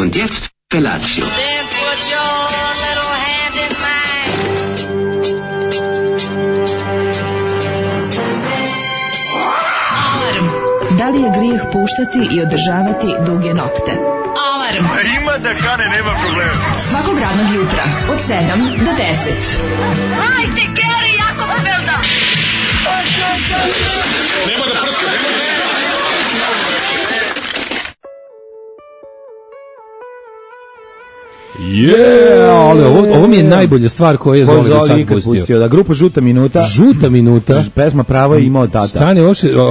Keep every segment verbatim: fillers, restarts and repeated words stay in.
Und jetzt Felatio. Then put your little hand in mine. Alarm. Da li je grijeh puštati i održavati duge nokte? Alarm. A ima da kane, nema problema. Svakog radnog jutra od sedam do deset. Hajde, Geri, jako se velda. Nema da prska, nema da prska. Yeah, ali ovo, ovo mi je najbolja stvar koju je Zoli do sad pustio. pustio. Da, grupa Žuta minuta. Žuta minuta. Pesma Pravo je imao tata. Stani,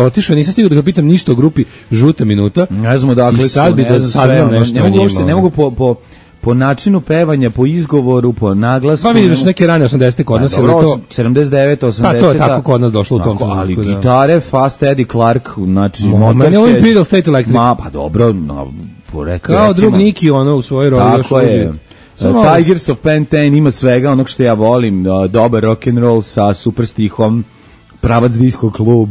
otišao, nisam stigao da ga pitam ništa o grupi Žuta minuta. Ne znamo dakle I sad su, bi da saznam nešto ne o mogu, njima. uopšte, ne mogu po, po, po načinu pevanja, po izgovoru, po naglasku. Pa vidiš neke rane osamdesete kod nas. Dobro, to... sedamdeset devet, osamdeset. Pa to je tako kod nas došlo u tom trenutku. Ali da. gitare, Fast Eddie Clark, znači... Mo, meni je ovo Imperial State Electric. Ma, pa dobro, no, po reku, kao recimo, drug Niki, ono, u svojoj roli. Tako je. Samo Tigers of Pantene ima svega onog što ja volim, dobar rock and roll sa super stihom, pravac disco klub.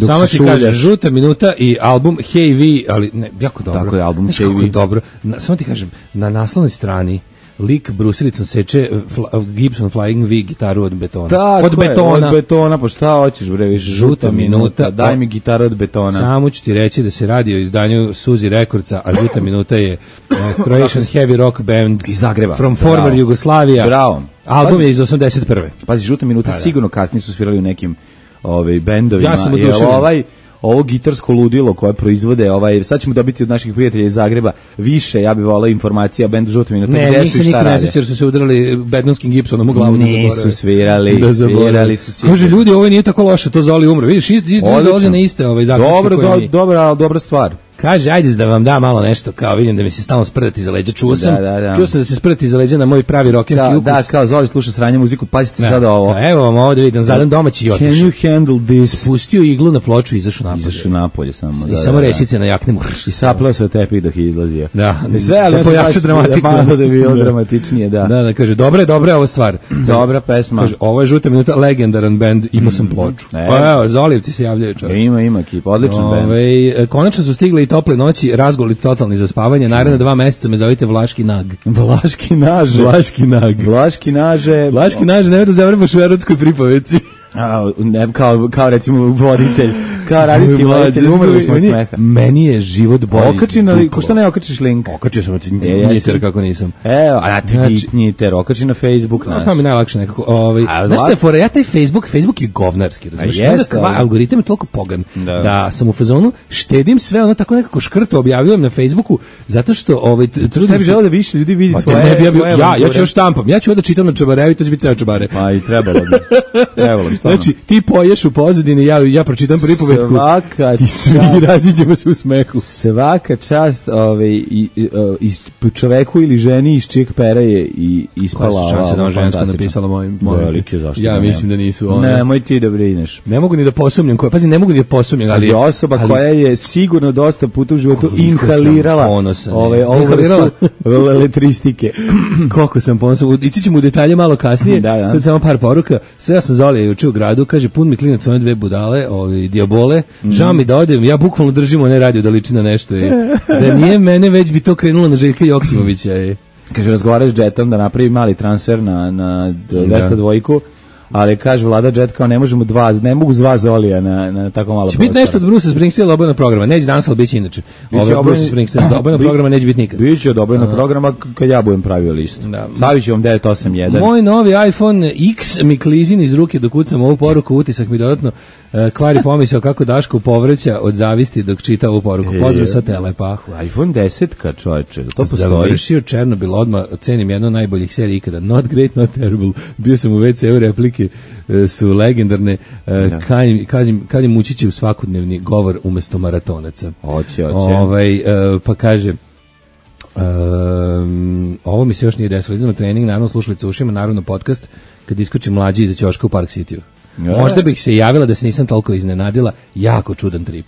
Samo ti kažem, Žuta minuta i album Hey Vi, ali ne, jako dobro. Tako je, album Hey Vi. Dobro. Na, samo ti kažem, na naslovnoj strani lik brusilicom seče fla, Gibson Flying V gitaru od betona. Tako od betona. Od betona, pa šta hoćeš bre, više Žuta minuta, daj mi gitaru od betona. Samo ću ti reći da se radi o izdanju Suzi Rekordca, a Žuta minuta je uh, Croatian Heavy Rock Band iz Zagreba. From former Bravo. Jugoslavia. Bravo. Album je iz osamdeset prve. Pazi, Žuta minuta da, da. sigurno kasnije su svirali u nekim ovaj bendovima. Ja sam Jer oduševljen. ovaj ovo gitarsko ludilo koje proizvode, ovaj, sad ćemo dobiti od naših prijatelja iz Zagreba više, ja bih volao informacija o bendu Žuta minuta. Ne, gde njih su se i šta niko ne rade. sjeća jer su se udarali bedonskim gipsonom u glavu. Nisu svirali, da svirali su sigurno. Kaže, ljudi, ovo nije tako loše, to Zoli umre. Vidiš, ist, ist, dolaze na iste ovaj zaključke. Dobro, do, mi... dobra, dobra stvar. Kaže, ajde da vam da malo nešto, kao vidim da mi se stalno sprdati za leđa. Čuo sam, da, da, da. čuo sam da se sprdati za leđa na moj pravi rokenski da, ukus. Da, kao Zoli sluša sranje muziku, pazite da, sada ovo. Da, evo vam ovo da vidim, zadan domaći i otišao. Can you handle this? Spustio iglu na ploču i izašao napolje. Izašao napolje samo. I da, samo da, resice na jaknemu. I saplao se tepih dok je izlazio. Da, I sve, ali da pojača dramatiku. Da bi bilo dramatičnije, da. Da, da, kaže, dobra je, dobra je ova stvar. Dobra pesma. Kaže, ovo je Žuta minuta, legendaran bend, imao sam ploču. Mm, pa evo, Zolijevci se javljaju čovjek. Ima, ima kip, odličan bend. Ove, konačno su stigle i tople noći, razgoli totalni za spavanje, naredne dva meseca me zovite Vlaški nag. Vlaški naže. Vlaški nag. Vlaški naže. Vlaški naže, ne da zavrbaš u erotskoj pripoveci. A, ne, kao, kao recimo voditelj, kao radijski voditelj, umrli smo od smeha. Meni je život bolji. Okači na, ko što ne okačiš link? Okačio sam, e, njiter kako nisam. Evo, a ti znači, njiter, okači na Facebook naš. To mi najlakše nekako. Ovaj, znaš šta je fora, ja taj Facebook, Facebook je govnarski, razumiješ? Jest, Onda algoritam je toliko pogan da. da sam u fazonu, štedim sve, ono tako nekako škrto objavljujem na Facebooku, zato što ovaj, trudim ne bi želeo da više ljudi vidi pa, tvoje, ne bi ja, tvoje ja, ja ću još štampam, ja ću onda čitam na čabareju i to će biti ceo čabare. Pa i trebalo bi. Trebalo bi. Znači, ti poješ u pozadini, ja, ja pročitam pripovetku svaka i svi raziđemo se u smehu. Svaka čast ovaj, i, i, i čoveku ili ženi iz čijeg pera je i ispala ova. Šanse da žensko napisala mojim. Velike, zašto ja da mislim da nisu one. Ne, moj ti da brineš. Ne mogu ni da posumnjam, koja, pazi, ne mogu ni da posumnjam. Ali, ali osoba ali, koja je sigurno dosta puta u životu inhalirala ovaj, ovu vrstu elektristike. Koliko sam ponosan. Ići ćemo u detalje malo kasnije. da, da. Sad samo par poruka. Sve ja sam Zolija juče u gradu, kaže, pun mi klinac one dve budale, ovi dijabole, mm. žao mi da odem, ja bukvalno držim one radio da liči na nešto. Je. Da nije mene, već bi to krenulo na Željka Joksimovića. Je. Kaže, razgovaraš s Jetom da napravi mali transfer na, na dvesta dvojku, ali kaže Vlada Jet kao ne možemo dva, ne mogu dva Zolija na, na tako malo će prostora. Biti nešto od Bruce Springsteena obojnog programa, neće danas, ali biće inače. Ovo Bruce Springsteen obojnog programa neće biti nikad. Biće od obojnog programa kad ja budem pravio listu. Da. Stavit ću vam devet osam jedan. Moj novi iPhone X mi klizin iz ruke dok kucam ovu poruku, utisak mi dodatno uh, kvari pomisao kako Daško povreća od zavisti dok čita ovu poruku. Pozdrav sa Telepahu. iPhone deset ka čovječe, to postoji. Završio Černobil odmah, cenim jedno od najboljih serija ikada. Not great, not terrible. Bio sam u ve ce u replike, uh, su legendarne. Uh, ja. Kažem, kažem, kažem mučiće u svakodnevni govor umesto maratonaca. Oće, oće. Ovaj, uh, pa kaže... Um, ovo mi se još nije desilo. Idemo na trening, naravno slušalice ušima, naravno podcast kad iskoči mlađi iza ćoška u Park City-u. Možda bih se javila da se nisam toliko iznenadila, jako čudan trip.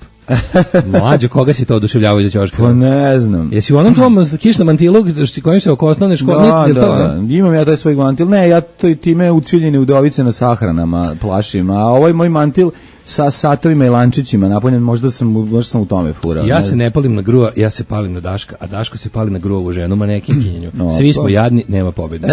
Mlađo, koga si to oduševljavao iz ćoška? Pa ne znam. Jesi u onom tvom kišnom mantilu kojim se oko osnovne škole? Da, da, da, imam ja taj svoj mantil. Ne, ja to i time ucviljene udovice na sahranama plašim, a ovaj moj mantil sa satovima i lančićima napunjen, možda sam, možda sam u tome furao. Ja se ne palim na gruva, ja se palim na Daška, a Daško se pali na gruovu ženu, manekinkinju. No, Svi smo jadni, nema pobjede.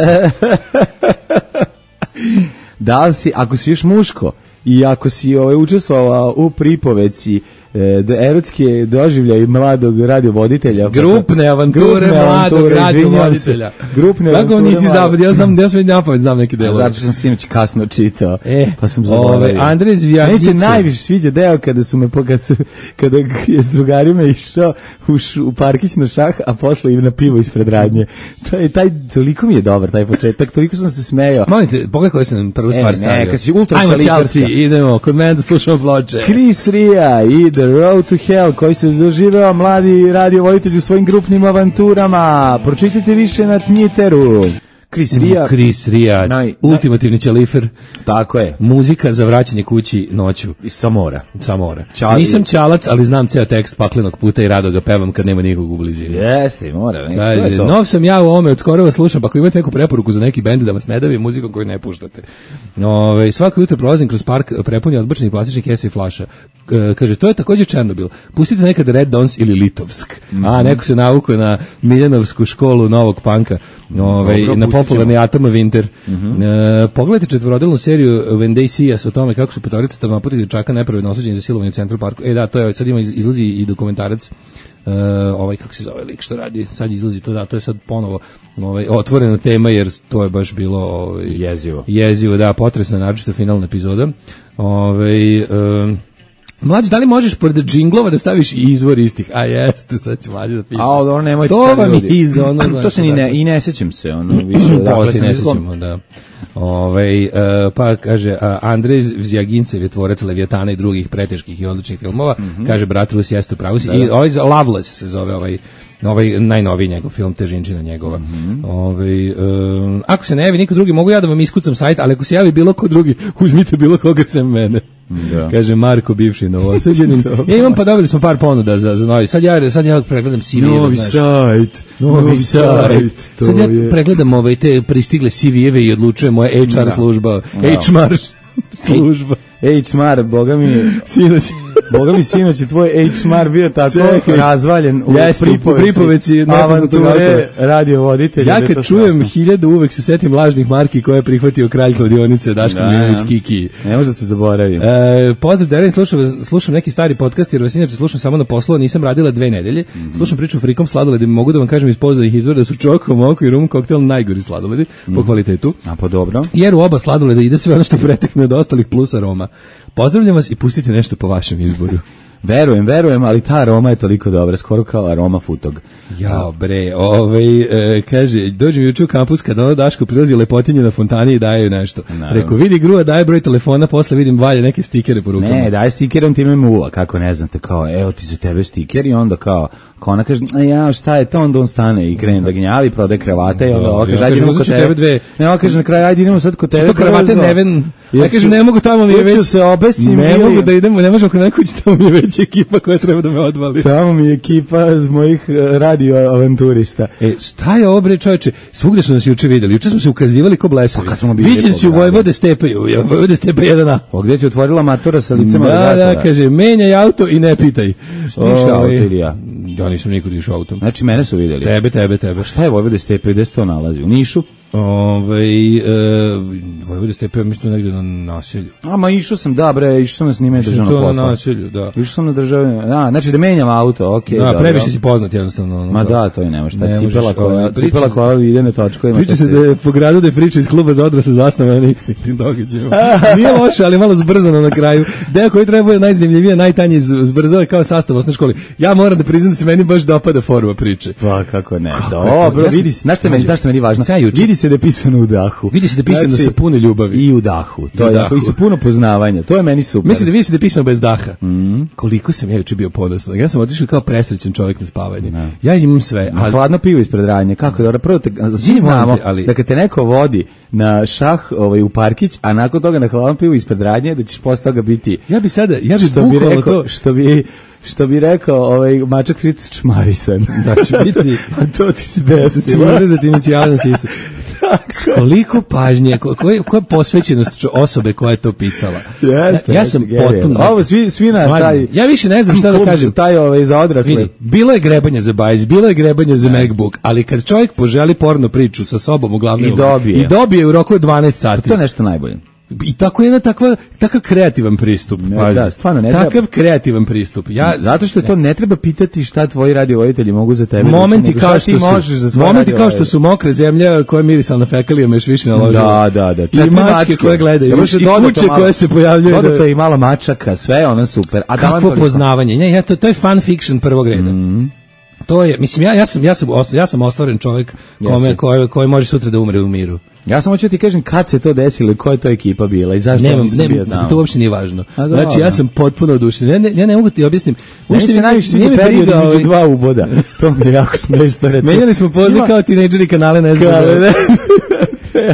Da li si, ako si još muško i ako si ovaj, učestvovao u pripovedci e, erotske doživljaje mladog radiovoditelja. Grupne avanture grupne mladog avanture, radiovoditelja. Grupne Kako avanture nisi zapad, ja znam, ja sam napavit, znam neki delove. Zato što sam sinoć kasno čitao, e, pa sam zaboravio. Andrej Zvijagice. Meni se najviše sviđa deo kada su me, kada, su, kada je s drugarima išao u, u parkić na šah, a posle i na pivo ispred radnje. Taj, taj, toliko mi je dobar, taj početak, toliko sam se smejao. Molim te, pogledaj koji sam prvu stvar e, stavio. Ne, kad si ultra Ajmo Chelsea, idemo, kod mene da slušamo ploče. Chris Ria i The Road to Hell, koji se doživeo mladi radiovoditelj u svojim grupnim avanturama. Pročitajte više na Twitteru. Chris Ria. Chris Ria, naj, ultimativni ćelifer. Tako je. Muzika za vraćanje kući noću. Iz Samora. Samora. Čali. Nisam čalac, ali znam ceo tekst Paklenog puta i rado ga pevam kad nema nikog u blizini. Jeste, mora. Ne, Kaže, to je to. nov sam ja u ovome, od skoro vas slušam, pa ako imate neku preporuku za neki bend da vas ne davi muzikom koju ne puštate. Ove, svako jutro prolazim kroz park prepunjen odbačenih plastičnih kesa i flaša. E, kaže, to je također Černobil. Pustite nekad Red Dons ili Litovsk. Mm-hmm. A, neko se navukao na Miljanovsku školu novog panka. Ove, Dobro, na popularni Atom of Winter. Mm-hmm. E, pogledajte četvorodelnu seriju When They See Us o tome kako su petorica tavnoputih dječaka nepravedno osuđeni za silovanje u Central Parku. E da, to je, sad ima, izlazi i dokumentarac, e, ovaj, kako se zove lik što radi, sad izlazi to, da, to je sad ponovo ovaj, otvorena tema jer to je baš bilo ovaj, jezivo. Jezivo, da, potresno, naročito finalna epizoda. Ovaj, e, Mlađe, da li možeš pored džinglova da staviš i izvor istih? A jeste, sad će Mlađe da piše. A ono, nemojte to sad vam ljudi. iz ono. To se ni ne, i ne sećam se, ono, više. Dakle, se ne sećamo, da. Ove, uh, pa kaže, uh, Andrej Zvijagincev je tvorac Leviatana i drugih preteških i odličnih filmova. Mm-hmm. Kaže, brat Rus, jeste upravo si. I ovaj Loveless se zove ovaj, ovaj najnoviji njegov film, Težinčina njegova. Mm-hmm. Ove, um, ako se ne javi niko drugi, mogu ja da vam iskucam sajt, ali ako se javi bilo ko drugi, uzmite bilo koga sem mene. Da. Kaže Marko, bivši novosađenin. Ja imam, pa dobili smo par ponuda za, za novi. Sad ja, sad ja pregledam C V-eve. Novi sajt. Novi sajt. Sad ja pregledam ove te pristigle C V-eve i odlučujem moja H R da. služba. Da. H R služba. H R, boga mi, sinoć. Boga mi sinoć je tvoj H R bio tako Čekaj. razvaljen u yes, pripovedci avanture radiovoditelja. Ja kad čujem hiljadu uvek se setim lažnih marki koje je prihvatio kralj kladionice Daško da, Milinović Kiki. Ne može da se zaboravim. E, pozdrav Derin, slušam, slušam neki stari podcast jer vas inače slušam samo na poslu, nisam radila dve nedelje. Mm-hmm. Slušam priču o frikom sladoledima, mogu da vam kažem iz pouzdanih izvora da su Čoko, Moko i Rum koktel najgori sladoledi mm-hmm. po kvalitetu. A pa dobro. Jer u oba sladoleda ide sve ono što pretekne od ostalih plus aroma. Pozdravljam vas i pustite nešto po vašem izboru. Verujem, verujem, ali ta aroma je toliko dobra, skoro kao aroma futog. Ja, bre, ovaj, e, kaže, dođem juče u kampus kad ono Daško prilazi lepotinje na fontani i daje nešto. Naravno. Rekao, vidi grua, daje broj telefona, posle vidim valje neke stikere po rukama. Ne, daje stiker, on ti me muva, kako ne znate, kao, evo ti za tebe stiker i onda kao, kao ona kaže, ja, šta je to, onda on stane i krene da gnjavi, prodaje kravate i onda ovo kaže, ajde idemo kod tebe. Dve. Ne, ovo kaže na kraju, ajde idemo sad kod tebe. Što kravate neven, ja kaže, ne mogu tamo mi je već, se obesim, ne mogu da idemo, ne možemo kod nekoj tamo mi je već ekipa koja treba da me odvali. Tamo mi je ekipa z mojih radio avanturista. E, šta je ovo bre čoveče? Svugde su nas juče videli. Juče smo se ukazivali ko blesavi. Pa viđen si u Vojvode Stepeju. Vojvode Stepe jedan A. O, gde ti otvorila matora sa licem da, aligatora? Da, kaže, menjaj auto i ne pitaj. Šta ti auto ili ja? Ja nisam nikud išao autom. Znači, mene su videli. Tebe, tebe, tebe. A šta je Vojvode Stepe? Gde se to nalazi? U Nišu? Ove, e, Vojvode Stepe, mislim negde na naselju. A, ma išao sam, da bre, išao sam na snimanje državnog posla. To na naselju, da. Išao sam na državne, da, znači da menjam auto, okej. Okay, da, previše si poznat jednostavno. Ono, ma da, to je nema šta, cipela koja, cipela koja ide na točkovima. Priča se da je po gradu da je priča iz kluba za odrasle zasnovana na istim događajima. Nije loše, ali malo zbrzano na kraju. Deo koji treba bude najzanimljivije, najtanji zbrzao je kao sastav osnovne škole. Ja moram da priznam da se meni baš dopada forma priče. Pa kako ne. Dobro, vidi se, znaš šta meni, znaš šta meni važno? Vidi se se da je pisano u dahu. Vidi se da je pisano znači, sa puno ljubavi. I u dahu. To I, je, dahu. I sa puno poznavanja. To je meni super. Mislim da vidi se da je pisano bez daha. Mm. Koliko sam ja juče bio ponosan. Ja sam otišao kao presrećen čovjek na spavanje. No. Ja imam sve. Ali... Hladno pivo ispred radnje. Kako je dobro? Prvo te, svi znamo ali... da kad te neko vodi na šah ovaj, u parkić, a nakon toga na hladno pivo ispred radnje, da ćeš posle toga biti... Ja bi sada, ja bi što bi rekao, to... Što bi... Što bi rekao, ovaj mačak Fritz čmarisan. Da će biti, a to ti se desilo. Da će urezati inicijalno sisu. Koliko pažnje, koja ko je posvećenost osobe koja je to pisala. Jeste, ja, ja sam potpuno... Ovo svi, svi na taj... Ja više ne znam šta da kažem. Taj ovaj za odrasle. Vidi, bilo je grebanje za Bajić, bilo je grebanje za MacBook, ali kad čovjek poželi porno priču sa sobom u glavnoj I dobije. I dobije u roku od dvanaest sati. To je nešto najbolje. I tako je jedna takva, takav kreativan pristup. Ne, da, stvarno ne takav treba, kreativan pristup. Ja, zato što to ne treba pitati šta tvoji radiovoditelji mogu za tebe. Momenti da kao što su, možeš za momenti kao što su mokre zemlja koje mirisala na fekalijama još više naložila. Da, da, da. Četiri I mačke, mačke koje gledaju, još i kuće koje se pojavljuju. Dodato je i malo mačaka, sve ono super. A kakvo poznavanje. Ne, ja, to, to je fan fiction prvog reda. Mm. To je, mislim, ja, ja sam, ja sam, ja sam ostvaren čovjek kome, koji, koji može sutra da umre u miru. Ja samo ću ti kažem kad se to desilo i koja je to ekipa bila i zašto Nemam, nisam bio tamo. To uopšte nije važno. A, znači ja sam potpuno oduševljen. Ja ne, ja ne mogu ti objasniti. Uopšte se najviše sviđa period između ovaj... dva uboda. To mi je jako smešno reći. Menjali smo poziv Ima... kao tinejdžeri kanale, ne znam.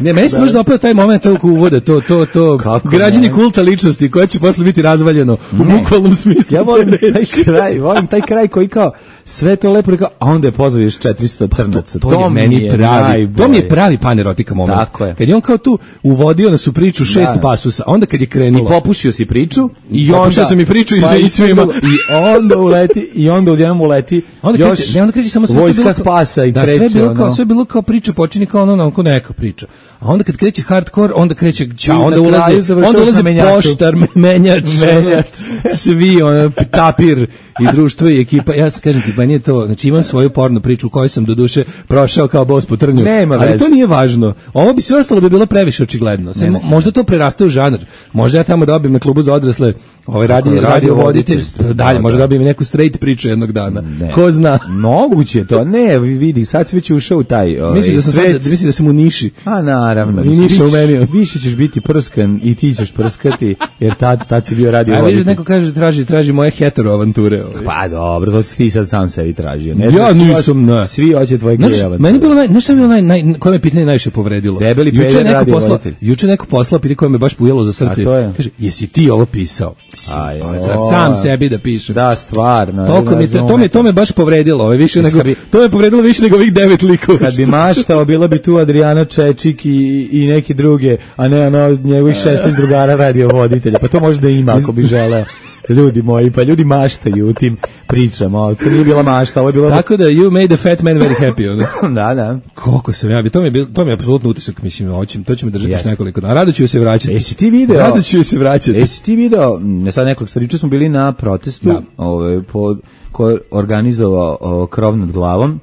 Ne, meni se možda opet taj moment tog uvoda, to, to, to, građenje kulta ličnosti koje će posle biti razvaljeno u bukvalnom smislu. Ja volim taj kraj, volim taj kraj koji kao sve to lepo rekao, a onda je pozvao još četiristo crnaca. To, to, to je meni pravi, to mi je pravi panerotika moment. Tako je. Kad je on kao tu uvodio nas u priču šest da. pasusa, onda kad je krenulo. I popušio si priču, i onda sam i priču i, pa i svima. I onda uleti, i onda odjednom uleti. Onda još kreće, ne, onda kreće samo sve vojska bilo, spasa i da, kreće. Sve bilo kao, ono. sve bilo kao priča, počini kao ono, ono, neka priča. A onda kad kreće hardcore, onda kreće ča, onda ulazi, onda ulazi poštar, menjač, menjač. Svi, ono, tapir i društvo i ekipa. Ja se kažem ti, pa nije to, znači imam svoju porno priču u kojoj sam do duše prošao kao bos po trnju. Nema ali vez. To nije važno. Ovo bi sve ostalo bi bilo previše očigledno. Sam, ne, ne. Možda to preraste u žanr. Možda ja tamo dobijem na klubu za odrasle ovaj radi, radio voditelj, dalje, možda dobijem neku straight priču jednog dana. Ne. Ko zna? Moguće to. Ne, vidi, sad si već ušao u taj ovaj, misliš da sam svet. Sad, misliš da sam u niši. A naravno. I niša u meni. Više ćeš biti prskan i ti ćeš prskati, jer tad, tad si bio radio voditelj. A vidiš, neko kaže, traži, traži moje hetero avanture. Ovaj. Pa dobro, to si ti sad sam sebi tražio. Ne, ja nisam, ne. Svi hoće tvoje gej avanture. Meni bilo, naj, nešto je bilo naj, naj, koje me pitanje najviše povredilo. Debeli peder radio posla, voditelj. Juče neko poslao pitanje koje me baš pujelo za srce. Kaže, jesi ti ovo pisao? Aj, za sam sebi da pišem. Da, stvarno. Toliko mi to, to me to me baš povredilo, ovaj više nego bi, to me povredilo više nego ovih devet likova. Kad bi maštao, bilo bi tu Adriana Čečik i, i neki druge, a ne ono njegovih šesnaest drugara radio voditelja. Pa to možda ima ako bi želeo. Ljudi moji, pa ljudi maštaju u tim pričama, to nije bila mašta, ovo je bilo... Tako da, you made the fat man very happy, ono. Da, da. Koliko sam ja, to mi je, bil, to mi je apsolutno utisak, mislim, hoćem, to će me držati još nekoliko dana. Rado ću se vraćati. Jesi ti video? Rado ću se vraćati. Jesi ti video, ne sad nekoliko stvari, smo bili na protestu, da. Ove, po, ko organizovao o, krov nad glavom,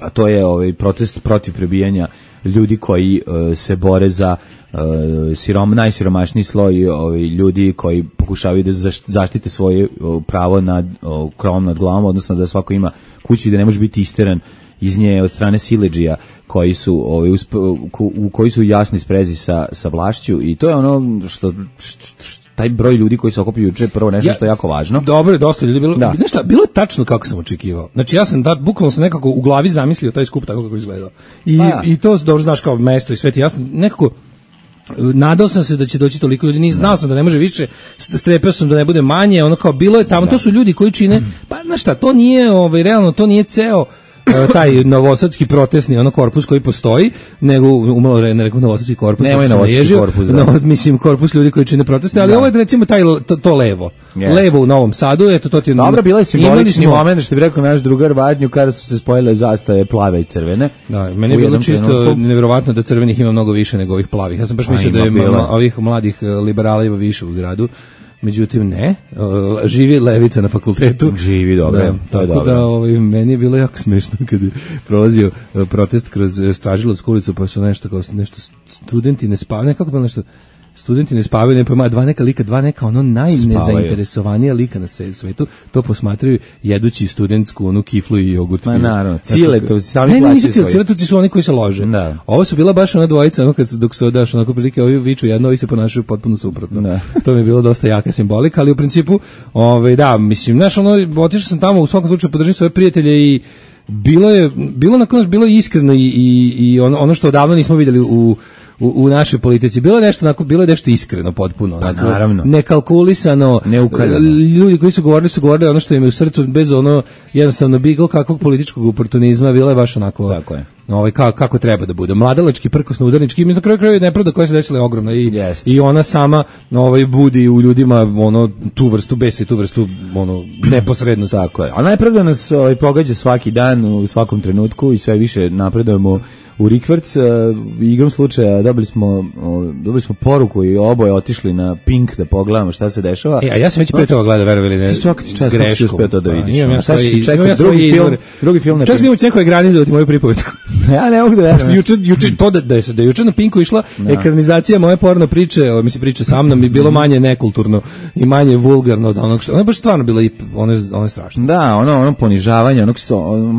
a to je ovaj protest protiv prebijanja ljudi koji uh, se bore za uh, sirom, najsiromašniji sloj ovaj, ljudi koji pokušavaju da zaštite svoje uh, pravo nad uh, krovom nad glavom, odnosno da svako ima kuću i da ne može biti isteran iz nje od strane siledžija koji su ovaj, usp, u koji su jasni sprezi sa, sa vlašću i to je ono što, što, što taj broj ljudi koji se okupio juče prvo nešto ja, što je jako važno. Dobro, dosta ljudi bilo. Da. Znaš šta, bilo je tačno kako sam očekivao. Znači ja sam da bukvalno sam nekako u glavi zamislio taj skup tako kako izgledao. I ja. i to dobro znaš kao mesto i sve ti jasno nekako nadao sam se da će doći toliko ljudi, ni znao sam da ne može više, strepeo sam da ne bude manje, ono kao bilo je tamo, da. To su ljudi koji čine, pa znaš šta, to nije, ovaj, realno, to nije ceo taj novosadski protestni ono korpus koji postoji, nego umalo ne rekao novosadski korpus, nema novosadski korpus, da. No, mislim korpus ljudi koji čine proteste, ali da. Ovo je recimo taj to, to levo, yes. Levo u Novom Sadu, eto to ti je. Dobro, bila je simbolični moment što bi rekao naš drugar Vadnju kada su se spojile zastave plave i crvene. Da, meni je bilo čisto trenutku neverovatno da crvenih ima mnogo više nego ovih plavih. Ja sam baš mislio da je ma, ovih mladih liberala ima više u gradu. Međutim, ne, živi levica na fakultetu. Živi, dobro, da, to je dobro. Da, ovaj, meni je bilo jako smešno kad je prolazio protest kroz Stražilovsku ulicu, pa su nešto kao nešto studenti ne spavaju, nekako bilo nešto, studenti ne spavaju, ne pojma, dva neka lika, dva neka ono najnezainteresovanija lika na svetu, to posmatraju jedući studentsku onu kiflu i jogurt. Ma naravno, ciletovci sami plaćaju svoje. Ne, nisu svoje. ciletovci su oni koji se lože. Da. Ovo su bila baš ona dvojica, ono kad se, dok se odaš, onako prilike, ovi viču jedno, ovi se ponašaju potpuno suprotno. Da. To mi je bilo dosta jaka simbolika, ali u principu, ovaj, da, mislim, znaš, ono, otišao sam tamo, u svakom slučaju podržim svoje prijatelje i bilo je, bilo na konac, bilo je iskreno i, i, i ono, ono što odavno nismo vidjeli u U, u našoj politici. Bilo je nešto onako, bilo je nešto iskreno potpuno. Pa onako, naravno. Nekalkulisano. Neukaljano. Ljudi koji su govorili su govorili ono što im je u srcu bez ono jednostavno bilo kakvog političkog oportunizma, bilo je baš onako. Tako je. Ovaj kako kako treba da bude. Mladalački, prkosno udarnički, i na kraju krajeva nepravda koja se desila je ogromna i yes. i ona sama ovaj budi u ljudima ono tu vrstu besa i tu vrstu ono neposrednosti. Tako je. A nepravda nas ovaj pogađa svaki dan u svakom trenutku i sve više napredujemo u Rikverc. Igrom slučaja dobili smo dobili smo poruku i oboje otišli na Pink da pogledamo šta se dešava. E, a ja sam već pre toga gledao, verovali ne. Svaki čas si uspeo to da vidiš. Ja sad si čekao drugi film, drugi film na. Čak smo neko egranizovati moju pripovetku. Ja ne mogu da verujem. Juče juče to da da je da juče na Pinku išla no. ekranizacija moje porno priče, o mislim priče sa mnom i bilo manje nekulturno i manje vulgarno od onog što. Ono je baš stvarno bilo i ono ono je strašno. Da, ono ono ponižavanje, ono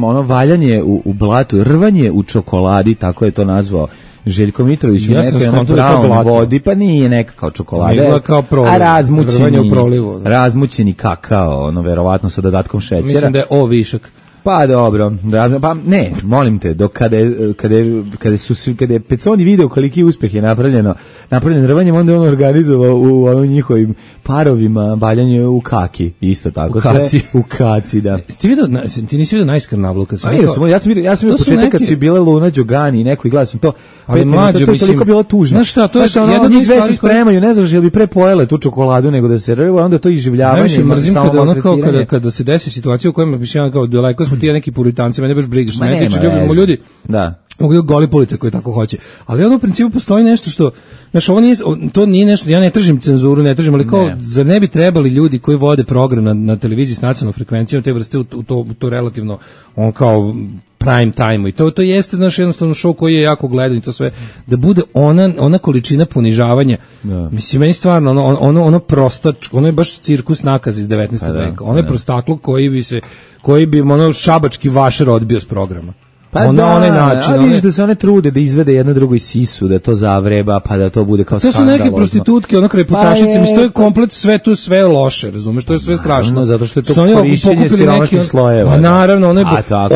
ono valjanje u, u blatu, rvanje u čokoladi, tako je to nazvao Željko Mitrović, ja u nekoj na brown vodi, pa nije neka kao čokolada, izgleda kao proliv, a razmućeni, u prolivu, da. razmućeni kakao, ono verovatno sa dodatkom šećera. Mislim da je o višak. Pa dobro, da, pa ne, molim te, dok kada je, kada je, kada su svi, kada je Peconi video koliki uspeh je napravljeno, napravljen rvanjem, onda je on organizovao u ovim njihovim parovima baljanje u kaki, isto tako. U kaci. Sve, u kaci, da. Ti vidio, ti nisi vidio najskrnavlu kad sam rekao? Ja sam, ja sam vidio, ja sam vidio početak neki... kad su bile Luna Đogani i neko i gledao sam to, ali mlađo, to, to je mislim, toliko bilo tužno. Znaš šta, to je ono, jedno njih dve se spremaju, ne znaš, jel bi pre pojele tu čokoladu nego da se rve, onda to iživljavanje. Najviše mrzim kada, ono kao, kada, kada se desi situacija u kojoj mislim, kao daleko smo ti neki puritanci, mene baš briga, što ne tiče, ljubimo ljudi. Da. Mogu goli police koji tako hoće. Ali ono u principu postoji nešto što, znači ovo nije, to nije nešto, ja ne tražim cenzuru, ne tražim, ali kao, ne. Zar ne bi trebali ljudi koji vode program na, na televiziji s nacionalnom frekvencijom te vrste u to, u to relativno, on kao prime time i to to jeste naš jednostavno show koji je jako gledan i to sve da bude ona ona količina ponižavanja. Da. Mislim meni stvarno ono ono ono prostač, ono je baš cirkus nakaz iz devetnaestog da, veka. Ono je prostakluk koji bi se koji bi ono šabački vašer odbio s programa. Pa ona, da, onaj način, a vidiš da se one trude da izvede jedno drugo iz sisu, da to zavreba, pa da to bude kao skandalozno. To su neke prostitutke, onako reputašice, pa mislim, to je komplet sve tu sve loše, razumeš, to je sve strašno. Naravno, zato što je to korišćenje siromašnih slojeva. Pa naravno, ono je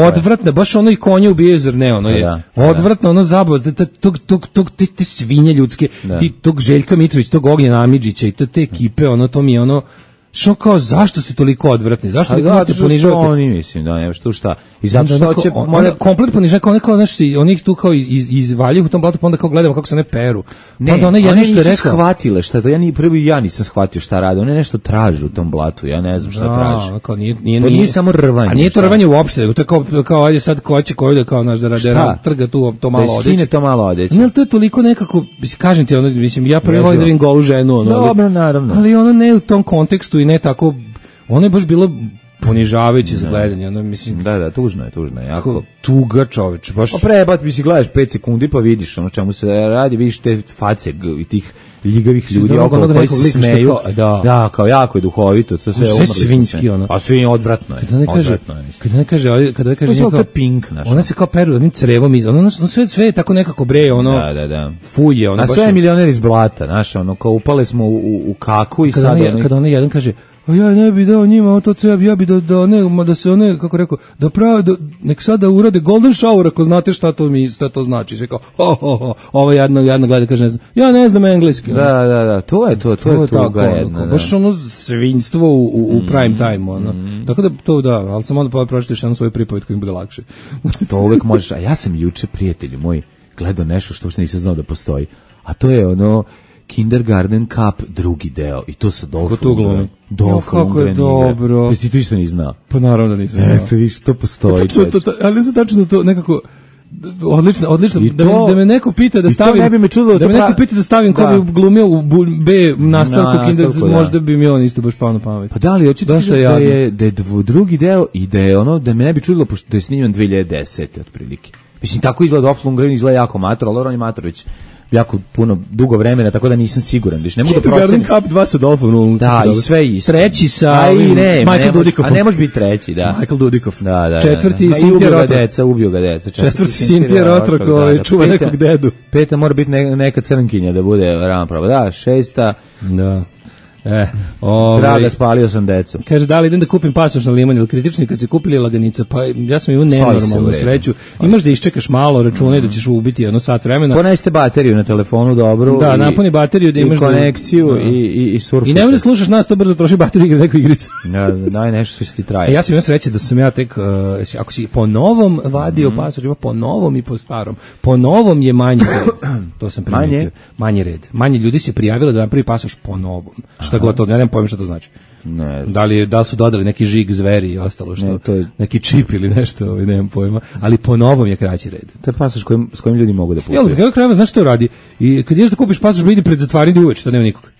odvratno, baš ono i konje ubijaju, zar ne, ono je da, odvratno, ono zabava, tog, tog, tog, te, te svinje ljudske, da. Ti, tog Željka Mitrović, tog Ognjena Amidžića i te, te ekipe, ono, to mi je ono, što kao, zašto su toliko odvratni? Zašto ih morate ponižavati? Oni, mislim, da, nema što šta. I zato što će... More... Komplet ponižavati, kao neko, znaš, oni ih tu kao iz, izvaljuju u tom blatu, pa onda kao gledamo kako se ne peru. Ne, onda one nisu rekao... shvatile šta to, ja ni prvi ja nisam shvatio šta rade, one nešto traže u tom blatu, ja ne znam šta da, traže. Kao, nije, nije, to nije, nije samo rvanje. A nije to rvanje uopšte, nego to je kao, kao ajde sad ko će koju da kao, znaš, da rade, trga tu to malo odeće. Da skine to malo odeće. Ne, to je toliko nekako, kažem ti, ono, mislim, ja prvi volim da vidim golu ženu, ono, dobro, naravno. Ali ono ne u tom kontekstu i ne tako. Ono je baš bilo ponižavajuće za gledanje, ono mislim. Da, da, tužno je, tužno je, jako tuga, čoveče, baš. Pa prebat mi si gledaš pet sekundi pa vidiš ono čemu se radi, vidiš te face i tih ljigavih ljudi okolo koji se smeju. Da. da, kao jako je duhovito, to sve sve svinjski ono. A sve odvratno je. Kada ne kaže, kada ne kaže, kada ne kaže neko Pink naš. Ona se kao peru onim crevom iz, ono, ono sve sve je tako nekako bre, ono. Da, da, da. Fuje, ono baš. A sve je milioner iz blata, znaš, ono kao upale smo u u kaku i sad oni kada ona jedan kaže a ja ne bi dao njima to treba, ja bi da, da, ne, da se one, kako rekao, da pravi, da, nek sada urade golden shower ako znate šta to mi, šta to znači. Sve kao, ho, ho, ho, ovo jedno, jedno gleda, kaže, ne znam, ja ne znam engleski. Da, da, da, to je to, to, to je tuga jedno. Da. Baš ono svinjstvo u, u, u prime time, ono. Mm. Tako da, to da, ali sam onda pa pročitaš jednu svoju pripoved koji im bude lakše. To uvek možeš, a ja sam juče, prijatelju moj, gledao nešto što uopšte nisam znao da postoji, a to je ono, Kindergarten Cup drugi deo i to sa Dolph Lundgrenom. Dolph kako je dobro. Jesi ti to isto ni znao? Pa naravno da nisam znao. Eto, viš, to postoji. To, to, to, ali su tačno to nekako odlično, odlično. Da, to, da me neko pita da stavim, ne bi me čudilo, da me neko pita da stavim da. Ko bi glumio u B nastavku Na, Kindergarten, da. Možda bi mi on isto baš pao na pamet. Pa da li, hoćete da, da je, da je drugi deo i da je ono, da me ne bi čudilo, pošto da je snimljen dve hiljade desete otprilike. Mislim, tako izgleda Dolph Lundgren, izgleda jako mator, ali on je mator već jako puno dugo vremena, tako da nisam siguran. Viš, ne mogu da procenim. Cup dva sa Dolphinom. Da, i sve isto. Treći sa a i ne, Michael ne Dudikoff. A ne može biti treći, da. Michael Dudikoff. Da, da. Četvrti da, da. Cynthia Rotrok. Deca, ubio ga deca. Četvrti Cynthia Rotrok, koji čuva peta, nekog dedu. Peta mora biti ne, neka crnkinja da bude ravnopravna. Da, šesta. Da. E, ove, Draga, spalio sam decu. Kaže, da li idem da kupim pasoš na liman ili kritični kad se kupili laganica, pa ja sam imao nenormalnu sreću. Imaš da iščekaš malo, računaj mm. da ćeš ubiti jedno sat vremena. Poneste bateriju na telefonu dobru. Da, i, napuni bateriju da imaš i konekciju da, i, i, i surfu. I nemoj da slušaš nas, to brzo troši bateriju igra neku igricu. Da, daj nešto što ti traje. E, ja sam imao sreće da sam ja tek, uh, ako si po novom vadio mm. pasoš, ima po novom i po starom. Po novom je manji red. To sam primetio. Manje? Manji red. Manje ljudi se prijavilo da napravi pasoš po novom. Šta god to, ja nemam pojma šta to znači. Ne da li, da li su dodali neki žig zveri i ostalo što, ne, to je... neki čip ili nešto, ovaj, nemam pojma, ali po novom je kraći red. To je pasoš s kojim, s kojim ljudi mogu da putuju. Jel, kako krajeva, znaš što radi? I kad ješ da kupiš pasoš, vidi pred zatvaranje uveč, što nema nikog.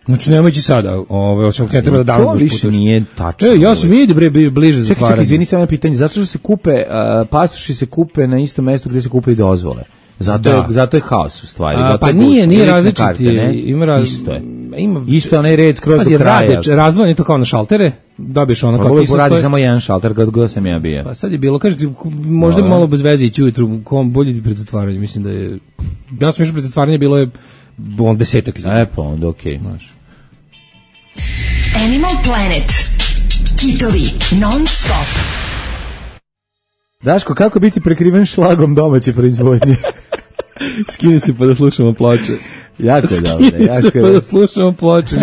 Znači, nemoj ići sada, ovaj, osim ne treba da danas baš putaš. To više nije tačno. E, ja sam vidi bre bliže zatvaranje. Čekaj, čekaj, izvini samo na pitanje, zato što se kupe, uh, pasoši se kupe na istom mestu gdje se kupe i dozvole. Zato je, zato je haos u stvari. A, zato pa je nije, nije različiti. Ima raz... Isto je. Ima... Isto onaj red skroz Pazi, do kraja. Rade, razvojeni to kao na šaltere, dobiješ ono kao ti se radi samo jedan šalter, kad god sam ja bio. Pa sad je bilo, kažete, možda no, malo bez veze ići ujutru, kom bolje pred zatvaranjem, mislim da je... Ja sam išao pred zatvaranje, bilo je on desetak ljudi. E pa onda okej. Okay. Animal Planet. Kitovi, non stop. Daško, kako biti prekriven šlagom domaće proizvodnje? Skini se pa da slušamo ploče. Jako je dobro. Skini se pa da slušamo ploče.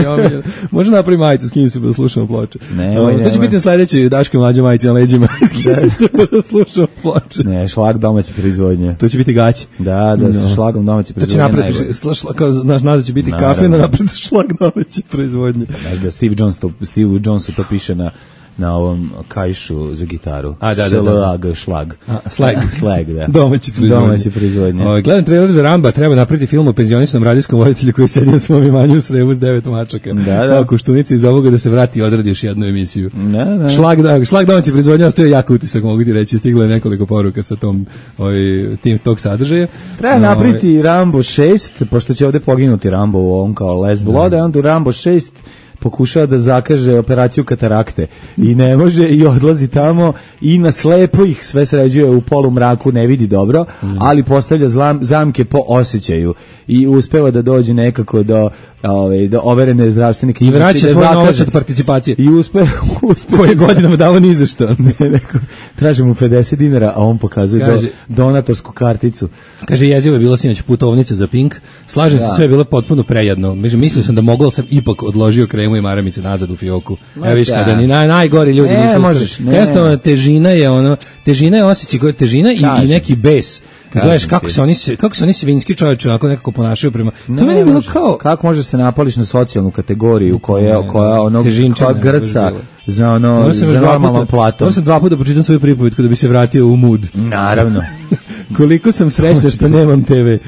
Može napravi majicu, skini se pa da slušamo ploče. Ne, no, to će biti na sledeći Daške mlađe majice na leđima. Skini se pa da slušamo ploče. Ne, šlag domaće proizvodnje. To će biti gaći. Da, da, sa no. šlagom domaće proizvodnje. To će napraviti, šla, kao naš naziv će biti kafe, na napraviti šlag domaće proizvodnje. Znaš da Steve Jones to, Steve Jonesu to piše na na ovom kajšu za gitaru. A, da, da, da. Slag, šlag. A, slag. Slag, da. Domaći proizvodnje. Domaći proizvodnje. O, gledam trailer za Ramba, treba napraviti film o penzionisanom radijskom voditelju koji sedi na svom imanju u Sremu s devet mačaka. Da, da. Kao Koštunica iz ovoga da se vrati i odradi još jednu emisiju. Da, da. Šlag, da, šlag domaći proizvodnje ostaje jako utisak, mogu ti reći. Stiglo je nekoliko poruka sa tom, ovaj, tim tog sadržaja. Treba no, napraviti ovaj... Rambo šest, pošto će ovde poginuti Rambo u ovom kao Les Blood, a onda u Rambo šest pokušava da zakaže operaciju katarakte i ne može i odlazi tamo i na slepo ih sve sređuje u polumraku, ne vidi dobro, ali postavlja zlam, zamke po osjećaju i uspeva da dođe nekako do ove, do overene zdravstvene knjižice i vraća svoj novac od participacije i uspe, uspe koje godinama davo ni za što. Ne, neko, traži mu pedeset dinara, a on pokazuje kaže, do, donatorsku karticu. Kaže, jezivo je bilo sinoć putovnica za Pink, slažem da. se, sve je bilo potpuno prejedno. Mislio sam da mogao, ali sam ipak odložio kremu i maramice nazad u fioku. Evo viš, kada ni naj, najgori ljudi ne, nisu možeš, ne. Jednostavno, težina je ono, težina je osjećaj, težina i, i neki bes. Kad gledaš kako se oni se kako se oni svinjski čovječe onako nekako ponašaju prema to ne, meni je bilo kao kako može se napališ na socijalnu kategoriju koja koja onog koja grca za ono za normalno plato. Ja sam dva puta pročitam svoju pripovetku da bi se vratio u mood. Naravno. Koliko sam srećan što nemam te ve.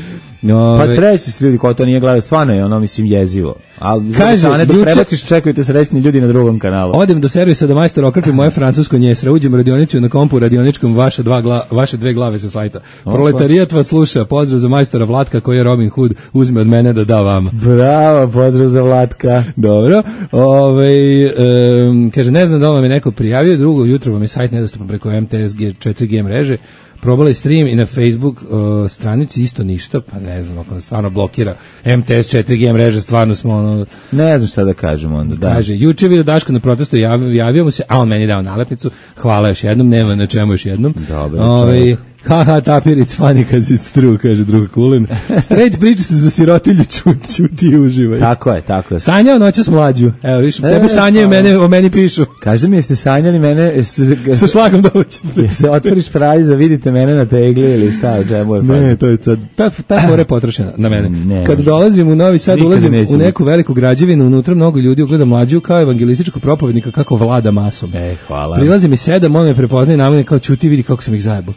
No, pa srećni su ljudi koji to nije gledaju, stvarno je ono, mislim, jezivo. Ali kaže, ne dok prebaciš, čekujte srećni ljudi na drugom kanalu. Odem do servisa da majstor okrpi moje francusko njesra, uđem u radionicu na kompu radioničkom vaše, dva gla, vaše dve glave sa sajta. Opa. Proletarijat vas sluša, pozdrav za majstora Vlatka koji je Robin Hood, uzme od mene da da vama. Bravo, pozdrav za Vlatka. Dobro, ovaj, um, kaže, ne znam da vam je neko prijavio, drugo jutro vam je sajt nedostupan preko M T S četiri G mreže. Probali stream i na Facebook uh, stranici isto ništa, pa ne znam, ako nas stvarno blokira M T S četiri G mreže, stvarno smo ono... Ne znam šta da kažemo onda, da. Kaže, juče vidio Daška na protestu, jav, javio mu se, a on meni dao nalepnicu, hvala još jednom, nema na čemu još jednom. Dobro, Ove, haha, tapir, it's funny cause it's true, kaže druga Kulin. Straight priča se za sirotilju, čuti, čuti i uživaj. Tako je, tako je. Sanjao noćas mlađu, evo viš, e, tebe sanjaju, mene, o meni pišu. Kaže mi, jeste sanjali mene... S, sa šlagom doći. Se otvoriš praliza, vidite mene na tegli ili šta, o čemu je fazno. Ne, to je sad, ta, ta fora je potrošena na mene. Ne, kad dolazim u Novi Sad, ulazim u neku veliku građevinu, unutra mnogo ljudi ugleda mlađu kao evangelističku propovednika kako vlada masom. E, hvala. Prilazi mi sedam, on me prepoznaje na mene kao čuti, vidi kako sam ih zajebao.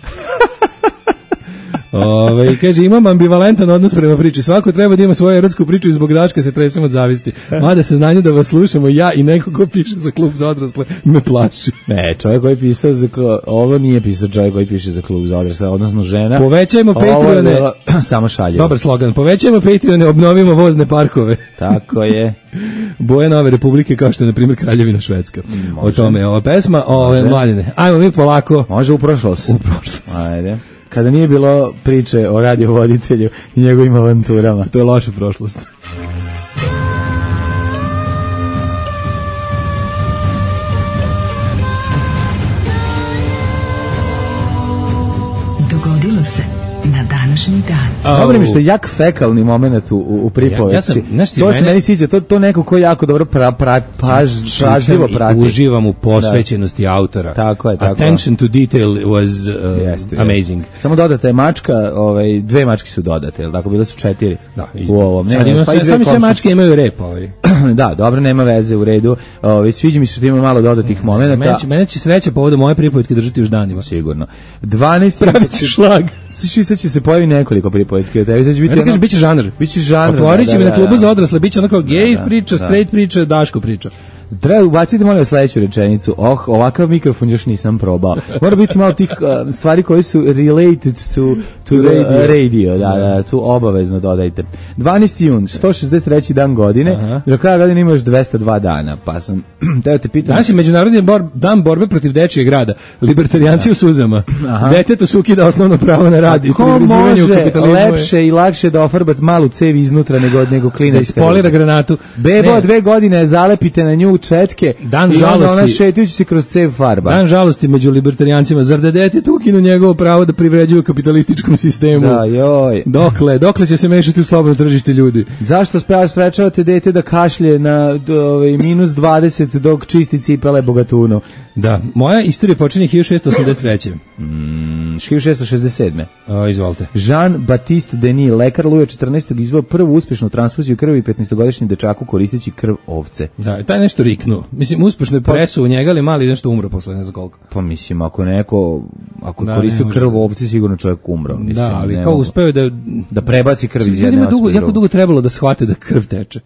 Ove, kaže, imam ambivalentan odnos prema priči. Svako treba da ima svoju erotsku priču i zbog dačka se tresem od zavisti. Mada se znanje da vas slušamo, ja i neko ko piše za klub za odrasle me plaši. Ne, čovjek koji pisao za klub, ovo nije pisao čovjek koji piše za klub za odrasle, odnosno žena. Povećajmo Patreone. Samo šalje. Dobar slogan. Povećajmo Patreone, obnovimo vozne parkove. Tako je. Boje nove republike kao što je na primjer Kraljevina Švedska. Može. O tome je ova pesma, ove mladine. Ajmo mi polako. Može u prošlost. U prošlost. Ajde. Kada nije bilo priče o radiovoditelju i njegovim avanturama. To je loša prošlost. Dogodilo se na današnji dan. Oh. Dobro mi što je jak fekalni moment u, u pripovesti. Ja, ja sam, nešto to mene, se meni sviđa, to, to neko ko jako dobro pra, pra, paž, pražljivo prati. Uživam u posvećenosti da. autora. Tako je, tako. Attention to detail was uh, jeste, amazing. Jeste. Samo dodata je mačka, ovaj, dve mačke su dodate, jel tako, bile su četiri da, u ovom. Sad ima, pa sami sve mačke imaju rep. Ovaj. Da, dobro, nema veze, u redu. Ovaj, sviđa mi se što ima malo dodatih momenata. Mene će, mene će sreća povodom moje pripovetke držati još danima. Sigurno. dvanaest Pravit će šlag. Sad će se pojavi nekoliko pripovetki od tebi. Sad će biti ono... Kaže, biće žanr. Biće žanr. Otvorit će mi na klubu za odrasle, biće onako gej priča, straight priča, Daško priča. Treba ubaciti molim vas sledeću rečenicu. Oh, ovakav mikrofon još nisam probao. Mora biti malo tih uh, stvari koje su related to, to the radio. radio. Da, da, tu obavezno dodajte. dvanaesti jun, sto šezdeset treći dan godine. Do kraja godine ima još dvesta dva dana. Pa sam, teo te pitam... Danas je međunarodni bor, dan borbe protiv dečijeg rada. Libertarijanci u suzama. Detetu se ukida osnovno pravo na rad i privređivanje u kapitalizmu. Lepše i lakše da ofarbat malu cev iznutra nego, nego klina iz spolira granatu. Bebo, dve godine zalepite na nju četke dan i žalosti, onda ona šetajući se kroz cev farba. Dan žalosti među libertarijancima. Zar da dete ukinu njegovo pravo da privređuju kapitalističkom sistemu? Da, joj. Dokle? Dokle će se mešati u slobodno tržište ljudi? Zašto sprečavate dete da kašlje na ovaj, minus dvadeset dok čisti cipele bogatunu? Da, moja istorija počinje hiljadu šessto osamdeset treće. Mm, hiljadu šessto šezdeset sedme. O, izvolite. Jean-Baptiste Denis, lekar Luja četrnaestog izveo prvu uspešnu transfuziju krvi petnaestogodišnjem dečaku koristeći krv ovce. Da, taj nešto riknuo. Mislim, uspešno je presu u njega, ali mali nešto umro posle ne znam koliko. Pa mislim, ako neko, ako da, koristio krv ovce, sigurno čovjek umro. Mislim, da, ali kao uspeo da... Da prebaci krv iz jedne dugo, jako dugo trebalo da shvate da krv teče.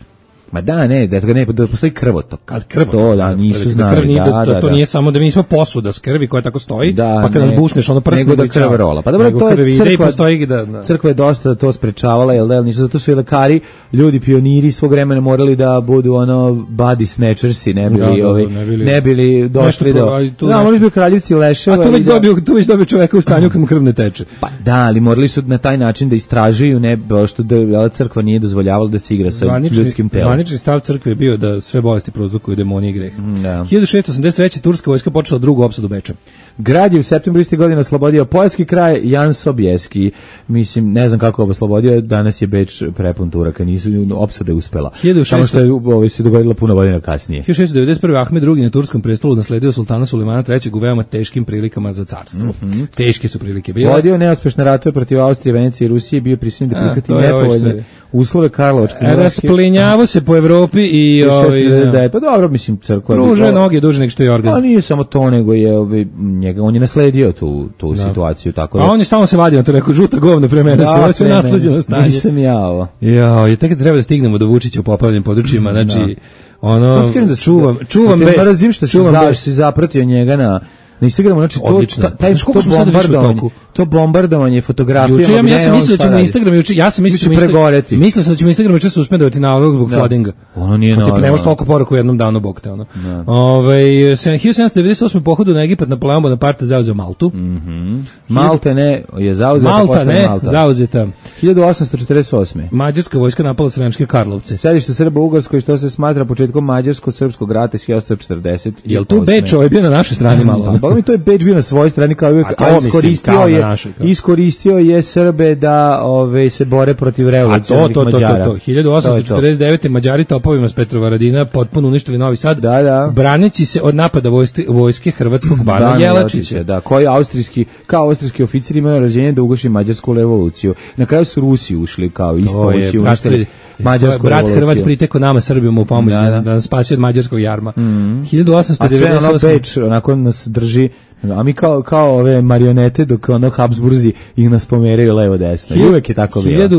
Ma da, ne, da, ne, da postoji krvotok. Kad krvotok, to, da, nisu znali, krv nije, da, to, da, to da. nije samo da mi nismo posuda s krvi koja tako stoji, da, pa kad ne, nas bušneš, ono prsne nego da krv rola. Pa dobro, to je crkva, postoji, da, da. Crkva je dosta to sprečavala, jel da, nisu, zato su i lekari, ljudi, pioniri svog vremena morali da budu ono body snatchersi, ne bili, da, da, ovaj, ne bili, ne bili došli do... Da, morali bi kraljevci leševa. A tu već dobio, tu već dobio čoveka u stanju kad mu krv ne teče. Pa da, ali morali su na taj način da istražuju, ne, što da crkva nije dozvoljavala da se igra sa ljudskim telom. Zvanični stav crkve je bio da sve bolesti prouzrokuju demonije i greh. Da. hiljadu šessto osamdeset treće turska vojska počela drugu opsadu Beča. Grad je u septembru iste godine oslobodio poljski kraj Jan Sobieski. Mislim, ne znam kako je oslobodio, danas je Beč prepun Turaka, nisu opsade uspela. Samo što je ovo se dogodilo puno godina kasnije. hiljadu šessto devedeset prve. Ahmed drugi. na turskom prestolu nasledio sultana Sulejmana trećeg. u veoma teškim prilikama za carstvo. Mm -hmm. Teške su prilike bile. Vodio neuspešne ratove protiv Austrije, Venecije i Rusije, bio prisiljen da prihvati nepovoljne uslove Karlovačke. Rasplinjavao se po Evropi i ovaj da, pa dobro, mislim, crkva pruža noge duže nego što je organ. A nije samo to, nego je ovaj njega on je nasledio tu tu da. situaciju, tako da. A on je stalno se vadio, to rekao žuta govna pre mene, da, sve nasleđeno stanje. Nisam ja ovo. Ja, je tek treba da stignemo do Vučića u poplavljenim područjima, znači da. ono da čuvam, čuvam bez. Mrzim što se zapratio njega na na Instagramu, znači to ta, taj to bombardovanje, to bombardovanje fotografijama. Juče ja, ja sam mislio da će na Instagramu juče, ja sam mislio da će pregoreti. Mislio sam da će na Instagramu juče suspendovati nalog zbog floodinga. Ono nije normalno. Ti nemaš toliko poruka u jednom danu, bog te ono. Ovaj hiljadu sedamsto devedeset osme. pohodu na Egipat Napoleon Bonaparte zauzeo Maltu. Mhm. Malta ne je zauzeta, Malta ne, zauzeta. hiljadu osamsto četrdeset osme. Mađarska vojska napala Sremske Karlovce. Sedište Srba u Ugarskoj, što se smatra početkom mađarsko-srpskog rata hiljadu osamsto četrdeset. Jel tu Beč ovaj bio na našoj strani malo? Pa mi to je Beč bio na svojoj strani kao uvijek, a iskoristio je našoj, iskoristio je Srbe da ove se bore protiv revolucionarnih Mađara. A to, to, to, to, hiljadu osamsto četrdeset devete. Mađari topovima s Petrovaradina potpuno uništili Novi Sad, da, da. braneći se od napada vojske, vojske hrvatskog bana Jelačića. Da, koji austrijski, kao austrijski oficir imaju rođenje da uguši mađarsku revoluciju. Na kraju su Rusi ušli kao ispomoći uništili mađarsku brat revoluciju. Hrvat priteko nama Srbijom u pomoć da, da. da nas spasi od mađarskog jarma. Mm. hiljadu osamsto devedeset osme. A sve ono Beč, onako nas drži A mi kao, kao ove marionete dok ono Habsburzi ih nas pomeraju levo desno. I uvek je tako bilo.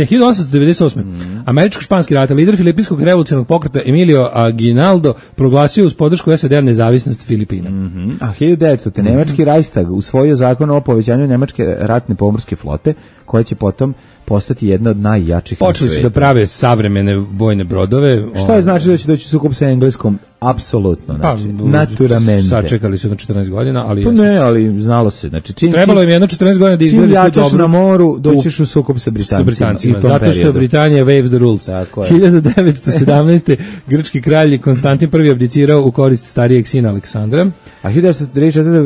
hiljadu osamsto devedeset osme. Mm. Američko-španski rat, lider filipinskog revolucionarnog pokreta Emilio Aguinaldo proglasio uz podršku S A D nezavisnost Filipina. Mm -hmm. A hiljadu devetstota. Mm -hmm. Nemački Reichstag usvojio zakon o povećanju nemačke ratne pomorske flote, koja će potom postati jedna od najjačih na Počeli su da prave savremene vojne brodove. Šta je znači da će doći sukob sa Engleskom? Apsolutno, znači, pa, naturamente. Sačekali su na četrnaest godina, ali... Pa ne, ali znalo se. Znači, čim trebalo im jedno četrnaest godina da izgradi tu dobro. Čim jačeš na moru, doćiš u sukob sa Britancima. Sa Britancima, zato što Britanija waves the rules. hiljadu devetsto sedamnaeste. grčki kralj Konstantin prvi abdicirao u korist starijeg sina Aleksandra. A hiljadu devetsto trideset četvrte.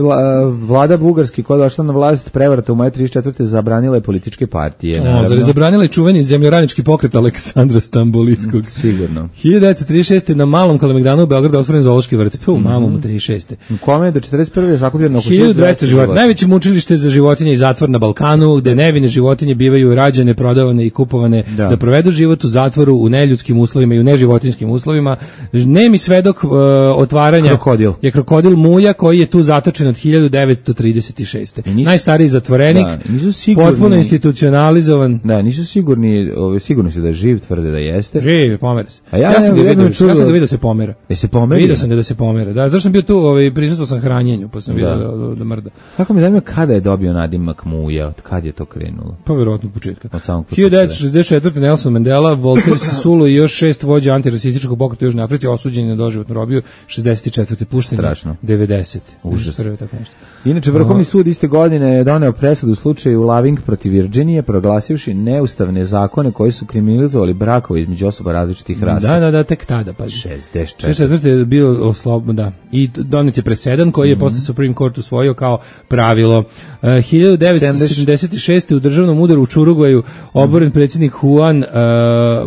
vlada Bugarski, koja je došla na vlast prevrata u maju trideset četvrte. zabranila je političke partije. O, zar je zabranila i čuveni zemljoradnički pokret Aleksandra Stamboliskog. Sigurno. hiljadu devetsto trideset šeste. na Malom Kalemegdanu u Beogradu otvoren zoološki vrt. Pu, mm -hmm. Mamom u trideset šeste. U kome je do četrdeset prve. zakupljeno oko hiljadu dvesta životinja. Najveće mučilište za životinje i zatvor na Balkanu, gde nevine životinje bivaju rađane, prodavane i kupovane da, da provedu život u zatvoru u neljudskim uslovima i u neživotinskim uslovima. Nemi svedok uh, otvaranja krokodil. je krokodil Muja, koji je tu zatočen od hiljadu devetsto trideset šeste. Nisu, najstariji zatvorenik, da, nisu sigurni, potpuno institucionalizovan. Da, nisu sigurni, sigurno se da je živ, tvrde da jeste. Živ, pomera se. A ja, ja sam ga vidio, čudo, ja sam ga vidio da se pomera. Da se pomera? Vidio sam ga da se pomera. Da, zašto sam bio tu, ovaj, prisustvo sam hranjenju, pa sam vidio da, da, da mrda. Kako mi zanima kada je dobio nadimak Muja, od kad je to krenulo? Pa verovatno od početka. Od samog početka. hiljadu devetsto šezdeset četvrte. Nelson Mandela, Voltaire Sisulu i još šest vođa antirasističkog pokreta u Južnoj Africi osuđeni na doživotnu robiju. šezdeset četvrte. pušteni. Strašno. devedesete. Užas. Prve, tako nešto. Inače, Vrhovni sud iste godine je doneo presudu u slučaju Loving protiv Virginije, proglasivši neustavne zakone koji su kriminalizovali brakove između osoba različitih rasa. Da, da, da, tek tada. Pa. šezdeset četvrte. šezdeset četvrte je bio oslobodan, da. I donet je presedan koji je mm -hmm. posle Supreme Court usvojio kao pravilo. Uh, hiljadu devetsto sedamdeset šeste. u državnom udaru u Čurugvaju oboren predsjednik Juan uh,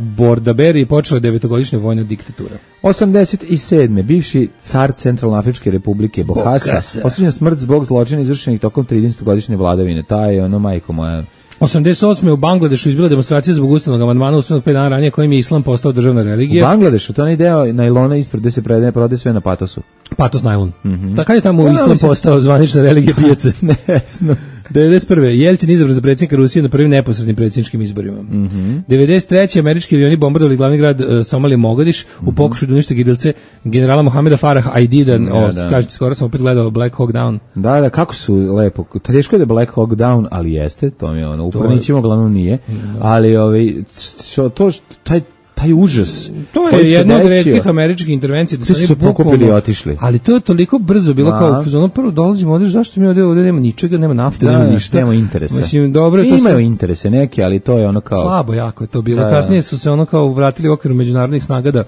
Bordaberry i počela devetogodišnja vojna diktatura. osamdeset sedme. bivši car Centralnoafričke republike Bokassa osuđen smrt zbog zločina izvršenih tokom tridesetogodišnje vladavine. Ta je ono, majko moja. osamdeset osme. u Bangladešu izbila demonstracija zbog ustavnog amandmana usvojenog pet dana ranije kojim je islam postao državna religija. U Bangladešu, to je deo najlona ispred gde se predaje, prodaje sve na patosu. Patos najlon. Mm -hmm. Tako je tamo ja, islam postao zvanična religija pijace. Ne znam. devedeset prve. Jelcin izabran za predsjednika Rusije na prvim neposrednim predsjedničkim izborima. Mm -hmm. devedeset treće. američki avioni bombardovali glavni grad uh, Somalije Mogadiš mm -hmm. u pokušaju da unište gidilce generala Mohameda Farah Aidida. Ja, o, da. Kažete, skoro sam opet gledao Black Hawk Down. Da, da, kako su lepo. Teško je da Black Hawk Down, ali jeste, to mi je ono, upornićemo, glavnom nije. Da. Ali ovaj, što, to, taj taj užas. To je jedna od retkih američkih intervencija da su, su pokupili i otišli. Ali to je toliko brzo bilo. A. Kao ono prvo dolazimo ovdje, zašto mi ovdje, ovdje nema ničega, nema nafte, da, nema ništa. Nema interesa. Mislim, dobro, imaju to su, interese neki, ali to je ono kao slabo jako je to bilo. Da, kasnije su se ono kao vratili u okviru međunarodnih snaga da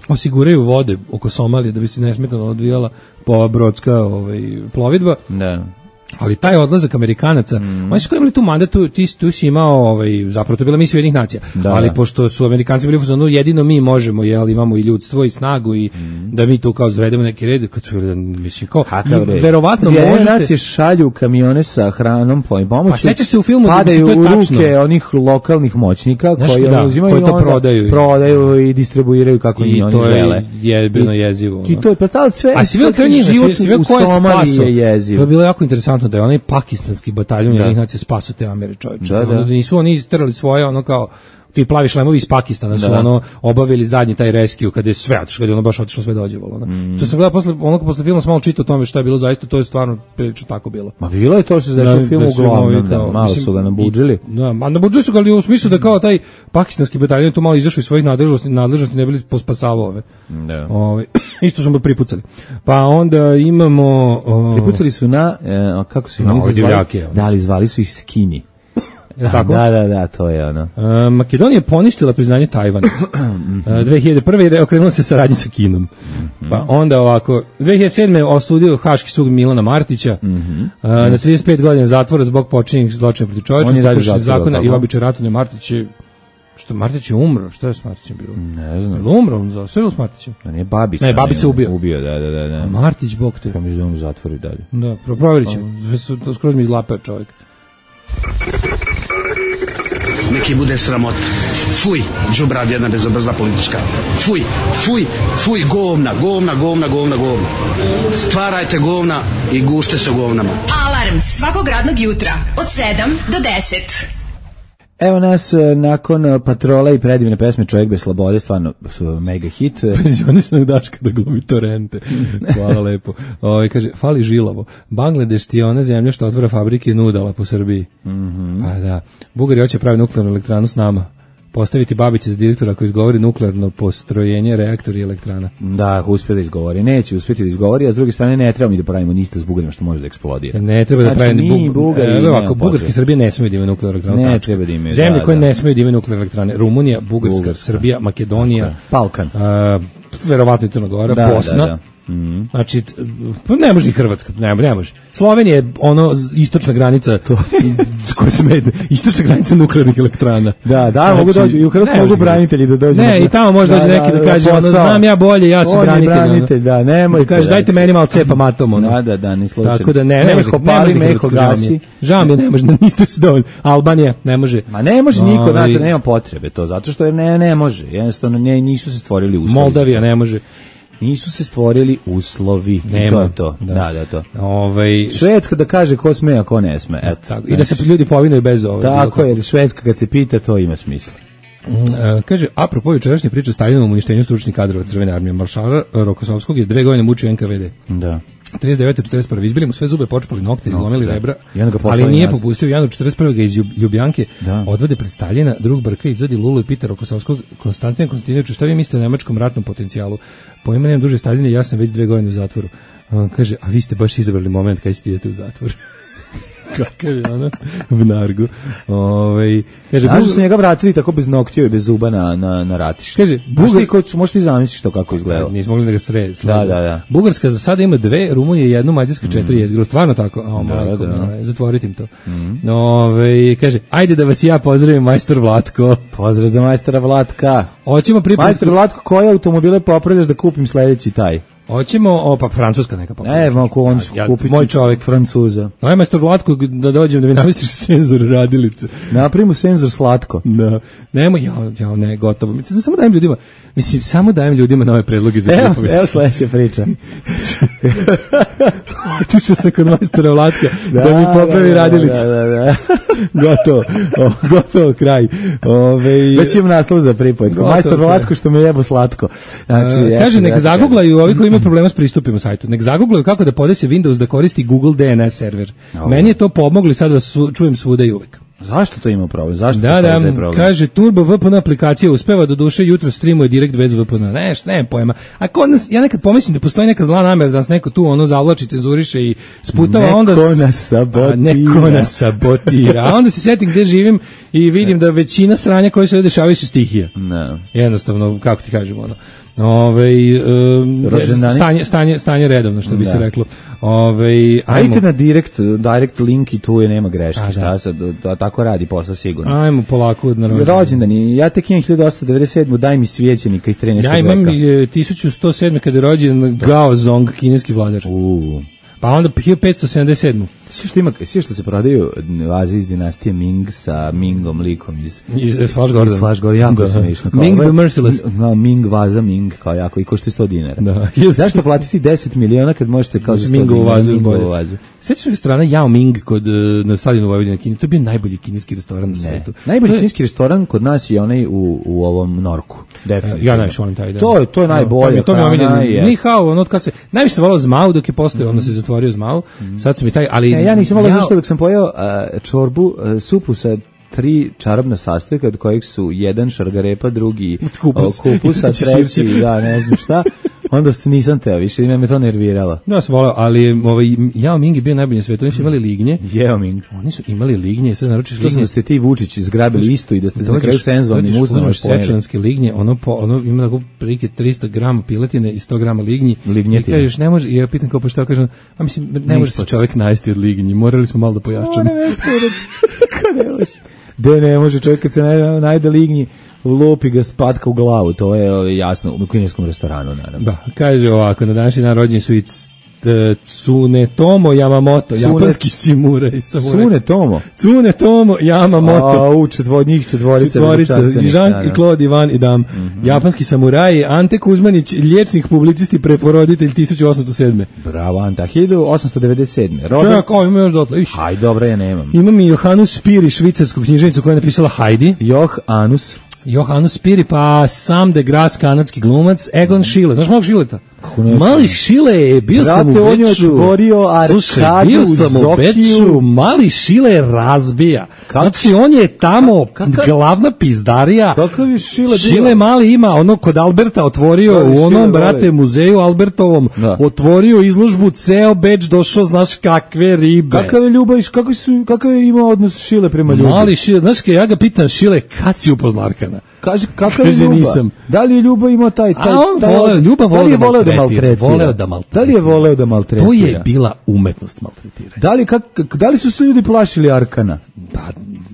osiguraju vode oko Somalije da bi se nesmetano odvijala po brodska ovaj, plovidba. Da. Ali taj odlazak Amerikanaca, mm. oni su koji imali tu mandat, tu, ti, tu si imao, ovaj, zapravo to je bila misija Ujedinjenih nacija, da, ali da. Pošto su Amerikanci bili u fazonu, jedino mi možemo, jel, imamo i ljudstvo i snagu i mm. da mi tu kao zvedemo neki red, kad su, mislim, kao, verovatno možete... nacije šalju kamione sa hranom i pomoću, pa sećaš se u filmu, padaju da u ruke onih lokalnih moćnika, znaš, koji da, uzimaju koji to prodaju, prodaju i distribuiraju kako i oni žele. I to je bilo jezivo. I to je, pa ta sve, a si vidio život u Somaliji je jezivo. To je bilo jako interesantno da je onaj pakistanski bataljon Ujedinjenih nacija spaso te Amere, čovječe. Da, da. Nisu oni isterali svoje, ono kao ti plavi šlemovi iz Pakistana su da. Ono obavili zadnji taj rescue kada je sve otišlo, kada je ono baš otišlo sve dođevalo. Ono. Mm. To sam gledao posle, onako posle filma sam malo čitao o tome šta je bilo zaista, to je stvarno prilično tako bilo. Ma bilo je to što se dešava u filmu uglavnom, da, malo mislim, su ga nabuđili. Da, a nabuđili su ga ali u smislu da kao taj pakistanski bataljon to malo izašao iz svojih nadležnosti, nadležnosti ne bili pospasavao ove. Da. Ove isto smo pripucali. Pa onda imamo o... pripucali su na e, kako su no, oni zvali? Da li zvali su ih skini. Tako? Da, da, da, to je ono. Uh, Makedonija poništila priznanje Tajvana. Uh, dve hiljade prve. je okrenula se saradnji sa Kinom. Mm-hmm. Pa onda ovako, dve hiljade sedme. osudio Haški sud Milana Martića mm-hmm. uh, yes. na trideset pet godina zatvora zbog počinjenih zločina protiv čovječnosti, zakona i običaja ratovanja. Martić je što Martić je umro, što je s Martićem bilo? Ne znam. Je umro on za sve s Martićem? A nije Babić. Ne, Babić se ubio. Ubio, da, da, da, da. A Martić bog te. Kao mi da on u zatvoru dalje. Da, provjerit ćemo. To skroz mi izlapao čovjek. neki bude sramota. Fuj, đubrad jedna bezobrazna politička. Fuj, fuj, fuj, govna, govna, govna, govna, govna. Stvarajte govna i gušte se govnama. Alarm svakog radnog jutra od sedam do deset. Evo nas nakon Patrola i predivne pesme Čovjek bez slobode, stvarno mega hit. Penzionisanog Daška da glumi torrente. Hvala lepo. Ovaj kaže fali žilavo. Bangladeš ti je ona zemlja što otvara fabrike nudala po Srbiji. Mhm. Pa da. Bugari hoće pravi nuklearnu elektranu s nama. Postaviti Babića za direktora koji izgovori nuklearno postrojenje, reaktor i elektrana. Da, uspije da izgovori. Neće uspjeti da izgovori, a s druge strane ne treba mi da pravimo ništa s Bugarima što može da eksplodira. Ne treba znači, da pravimo ni Bugari. E, ovako, Bugarske Srbije ne smiju da imaju nuklearnu elektranu. Ne tačka. treba da imaju. Zemlje da, koje da. ne smiju da imaju nuklearnu elektrane. Rumunija, Bugarska, Bugarska. Srbija, Makedonija, Balkan. A, verovatno i Crna Gora, Da, Bosna. da, da. Mm-hmm. Znači, pa ne može ni Hrvatska, ne, ne može. Slovenija je ono istočna granica to s kojoj se medne, istočna granica nuklearnih elektrana. Da, da, znači, mogu doći i u Hrvatsku mogu branitelji da dođu. Ne, i tamo može doći neki da, da kaže, ono, znam ja bolje, ja sam branitelj. branitelj, da, nemoj. Da kaže, dajte meni malo cepa matom, ono. Da, da, da, ni slučajno. Tako da ne, ne može, ne može, meko gasi. Žao mi je, ne može, niste se dovoljno. Albanija, ne može. Ma ne može niko od nas, nema potrebe to, zato što ne, ne može. Jednostavno, ne, nisu se stvorili uslovi. Moldavija ne može. Nisu se stvorili uslovi. Nema. To je to. Da, da, da to. Ovaj Švedska da kaže ko sme, a ko ne sme. Eto. Tako, i da se ljudi povinuju bez ove. Tako je, Švedska kad se pita, to ima smisla. Mm, uh, kaže, apropo jučerašnje priče o Stalinovom uništenju stručnih kadrova Crvene armije, maršala Rokosovskog je dve godine mučio N K V D. Da. trideset devete četrdeset prve izbili mu sve zube, počupali nokte, no, izlomili da. rebra, Ali nije nas. popustio. U januaru četrdeset prve ga iz Ljubljanke da. odvede pred Staljina, drug Brka izvadi Lulu i pita Rokosovskog. Konstantin Konstantinović, šta vi mislite o nemačkom ratnom potencijalu? Po imenem duže Staljine, ja sam već dve godine u zatvoru. A on kaže, a vi ste baš izabrali moment kad ćete idete u zatvor. Kakav je ono v nargu. Ovaj kaže Bugar su njega vratili tako bez noktiju i bez zuba na na na ratiš. Kaže Bugar ko možeš ti zamisliti to kako izgleda. Nismo mogli da ga sred. Da, da, da. Bugarska za sada ima dve, Rumunija jednu, Mađarska četiri, mm. jezgro. Stvarno tako. A da, da, da. Zatvoriti im to. Mm. Ovaj kaže ajde da vas ja pozdravim majstor Vlatko. Pozdrav za majstora Vlatka. Hoćemo pripremiti majstor Vlatko, koje automobile popravljaš da kupim sledeći taj? Hoćemo, o pa francuska neka popravlja. Ne, mogu on ja, kupiti moj čovjek Francuza. Aj majstor Vlatko da dođem da mi namestiš senzor radilice. Napravimo senzor slatko. Da. Nemo ja ja ne gotovo. Mislim samo dajem ljudima. Mislim samo dajem ljudima nove predloge za evo, evo sledeća priča. Otišao sam kod majstora Vlatka da, da mi popravi da, radilice. Da, da, da. gotovo. O, gotovo kraj. Ove već imam naslov za pripovetku. Majstor Vlatko što me jebo slatko. Znači, uh, kaže nek zaguglaju ovi koji imaju problema s pristupima sajtu. Nek zaguglaju kako da podese Windows da koristi Google D N S server. Oh. Meni je to pomoglo i sad vas su, čujem svuda i uvek. Zašto to ima problem? Zašto da, da, problem? Kaže Turbo V P N aplikacija uspeva do duše jutro streamuje direkt bez V P N. Ne, šta nema pojma. A kod nas ja nekad pomislim da postoji neka zla namera da nas neko tu ono zavlači, cenzuriše i sputava, neko onda nas sabotira. A, neko nas sabotira. A onda se setim gde živim i vidim da većina sranja koje se dešavaju su stihija. Ne. Jednostavno, kako ti kažemo, ono. Ove, um, stanje, stanje, stanje redovno, što bi da. se reklo. Ove, ajmo. Ajte na direct, direct link i tu je nema greške. A, šta sad, da, tako radi posao sigurno. Ajmo polako. Rođendani, ja tek imam hiljadu osamsto devedeset sedme daj mi svećenika iz trinaestog veka. Ja imam veka. tisuću sto sedme kada je rođen Gao Zong, kineski vladar. Uuu. Pa onda hiljadu petsto sedamdeset sedme Sve što ima, sve što se prodaju vaze iz dinastije Ming sa Mingom likom iz iz Flash Gordon. Iz Flash Gordon, jako smešno. Ming the Merciless. No, Ming vaza Ming kao jako i košta sto dinara. Da. Zašto platiti deset miliona kad možete kao za sto Mingovu vazu, Mingovu vazu. Sećaš restorana Yao Ming kod na stadionu Vojvodine Kini, to je bio najbolji kineski restoran na svetu. Najbolji je... kineski restoran kod nas je onaj u u ovom Norku. Definitivno. Ja najviše volim taj da. To je to je najbolje. To mi je omiljeno. Ni hao, ono kad se najviše se volao Zmau dok je postojao, onda se zatvorio Zmau. Sad su mi taj, ali ja nisam volao zašto dok sam pojeo uh, čorbu, uh, supu sa tri čarobna sastojka od kojih su jedan šargarepa, drugi kupus, kupus a treći, da, ne znam šta. Onda se nisam teo, više me me to nerviralo. Ja sam volao, ali ovaj Yao Ming je bio najbolji na svetu. Oni su imali lignje. Yao Ming. Oni su imali lignje, sad naručiš lignje. Što da ste ti Vučić zgrabili isto i da ste na kraju senzornim uznama sečanske lignje, ono po, ono ima tako prilike tristo grama piletine i sto grama lignji. Lignjetine. I kažeš ne može, ja pitam kao pa šta kažem, a mislim ne može se čovjek najesti od lignji. Morali smo malo da pojačamo. Ne može. De ne može čovjek kad se najde lignji lupi ga spatka u glavu, to je jasno u kineskom restoranu, naravno. Da, kaže ovako, na današnji dan rođeni su i Tsunetomo Yamamoto, Tsune... japanski samuraj. Tsunetomo? Tsunetomo Yamamoto. A, u četvor, njih četvorica. Četvorica, Jean i Claude, Ivan i Dam. Mm -hmm. Japanski samuraj, Ante Kuzmanić, liječnik, publicist i preporoditelj tisuću osamsto sedme. Bravo, Anta, hiljadu osamsto devedeset sedme. Rodan... Čovjek, ovo ima još dotle. Iš. Aj, dobro, ja nemam. Imam i Johanu Spiri, švicarsku knjiženicu koja je napisala Heidi. Johanus. Johanus Spiri, pa Sam de Grasse, kanadski glumac, Egon Schiele. Znaš malo Šileta? Mali Šile je, bio Brate, sam u Beču. on je otvorio arkadu. Slušaj, bio sam u Beču, Mali Šile razbija. Kak? Znači, on je tamo Kak? glavna pizdarija. Kakav je Šile? Šile Mali ima, ono kod Alberta otvorio, u onom, Šile, brate, vole. muzeju Albertovom, da. otvorio izložbu, ceo Beč došao, znaš kakve ribe. Kakav je ljubav, kakav, su, kakav je imao odnos Šile prema ljubavi? Mali Šile, znaš, ja ga pitam, Šile, kad si upoznao Arkana? Kaže, kakav je ljubav? Nisam. Da li je ljubav imao taj... taj, A on taj, voleo, ljubav voleo da maltretira. maltretira. Voleo da maltretira. Da li je voleo da maltretira? To je bila umetnost maltretiranja. Da li, kak, da li su se ljudi plašili Arkana? Pa,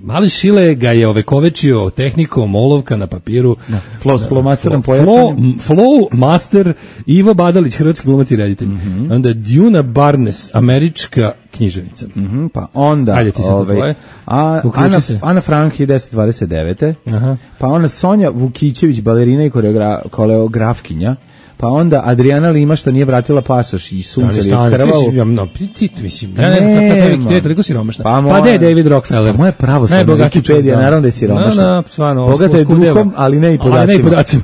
Mali Šile ga je ovekovečio tehnikom olovka na papiru. Da. Flow s flowmasterom pojačanjem. Flow, flow master Ivo Badalić, hrvatski glumac i reditelj. Mm -hmm. Onda Djuna Barnes, američka književnica. Mm -hmm, pa onda Ajde, ti ovaj, a, Ana, Ana Frank hiljadu devetsto dvadeset devete. Aha. Pa onda Sonja Vukićević, balerina i koreogra, koreografkinja. Pa onda Adriana Lima što nije vratila pasoš i sunce je krvavo. Ja, no, ptit, mislim, ja ne znam kako je toliko siromašna. Pa, pa de je David Rockefeller. Pa moje pravoslavna Wikipedia, naravno da je siromašna. No, no, stvarno. Bogata je duhom, ali ne i podacima. Ali ne i podacima.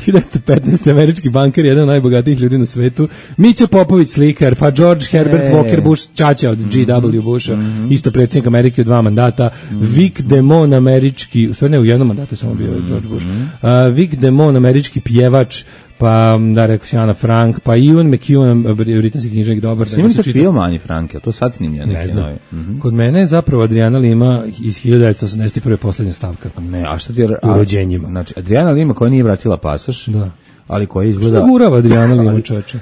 hiljadu devetsto petnaeste. američki banker, jedan od najbogatijih ljudi na svetu. Mića Popović, slikar, pa George Herbert e. Walker Bush, čača od G W Busha, mm -hmm. isto predsjednik Amerike u dva mandata. Mm -hmm. Vic Damone, američki, u stvari ne u jednom mandatu, samo bio George Bush. Mm -hmm. uh, Vic Damone, američki pjevač, pa da rekao si Ana Frank, pa Ian McEwan, britanski književnik, dobar. Snimali ste film Ani Frank, a to sad snimlja neki ne znam. novi. Mm -hmm. Kod mene je zapravo Adriana Lima iz hiljadu devetsto osamdeset prve poslednja stavka. Ne, a šta ti je... U rođenjima. Znači, Adriana Lima koja nije vratila pasoš, da. ali koja izgleda... Što nagurava Adriana Lima, čoveče?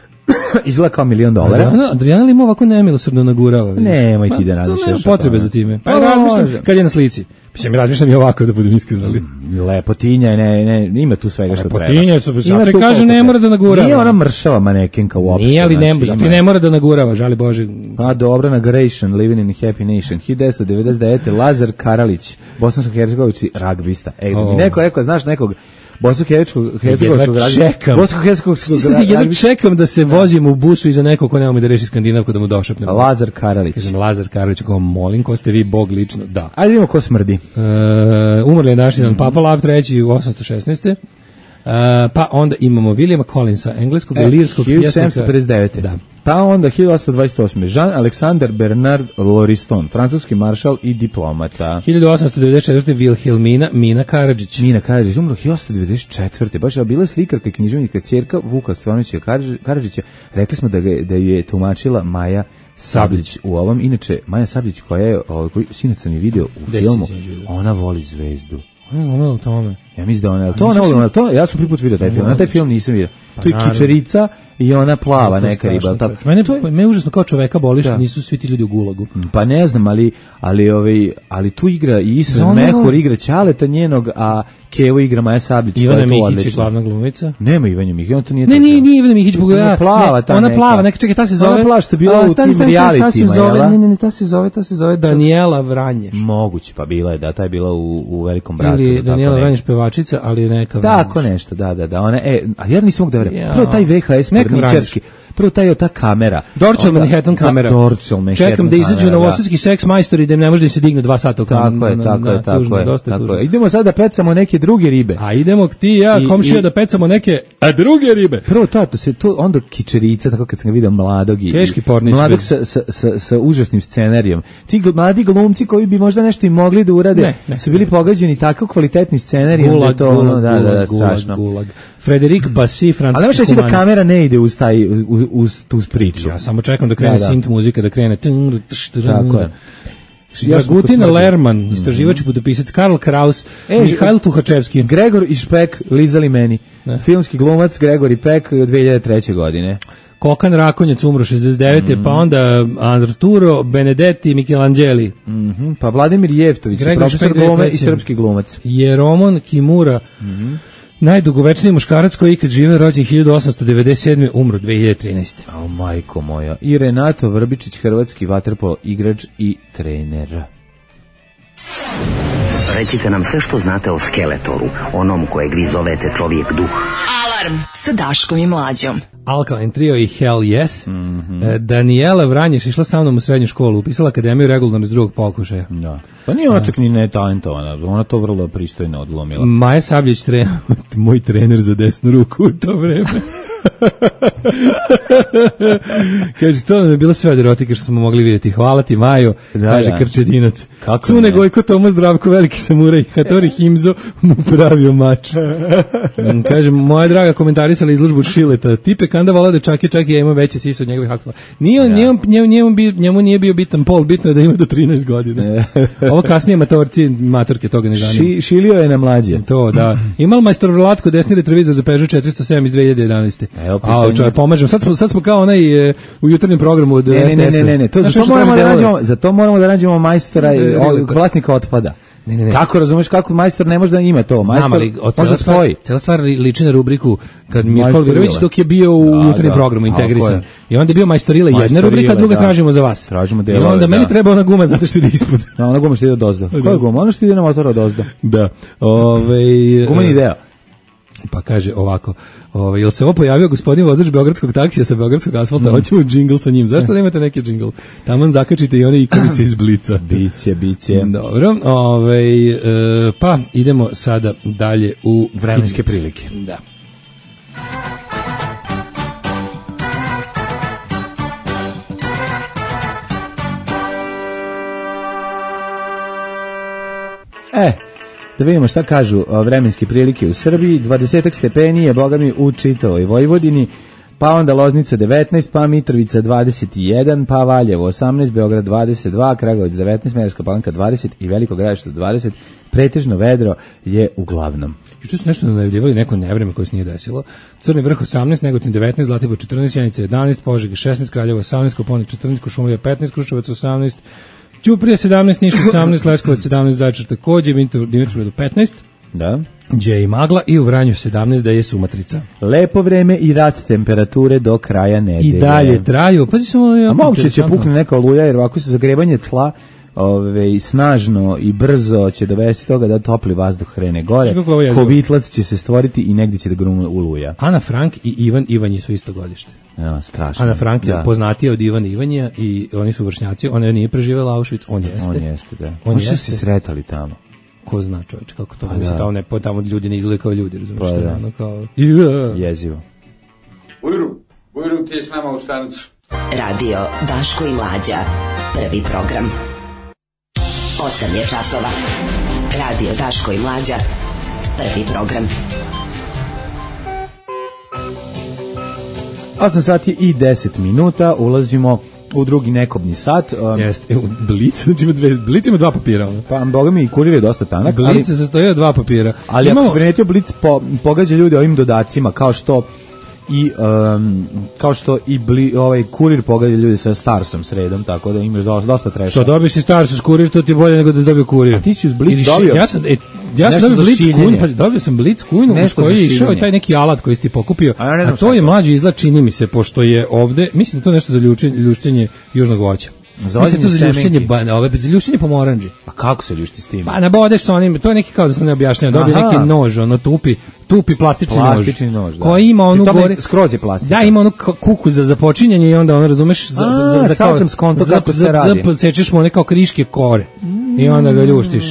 Izgleda kao milion dolara. Adriana, Adriana Lima ovako nemilosrdno nagurava. Nemoj ti da razmišljaš. Nema potrebe za time. Pa razmišljam kad je na slici. Mislim, razmišljam i ovako da budem iskren, ali... Lepotinja, ne, ne, ima tu svega što treba. Lepotinja su, zato kaže ne mora da nagurava. Nije ona mršava manekenka uopšte. Nije, ali ne, zato ne mora da nagurava, žali Bože. Pa dobro, Nagration, Living in a Happy Nation, hiljadu devetsto devedeset devete. Lazar Karalić, bosansko-hercegovički ragbista. Ej, oh. neko rekao, znaš nekog bosansko-hercegovačkog ragbista. Bosansko-hercegovačkog ragbista. Ja čekam da se vozim u busu iza nekog ko nema mi da reši Skandinavku da mu došapnem. Lazar Karalić. Kažem, Lazar Karalić, kao molim, ko ste vi, Bog lično? Da. Ajde vidimo ko smrdi. Uh, umrli je naš jedan mm. Papa Lav treći u osamsto šesnaeste. Uh, pa onda imamo Williama Collinsa, engleskog e, lirskog pjesnika. hiljadu sedamsto pedeset devete. Da. Pa onda hiljadu osamsto dvadeset osme. Jean-Alexandre Bernard Lauriston, francuski maršal i diplomata. hiljadu osamsto devedeset četvrte. Wilhelmina Mina Karadžić. Mina Karadžić, umro hiljadu osamsto devedeset četvrte. Baš je bila slikarka i književnika ćerka Vuka Stefanovića Karadžića. Rekli smo da, ga, da je tumačila Maja Sabljić u ovom. Inače, Maja Sabljić koja je, koji sinac sam je video u Des filmu, ona voli zvezdu. Ona u tome. Ja mislim da ona, to ona voli, to ja sam prvi put video taj film, na taj film nisam video. Pa tu je kičerica i ona plava no, neka riba. Tako. Mene to je, me užasno kao čoveka boli što nisu svi ti ljudi u gulagu. Pa ne znam, ali ali ovaj ali tu igra i Isra Mehur igra Ćaleta njenog, a Kevo igra Maja Sabljić. Ivana Mihić je glavna glumica. Nema Ivana Mihić, on to nije. Ne, nije, nije Ivana Mihić, pogledaj. Plava ta ona plava, neka čekaj, ta se zove. Ona plava što je bila u tim realitima. Ne, ne, ne, ta se zove, ta se zove Daniela Vranješ. Moguće, pa bila je, da, ta je bila u u Velikom bratu. Ili Daniela Vranješ pevačica, ali neka. Tako nešto, da, da, da. Ona e, a ja nisam mogu da verujem. Prvo taj V H S porničarski. Prvo taj ta kamera. Dorčel Manhattan kamera. Dorčel Manhattan. Čekam da izađu novosadski seks majstori da im ne može da se digne dva sata u kameru. Tako je, tako je, tako je. Tako je. Idemo sad da pecamo neke druge ribe. A idemo ti i ja, komšija, da pecamo neke a druge ribe. Prvo to, to se to onda kičerica, tako kad sam ga video mladog i teški pornič. Mladog sa, sa, sa, sa užasnim scenarijom. Ti mladi glumci koji bi možda nešto i mogli da urade, ne, ne, su bili ne. pogađeni tako kvalitetnim scenarijom da to ono, da, da, da, strašno. Gulag. Frederik Bassi, francuski. Ali možeš da kamera ne ide uz taj uz, uz tu priču. Ja samo čekam da krene da, synth muzika, da krene. Tako je. Dragutin Lerman, istraživač i putopisac, Karl Kraus, e, Mihajl Tuhačevski, Gregor i Špek, lizali meni. Ne. Filmski glumac Gregor i Pek dve hiljade treće. godine. Kokan Rakonjac umro šezdeset devete. Mm. Pa onda Arturo Benedetti, Michelangeli. Mm -hmm. Pa Vladimir Jevtović, profesor glume i srpski glumac. Jeromon Kimura, mm -hmm. Najdugovečniji muškarac koji je ikad živeo, rođen hiljadu osamsto devedeset sedme. umro dve hiljade trinaeste. O, majko moja. I Renato Vrbičić, hrvatski vaterpolo igrač i trener. Recite nam sve što znate o Skeletoru, onom kojeg vi zovete čovjek duh. Alarm sa Daškom i Mlađom. Alkaline Trio i Hell Yes. Mm-hmm. E, Daniela Vranješ išla sa mnom u srednju školu, upisala akademiju regularno iz drugog pokušaja. Da. Pa nije ona čak ni netalentovana, ona to vrlo pristojno odlomila. Maja Sabljić, tre... moj trener za desnu ruku u to vreme. Kaže, to nam je bilo sve od erotike što smo mogli vidjeti. Hvala ti, Majo, da, kaže da. Krčedinac. Cune Gojko, Tomo Zdravko, veliki samuraj, Hatori Himzo mu pravio mač. Kaže, moja draga komentarisala izložbu Šileta. Tipe kanda vola da čak je čak ja imam veće sise od njegovih aktora. Nije on, njemu, njemu, njemu, njemu nije bio bitan pol, bitno je da ima do trinaest godina. Ovo kasnije matorci, matorke toga ne zanima. Ši, šilio je na mlađe. To, da. Imal majstor Vlatko desni retrovizor za Peugeot četiristo sedam iz dve hiljade jedanaeste. Evo, a čovjek, pomažem. Sad smo, sad smo kao onaj e, u jutarnjem programu od ne, ne, ne, ne, ne, ne. To, zato moramo da nađemo, zato moramo da nađemo majstora i vlasnika otpada. Ne, ne, ne. Kako razumeš kako majstor ne može da ima to? Majstor ali može svoji. Cela stvar liči na rubriku kad Mirko Virović dok je bio u jutarnjem programu integrisan. I onda je bio majstorila jedna rubrika, druga da. Tražimo za vas. Tražimo delove. I onda da. Meni treba ona guma zato što ide ispod. Da, ona guma što ide odozdo. Koja je guma? Ona što ide na motor odozdo. Da. Ovaj gumeni deo. Pa kaže ovako, ovaj jel se ovo pojavio gospodin vozač beogradskog taksija sa beogradskog asfalta, mm. hoćemo džingl sa njim. Zašto nemate neki džingl? Taman zakačite i one ikonice iz Blica. Biće, biće. Dobro, ovaj e, pa idemo sada dalje u vremenske prilike. Da. E, da vidimo šta kažu vremenske prilike u Srbiji. dvadeset stepeni je, boga mi, u čitavoj Vojvodini, pa onda Loznica devetnaest, pa Mitrovica dvadeset jedan, pa Valjevo osamnaest, Beograd dvadeset dva, Kragujevac devetnaest, Smederevska Palanka dvadeset i Veliko Gradište dvadeset. Pretežno vedro je uglavnom. Juče su nešto najavljivali neko nevreme koje se nije desilo. Crni vrh osamnaest, Negotin devetnaest, Zlatibor četrnaest, Sjenica jedanaest, Požega šesnaest, Kraljevo osamnaest, Koponik četrnaest, Kuršumlija petnaest, Kruševac osamnaest, Ćuprija sedamnaest, Niš osamnaest, Leskovac sedamnaest, Zaječar takođe, Dimitrovgrad petnaest. Da. Gdje i magla i u Vranju sedamnaest, da je Sumatrica. Lepo vreme i rast temperature do kraja nedelje. I dalje traju. Pazi samo, ja, a moguće će pukne neka oluja, jer ovako se zagrebanje tla ove, snažno i brzo će dovesti toga da topli vazduh krene gore. Kovitlac će se stvoriti i negdje će da grune oluja. Ana Frank i Ivan Ivanji su isto godište. Ja, strašno. Ana Frank je da. Poznatija od Ivana Ivanja i oni su vršnjaci. Ona nije preživjela Auschwitz, on jeste. On jeste, da. On su se sretali tamo. Ko zna, čovječ, kako to pa da. Tamo, ne, tamo ljudi ne izgledaju kao ljudi, razumiješ pa što da. je ono kao... Yeah. Jezivo. Ujru, Ujru, ti je s nama u stanicu. Radio Daško i Mlađa, prvi program. osam je časova. Radio Daško i Mlađa, prvi program. osam sati i deset minuta, ulazimo u drugi nekobni sat. Um, Jeste, Blic, znači ima dve, Blic ima dva papira. Pa, boga mi, i kurir je dosta tanak. Blic se sastoji od dva papira. Ali imamo, ako se primetio, Blic po, pogađa ljude ovim dodacima, kao što i um, kao što i bli, ovaj kurir pogađa ljudi sa Starsom sredom, tako da imaš dosta, dosta treša. Što dobiješ si Starsus kurir, to ti je bolje nego da dobio kurir. A ti si uz Blic dobio? Ja sam, e, ja sam dobio Blic kujnu, pa dobio sam Blic kujnu, uz koji je išao i taj neki alat koji si ti pokupio, a, a to je mlađi izgled, čini mi se, pošto je ovde, mislim da to nešto za ljuštenje južnog voća. Mislim to za ljuštenje, ove, za ljuštenje pomoranđi. A kako se ljušti s tim? Pa nabodeš sa onim, to je neki kao da se ne objašnjava, dobije neki nož, ono tupi, tupi plastični, plastični nož, nož da. Koji ima onu gore, skroz je plastičan. Da, ima onu kuku za započinjanje i onda ono razumeš za A, za za kao sam skonto kako se radi. Za sečeš mu one kao kriške kore. Mm. I onda ga ljuštiš.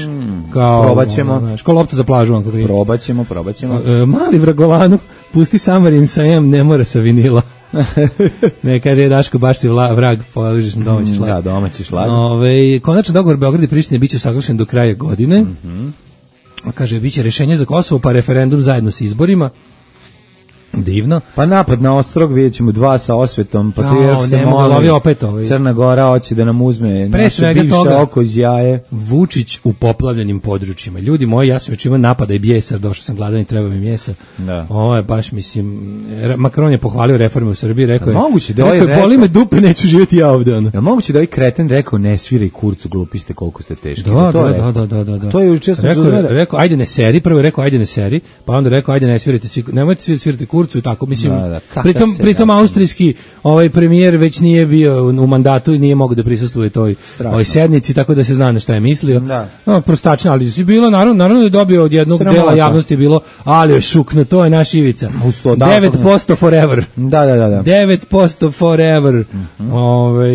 Kao probaćemo, znaš, kao lopta za plažu on kako. Probaćemo, probaćemo. E, mali vragolanu, pusti Samarin sa em, ne mora sa vinila. Ne, kaže Daško, baš si vla, vrag, položiš na domaći šlag. Da, domaći šlag. Ove, konačno dogovor Beograd i Prištine biće usaglašen do kraja godine. Mm-hmm. Kaže, biće rešenje za Kosovo, pa referendum zajedno s izborima. Divno. Pa napad na Ostrog, vidjet ćemo dva sa Osvetom, pa tu ja, se moli, opet ovaj. Crna Gora hoće da nam uzme pre naše bivše toga, oko iz jaje. Vučić u poplavljenim područjima. Ljudi moji, ja sam već imao napada i bijesa, došao sam gladan i treba mi mjesa. Da. Ovo je baš, mislim, Macron je pohvalio reforme u Srbiji, rekao je, moguće da rekao je, boli me dupe, neću živjeti ja ovde. Ono. Je moguće da ovaj kreten rekao, ne sviraj kurcu, glupi ste, koliko ste teški? Da, da, da, da, da, da, da. To je juče sam rekao, zuzmeda. Rekao, ajde ne seri, prvo je rekao, ajde ne seri, pa onda rekao, ajde ne svirajte svi, nemojte svi svirati kurcu i tako, mislim, da, da, pritom, se, pritom da, austrijski ovaj premijer već nije bio u mandatu i nije mogao da prisustvuje toj ovoj sednici, tako da se zna na šta je mislio. Da. No, prostačno, ali je bilo, naravno, naravno da je dobio od jednog Sramota. dela javnosti bilo, ali je šukno, to je naš Ivica. devet posto forever. Da, da, da, da. devet posto forever. Mm-hmm. Ove,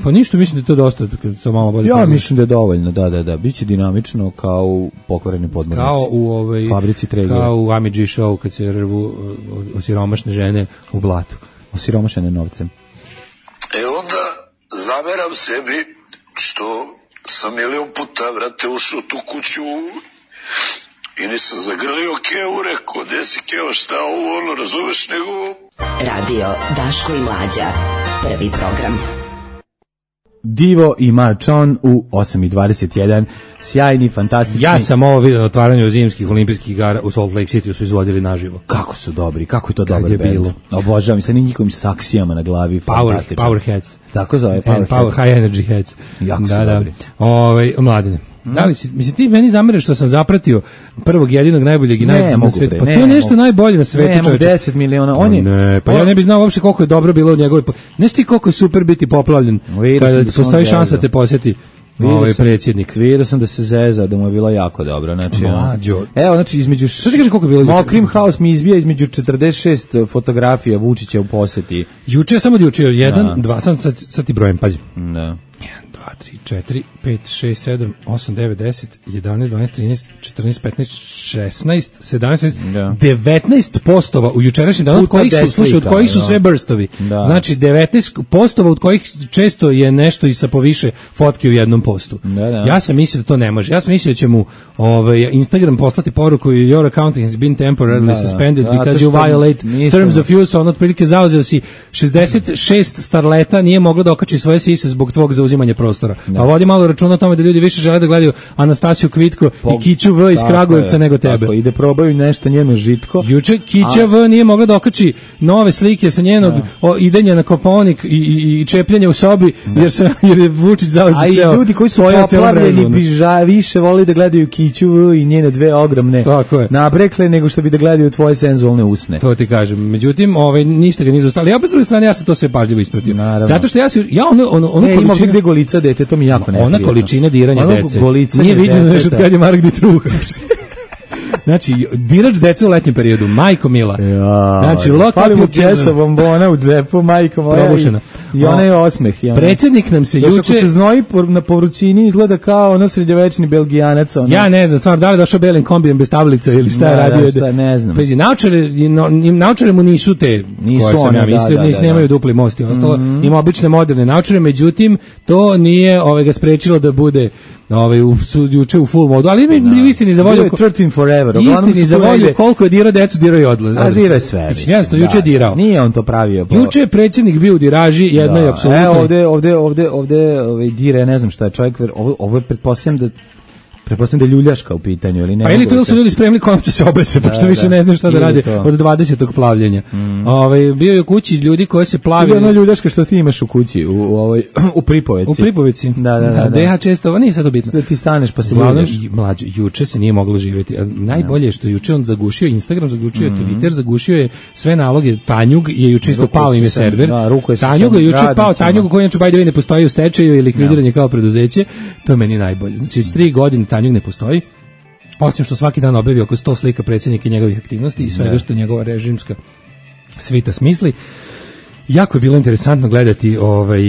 pa ništa, mislim da je to dosta, kad sam malo bolje. Ja pogledam. Mislim da je dovoljno, da, da, da. Biće dinamično kao u pokvareni podmornici. Kao u ovaj, fabrici Traeger. Kao u Ami G show kad se rvu osiromašne žene u blatu. Osiromašene novcem. E onda zameram sebi što sam milion puta, vrate, ušao tu kuću i nisam zagrlio Keo, rekao, gde si Keo, šta ovo, ono, razumeš, nego... Radio Daško i Mlađa, prvi program. Divo i Marčon u osam i dvadeset jedan, sjajni, fantastični. Ja sam ovo vidio na otvaranju zimskih olimpijskih igara u Salt Lake City, su izvodili naživo. Kako su dobri, kako je to dobar je band. Obožavam sa njihovim saksijama na glavi, Power, fantastično. Power heads. Tako zove, Power, power High energy heads. Jako da, su da. dobri. Ove, Mladine. Hmm. Da li si, mislim, ti meni zameraš što sam zapratio prvog jedinog najboljeg i najboljeg na svijetu. Pa to je nešto najbolje na svijetu. Ne, deset miliona. On je, ne, pa on, ja ne bih znao uopšte koliko je dobro bilo u njegovoj... Nešto ti koliko je super biti poplavljen kada postoji šansa te posjeti ovaj predsjednik. Vidio sam da se zeza, da mu je bilo jako dobro. Znači, Mlađo. Evo, znači, između... Što ti kaže koliko je bilo juče? Mokrim House mi izbija između četrdeset šest fotografija Vučića u posjeti. Juče samo juče, jedan, dva, sad, sad, sad ti brojem, pazi. Da. jedan, dva, tri, četiri, pet, šest, sedam, osam, devet, deset, jedanaest, dvanaest, trinaest, četrnaest, petnaest, šesnaest, sedamnaest, devetnaest postova u jučerašnjem danu, od kojih su, slušaj, od kojih su sve burstovi. Da. Znači, devetnaest postova od kojih često je nešto i sa poviše fotke u jednom postu. Da, da. Ja sam mislio da to ne može. Ja sam mislio da će mu ovaj, Instagram poslati poruku your account has been temporarily da, suspended da, because you violate terms of use, on otprilike zauzeo si šezdeset šest starleta, nije moglo da okači svoje sise zbog tvog zauzimanja prostora. Da. A vodi malo računa o tome da ljudi više žele da gledaju Anastasiju Kvitko po, i Kiću V iz Kragujevca nego tebe. Tako, ide probaju nešto njeno žitko. Juče Kića V nije mogla da okači nove slike sa njenog o, idenja na Kopaonik i, i, i čepljanja u sobi, da. jer, se, jer je Vučić zauzeo ceo. A i ljudi koji su poplavljeni bi više voli da gledaju Kiću V i njene dve ogromne nabrekle nego što bi da gledaju tvoje senzualne usne. To ti kažem. Međutim, ovaj, ništa ga nije zaustavilo. Ja opet s druge strane, ja sam to sve pažljivo ispratio. Naravno. Zato što ja, si, ja ono, ono, ono ne, količina... gde golica dete, to mi jako ne ona količina diranja dece. Nije viđeno nešto od kad je Mark Ditruha. Znači, dirač deca u letnjem periodu, majko mila. Ja, znači, lokal mu česa bombona u džepu, majko moja. Probušena. I, i onaj osmeh. I ona. Predsjednik nam se Još juče... Ako se znoji na povrućini, izgleda kao ono srednjovečni belgijanac. Ono. Ja ne znam, stvarno, da li došao belim kombijem bez tablice ili šta je radio? Da, šta, ne znam. Pezi, naučare, naučare mu nisu te nisu koje sam one, ja mislio, da, nisu, da, nemaju da. dupli most i ostalo. Mm-hmm. Ima obične moderne naučare, međutim, to nije ovaj, ga sprečilo da bude ovaj, u, su, juče u full modu, ali mi no. istini za volju... trinaest forever. Istini za volju koliko je dirao decu, dirao i odlazi. A dirao je sve. Jasno, juče je dirao. Nije on to pravio. Po... Juče je predsjednik bio u diraži, jedno je apsolutno. Evo ovde, ovde, ovde, ovde, ovaj dire, ne znam šta je čovjek, ovo, ovo je pretpostavljam da pretpostavljam da je ljuljaška u pitanju, ili ne? Pa ili to su ljudi spremili konopće se obese, da, pošto više ne znam šta da rade to. Od dvadesetog plavljenja. Mm. Ovaj bio je u kući ljudi koji se plavi. Ono ljuljaška što ti imaš u kući, u u ovoj u Pripoveci. U Pripoveci. Da, da, da. da, da. da često, nije sad bitno. Da ti staneš pa se ljuljaš. Mlađe, juče se nije moglo živjeti. Najbolje je što juče on zagušio Instagram, zagušio mm. Twitter, zagušio je sve naloge. Tanjug je juče isto pao im je server. Da, ruku je Tanjug je juče pao, Tanjug koji inače by the way ne postoji u stečaju ili likvidiranje kao preduzeće. To je meni najbolje. Znači, s tri godine Tanjug ne postoji. Osim što svaki dan objavi oko sto slika predsjednika i njegovih aktivnosti i svega što njegova režimska svita smisli. jako je bilo interesantno gledati ovaj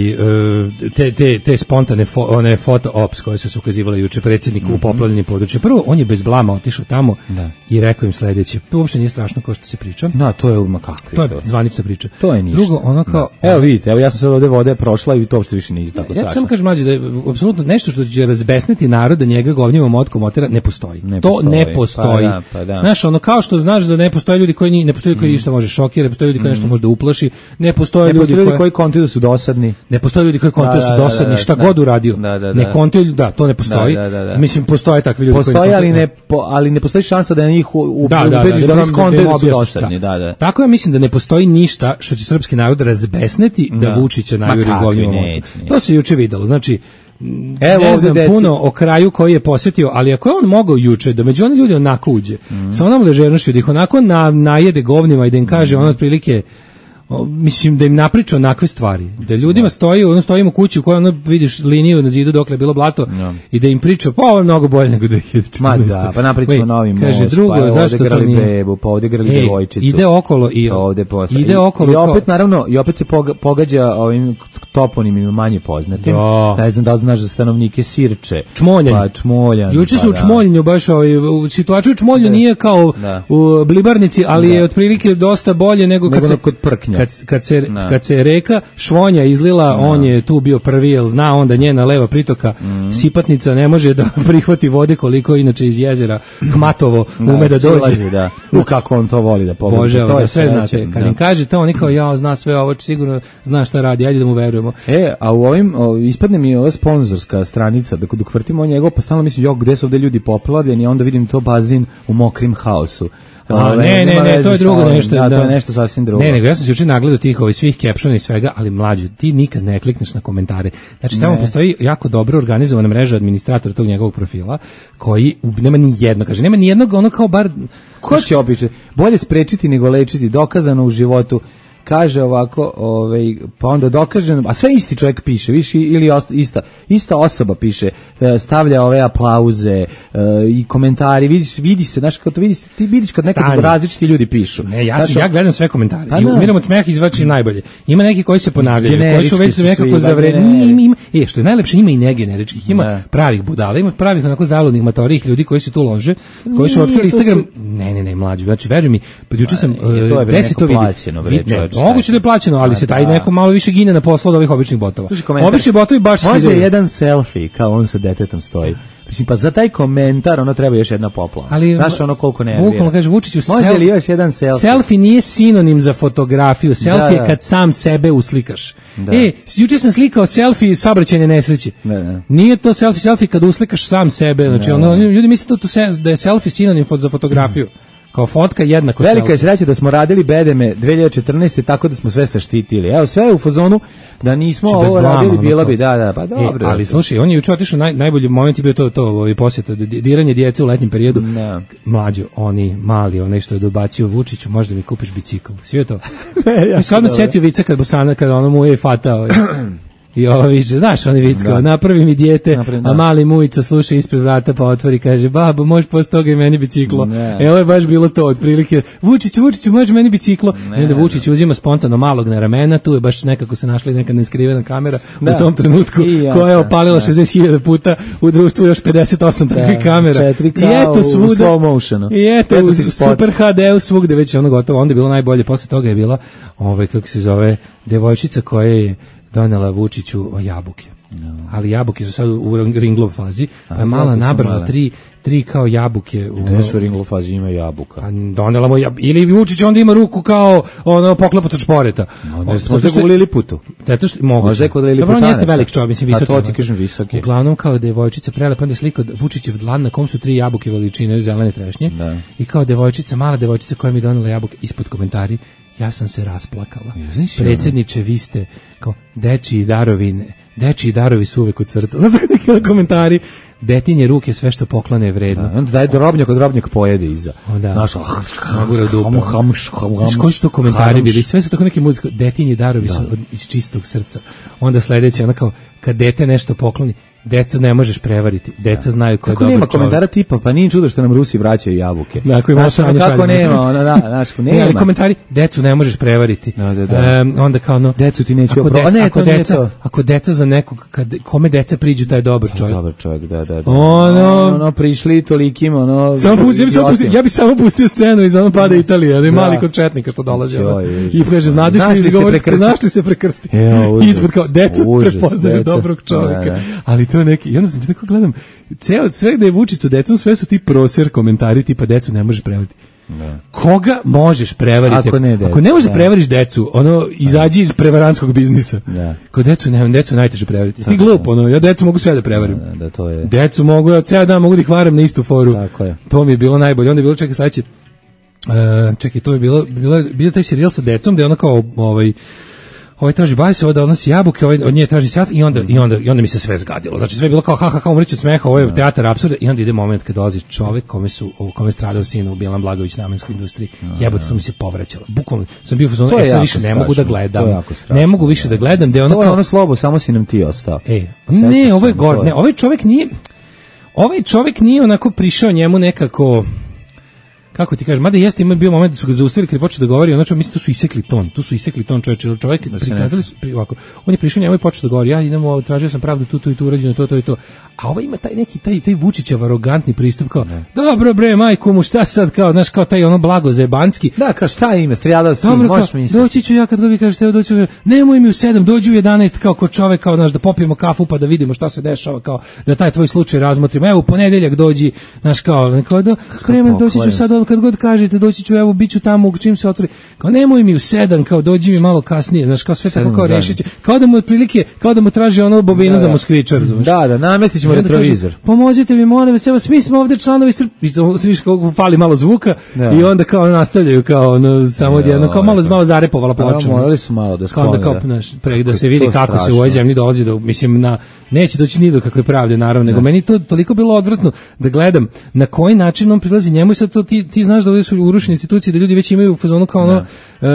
te te te spontane fo, one foto ops koje su se ukazivale juče predsjedniku mm-hmm. u poplavljenim područjima. Prvo on je bez blama otišao tamo da. I rekao im sledeće. To uopšte nije strašno kao što se priča. Da, to je uma kakvi. To je zvanična priča. To je ništa. Drugo, ono kao da. Evo vidite, evo ja sam sad ovde vode prošla i to uopšte više nije tako strašno. Ja samo kažem mlađe da je apsolutno nešto što će razbesniti narod da njega govnjivom motkom otera ne postoji. Ne to postoji. Ne postoji. Pa da, pa da. Znaš, ono kao što znaš da ne postoje ljudi koji ni, ne postoji koji mm. ništa može šokirati, ne postoje ljudi koji mm. nešto može da uplaši, ne postoje ne ljudi, ljudi koji koji kontuju su dosadni. Ne postoje ljudi koji kontuju da, su dosadni, da, da, šta da, god uradio. Da, da, da. Ne kontuju, da, to ne postoji. Da, da, da. Mislim postoje takvi ljudi postoji, koji postoji, ali ne po, ali ne postoji šansa da njih u da, da, ubediš da, da, da, kontuju su dosadni, da, da. Tako ja mislim da ne postoji ništa što će srpski narod razbesneti da, da Vučića najuri govnjivom. To se juče videlo. Znači evo ne znam deci. Puno o kraju koji je posjetio, ali ako je on mogao juče da među oni ljudi onako uđe, mm. sa onom ležernošću da ih onako na, najede govnima i da im kaže mm. ono otprilike O, mislim da im napriča onakve stvari, da ljudima stoji, ono stojimo u kući u kojoj ono vidiš liniju na zidu dokle je bilo blato no. I da im priča, pa ovo je mnogo bolje nego dve hiljade četrnaeste. Ma da, pa napričamo novi most, kaže drugo, pa zašto to nije? Bebu, pa ovdje grali devojčicu. Ide okolo i ovde posle. Ide okolo. I opet naravno, i opet se pogađa ovim toponimima manje poznatim. Da. Ne znam da li znaš za stanovnike Sirče. Čmoljan. Pa Čmoljan. Juče su pa, u Čmoljanju baš ovaj, u situaciju u Čmolju nije kao da. U Blibarnici, ali da. Je otprilike dosta bolje nego kad nego se kod Prknja. Kad, kad se Da. Kad se je reka Švonja izlila, da. On je tu bio prvi, jer zna onda njena leva pritoka mm. Sipatnica ne može da prihvati vode koliko inače iz jezera Hmatovo da, ume da dođe. Silazi, da. U kako on to voli da pogleda. Bože, to je sve znate. Kad da. Im kaže to, oni kao ja zna sve ovo, sigurno zna šta radi, ajde da mu verujemo. E, a u ovim, o, ispadne mi ova sponzorska stranica, dok, dok vrtimo njegov, pa stalno mislim, jo, gde su ovde ljudi poplavljeni, i onda vidim to bazin u Mokrim haosu. A, ne, ne, ne, to je drugo nešto. Da, to je nešto sasvim drugo. Ne, nego ja sam se juče nagledao tih ovih svih captiona i svega, ali mlađu, ti nikad ne klikneš na komentare. Znači, tamo ne. Postoji jako dobro organizovana mreža administratora tog njegovog profila, koji nema ni jedno, kaže, nema ni jednog, ono kao bar... Ko će opiče? Bolje sprečiti nego lečiti, dokazano u životu. Kaže ovako, ovaj, pa onda dokaže, a sve isti čovjek piše, više ili ista, ista osoba piše, stavlja ove aplauze i komentari, vidiš, vidi se, znaš, kad to vidiš, ti vidiš kad nekad Stani. Različiti ljudi pišu. Ne, ja, sam, ja gledam sve komentare pa, i umiram od smeha izvačim najbolje. Ima neki koji se ponavljaju, koji su već nekako zavredni, ima, ima, e, što je najlepše, ima i negeneričkih, ima ne. Pravih budala, ima pravih onako zaludnih matorih ljudi koji se tu lože, koji su otkrili Instagram, su... ne, ne, ne, mlađi, znači, veruj mi, juče sam, deset to vidi. Moguće da je plaćeno, ali se taj da. Neko malo više gine na poslu od ovih običnih botova. Obični botovi baš se može jedan selfie kao on sa detetom stoji. Mislim, pa za taj komentar ono treba još jedna poplava. Ali, znaš ono koliko ne bukvalno kaže Vučiću, može sel... li još jedan selfie? Selfie nije sinonim za fotografiju. Selfie da, da. Je kad sam sebe uslikaš. Da. E, juče sam slikao selfie saobraćajne nesreće. Da, da. Nije to selfie, selfie kad uslikaš sam sebe. Znači, da, ono, ljudi misle to, da je selfie sinonim za fotografiju. Kao fotka jednako selfie. Velika je sreća da smo radili bedeme dve hiljade četrnaeste tako da smo sve saštitili. Evo, sve je u fazonu da nismo Či ovo radili, blama, bilo bi, da, da, pa dobro. E, ali slušaj, on je juče otišao, naj, najbolji moment je bio to, to ovaj posjeta, diranje djece u letnjem periodu. Da. Mlađo, oni mali, onaj što je dobacio Vučiću, možda mi kupiš bicikl. Svi je to. Mi se odmah setio vica kad Bosana, kada ono mu je fatao. I ovo viče, znaš, oni vicko, napravi mi dijete, napravim, a mali mujica sluša ispred vrata pa otvori, kaže, babo, može posle toga i meni biciklo. Ne. E, ovo je baš bilo to, otprilike, Vučić, Vučić, može meni biciklo. Ne, I onda Vučić uzima spontano malog na ramena, tu je baš nekako se našla neka neskrivena kamera da. U tom trenutku, ja, koja je opalila šezdeset hiljada puta, u društvu još pedeset osam takvih kamera. I eto svuda, i eto u Super ha de-u svugde, već je ono gotovo, onda je bilo najbolje, posle toga je bila, ovaj, kako se zove, devojčica koja je donela Vučiću jabuke. No. Ali jabuke su sad u ringlov fazi, pa je mala nabrala tri, tri kao jabuke. Gde su u ringlov fazi, ima jabuka? A donela mu jabuke. Ili Vučić onda ima ruku kao ono poklepac od šporeta. No, ne, možda je kod Liliputu. Zato što moguće. Možda je kod Liliputanaca. Dobro, on jeste velik čovjek, mislim, visok. A to ti kažem visoki. Uglavnom kao devojčica prelepa, onda je slika Vučićev dlan na kom su tri jabuke veličine zelene trešnje. Da. I kao devojčica, mala devojčica koja mi donela jabuke, ispod komentari, ja sam se rasplakala. Predsjedniče, vi ste kao dečiji darovine. Dečiji darovi su uvek od srca. Znaš tako neki komentari? Detinje ruke, sve što poklane je vredno. Da, onda daj drobnjak, od drobnjak pojede iza. Da. Naš, magura u dupe. Znaš koji su to komentari bili? Sve su tako neki muziko. Detinje darovi da. Su od, iz čistog srca. Onda sledeće, ono kao, kad dete nešto pokloni, deca ne možeš prevariti, deca znaju ko je dobar čovjek. Nema komentara tipa, pa nije čudo što nam Rusi vraćaju jabuke. Dakle, ima znaš, kako nema, ona, da, znaš, nema. Ne, ali komentari, decu ne možeš prevariti. Da, da, da. Um, onda kao ono, decu ti neću ako, deca, deca, ne, ako, deca, ako deca za nekog, kad, kome deca priđu, taj je dobar čovjek. Dobar čovjek, da, da, da. Ono, ono prišli tolikim, ono... Samo pusti, ja, bi samo pustio, ja bi samo pustio scenu iz ono Pada Italije, ali mali kod četnika što dolazi. I kaže, znaš li govoriti, znaš li se prekrstiti? Ispod kao, deca prepoznaju dobrog čovjeka. Ali to je neki, i onda sam tako gledam, ceo, sve gde je Vučić sa decom, sve su ti proser komentari, tipa decu ne možeš prevariti. Ne. Koga možeš prevariti? Ako ne, decu, ako ne možeš da. prevariš decu, ono, izađi iz prevarantskog biznisa. Da. Ko decu, ne, decu najteže prevariti. Ti glup, ono, ja decu mogu sve da prevarim. Da, da, to je. Decu mogu, ja ceo dan mogu da ih varam na istu foru. Tako je. To mi je bilo najbolje. Onda je bilo, čekaj, sledeće, uh, čekaj, to je bilo, bilo, bilo taj serijal sa decom, gde ona kao, ovaj, ovaj traži bajse, ovdje odnosi jabuke, ovaj od nje traži sat i onda, i onda, i onda mi se sve zgadilo. Znači sve je bilo kao ha ha ha, umreću od smeha, ovo je teatar apsurda i onda ide moment kad dolazi čovjek kome su, kome stradao sin u Bjelan Blagović namenskoj industriji. Jebote, to mi se povraćalo. Bukvalno sam bio u fazonu, e sad više ne mogu da gledam. Ne mogu više da gledam, da je ono kao ono slobo, samo si nam ti ostao. E, ne, ovo je gore, ne, ovaj čovjek nije ovaj čovjek nije onako prišao njemu nekako, kako ti kažeš, mada jeste, ima bio moment da su ga zaustavili kad je počeo da govori, znači mislim tu su isekli ton, tu su isekli ton čovjek, čovjek prikazali su pri, ovako. On je prišao njemu i počeo da govori, ja idemo, tražio sam pravdu tu tu i tu, urađeno to to i to. A ovaj ima taj neki taj taj Vučićev arogantni pristup kao, ne. Dobro bre, majku mu, šta sad kao, znaš, kao taj ono blago zebanski. Da, kao šta ime, strijadao si, možeš misliti. Doći ću ja kad god vi kažete, doći ću, nemoj mi u sedam, dođi u jedanaest kao kod čovjek, kao, znaš, da popijemo kafu pa da vidimo šta se dešava, kao da taj tvoj slučaj razmotrimo. Evo u ponedeljak dođi, znaš, kao, kao da spreman, doći ću sad kad god kažete, doći ću, evo biću tamo čim se otvori. Kao nemoj mi u sedam, kao dođi mi malo kasnije, znaš, kao sve tako kao rešiće. Kao da mu otprilike, kao da mu traži ono bobinu da, za Moskvičar, razumeš? Da, da, namestićemo retrovizor. Pomozite mi, molim vas, evo svi smo ovde članovi Srbije, svi kako fali malo zvuka da. I onda kao nastavljaju kao ono samo jedno kao malo malo zarepovala ploča. Morali su malo da sklone. Kao da kao naš pre da se vidi kako strašno. Se u ovoj zemlji dolazi do, mislim, na neće doći ni do kakve pravde naravno, nego meni to toliko bilo odvratno da gledam na koji način on prilazi njemu i sad to ti ti znaš da ovdje su urušene institucije, da ljudi već imaju u fazonu kao ono uh,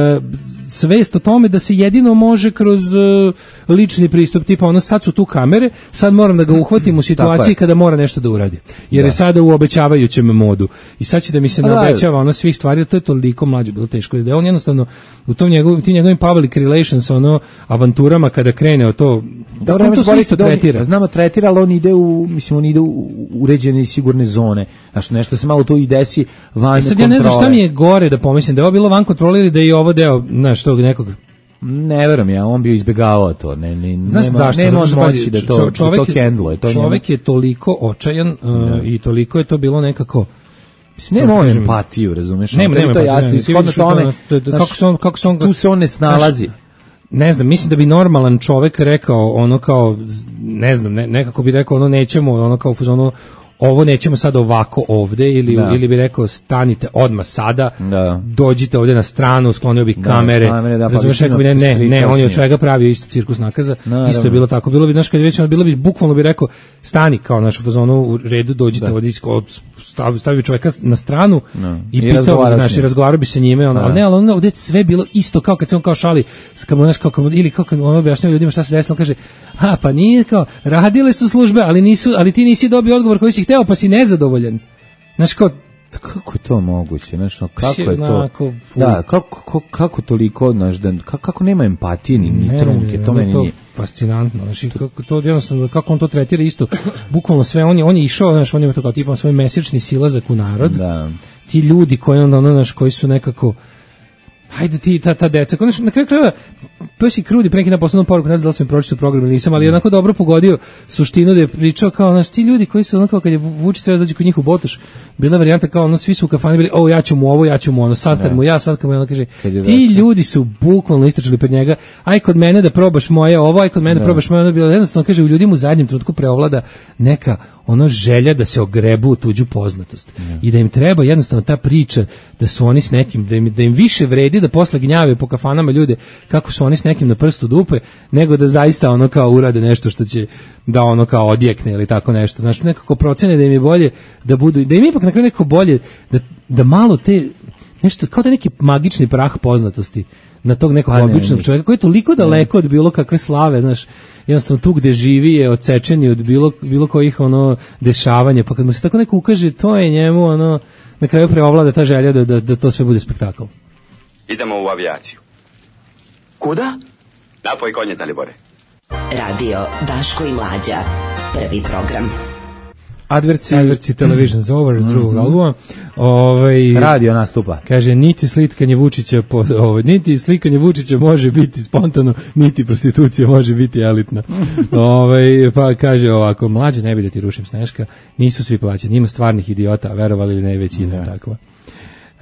svest o tome da se jedino može kroz uh, lični pristup, tipa ono sad su tu kamere, sad moram da ga uhvatim u situaciji kada mora nešto da uradi. Jer da. Je sada u obećavajućem modu. I sad će da mi se ne obećava ono svih stvari, to je toliko mlađe bilo teško. Da on jednostavno u tom njegov, tim njegovim public relations, ono, avanturama kada krene o to, da on to isto tretira. Znamo tretira, ali on ide u, mislim, on ide u uređene i sigurne zone. Znaš, nešto se malo tu i desi van sad kontrole. Ja ne znam šta mi je gore da pomislim, da je ovo bilo van kontrole ili da je i ovo deo, znaš, tog nekog. Ne verujem ja, on bi izbjegavao to. Ne, ne, znaš nema, zašto? Nema on moći da to, čovjek, da to hendluje. To čovjek njemu... je toliko očajan uh, i toliko je to bilo nekako... Mislim, nema on empatiju, razumeš? Nema, nema empatiju. Kako se on, kako se on... Tu se on ne snalazi. Znaš, ne znam, mislim da bi normalan čovjek rekao ono kao, ne znam, ne, nekako bi rekao ono nećemo, ono kao ono, ovo nećemo sad ovako ovde ili, ili bi rekao stanite odmah sada, da. Dođite ovde na stranu, sklonio bi kamere, da, kamere da, pa razumiješ, rekao bi ne, ne, ne, on je od svega pravio isto cirkus nakaza, no, isto je bilo tako, bilo bi, znaš, kad je već, bilo bi, bukvalno bi rekao, stani kao našu fazonu u redu, dođite da. Ovdje, stavi, stavi čovjeka na stranu no. I, I pitao, naš, i razgovarao bi se njime, ono, ali ne, ali ono ovdje sve bilo isto, kao kad se on kao šali, skamo, znaš, kao, ili kao kad on objašnjava ljudima šta se desilo, kaže, ha, pa nije kao, radile su službe, ali nisu, ali ti nisi dobio odgovor koji si hteo, pa si nezadovoljan. Znaš, kao, kako je to moguće, znaš, kako je to, da, kako, kako, kako toliko, znaš, da, kako, kako nema empatije ni, ni trunke, to meni nije. Fascinantno, znači, kako to jednostavno, kako on to tretira isto, bukvalno sve, on je, on je išao, znaš, on je to kao tipa svoj mesečni silazak u narod, da. Ti ljudi koji onda, ono, znaš, koji su nekako, hajde ti, ta, ta deca, konačno, na kraju krajeva, Pesi Krudi, pre neki na poslednju poruku, ne znam da li sam pročitao program ili nisam, ali je onako dobro pogodio suštinu da je pričao kao, znaš, ti ljudi koji su onako, kad je Vučić treba dođe kod njih u Botoš, bila varijanta kao, ono, svi su u kafani bili, o, ja ću mu ovo, ja ću mu ono, sad kad mu ja, sad kad mu ja, ono kaže, ti ljudi su bukvalno istračili pred njega, aj kod mene da probaš moje ovo, aj kod mene da probaš moje ono, bilo jednostavno, kaže, u ljudima u zadnjem trenutku preovlada neka ono želja da se ogrebu u tuđu poznatost yeah. I da im treba jednostavno ta priča da su oni s nekim, da im, da im više vredi da posle gnjave po kafanama ljude kako su oni s nekim na prstu dupe, nego da zaista ono kao urade nešto što će da ono kao odjekne ili tako nešto. Znači nekako procene da im je bolje da budu, da im ipak na kraju nekako bolje da, da malo te, nešto kao da neki magični prah poznatosti na tog nekog pa, običnog ne, čovjeka koji je toliko daleko od bilo kakve slave, znaš. jednostavno tu gde živi je odsečen od bilo, bilo kojih ono dešavanja, pa kad mu se tako neko ukaže, to je njemu ono, na kraju preovlada ta želja da, da, da to sve bude spektakl. Idemo u avijaciju. Kuda? Napoj konje, Dalibore. Radio Daško i Mlađa. Prvi program. Adverci, Adverci Television's Over s drugog mm-hmm. albuma. Ovaj radio nastupa. Kaže niti slikanje Vučića po ovaj niti slikanje Vučića može biti spontano, niti prostitucija može biti elitna. Ovaj pa kaže ovako, Mlađe, ne bi da ti rušim Sneška, nisu svi plaćeni, ima stvarnih idiota, a verovali ili ne, većina je takva.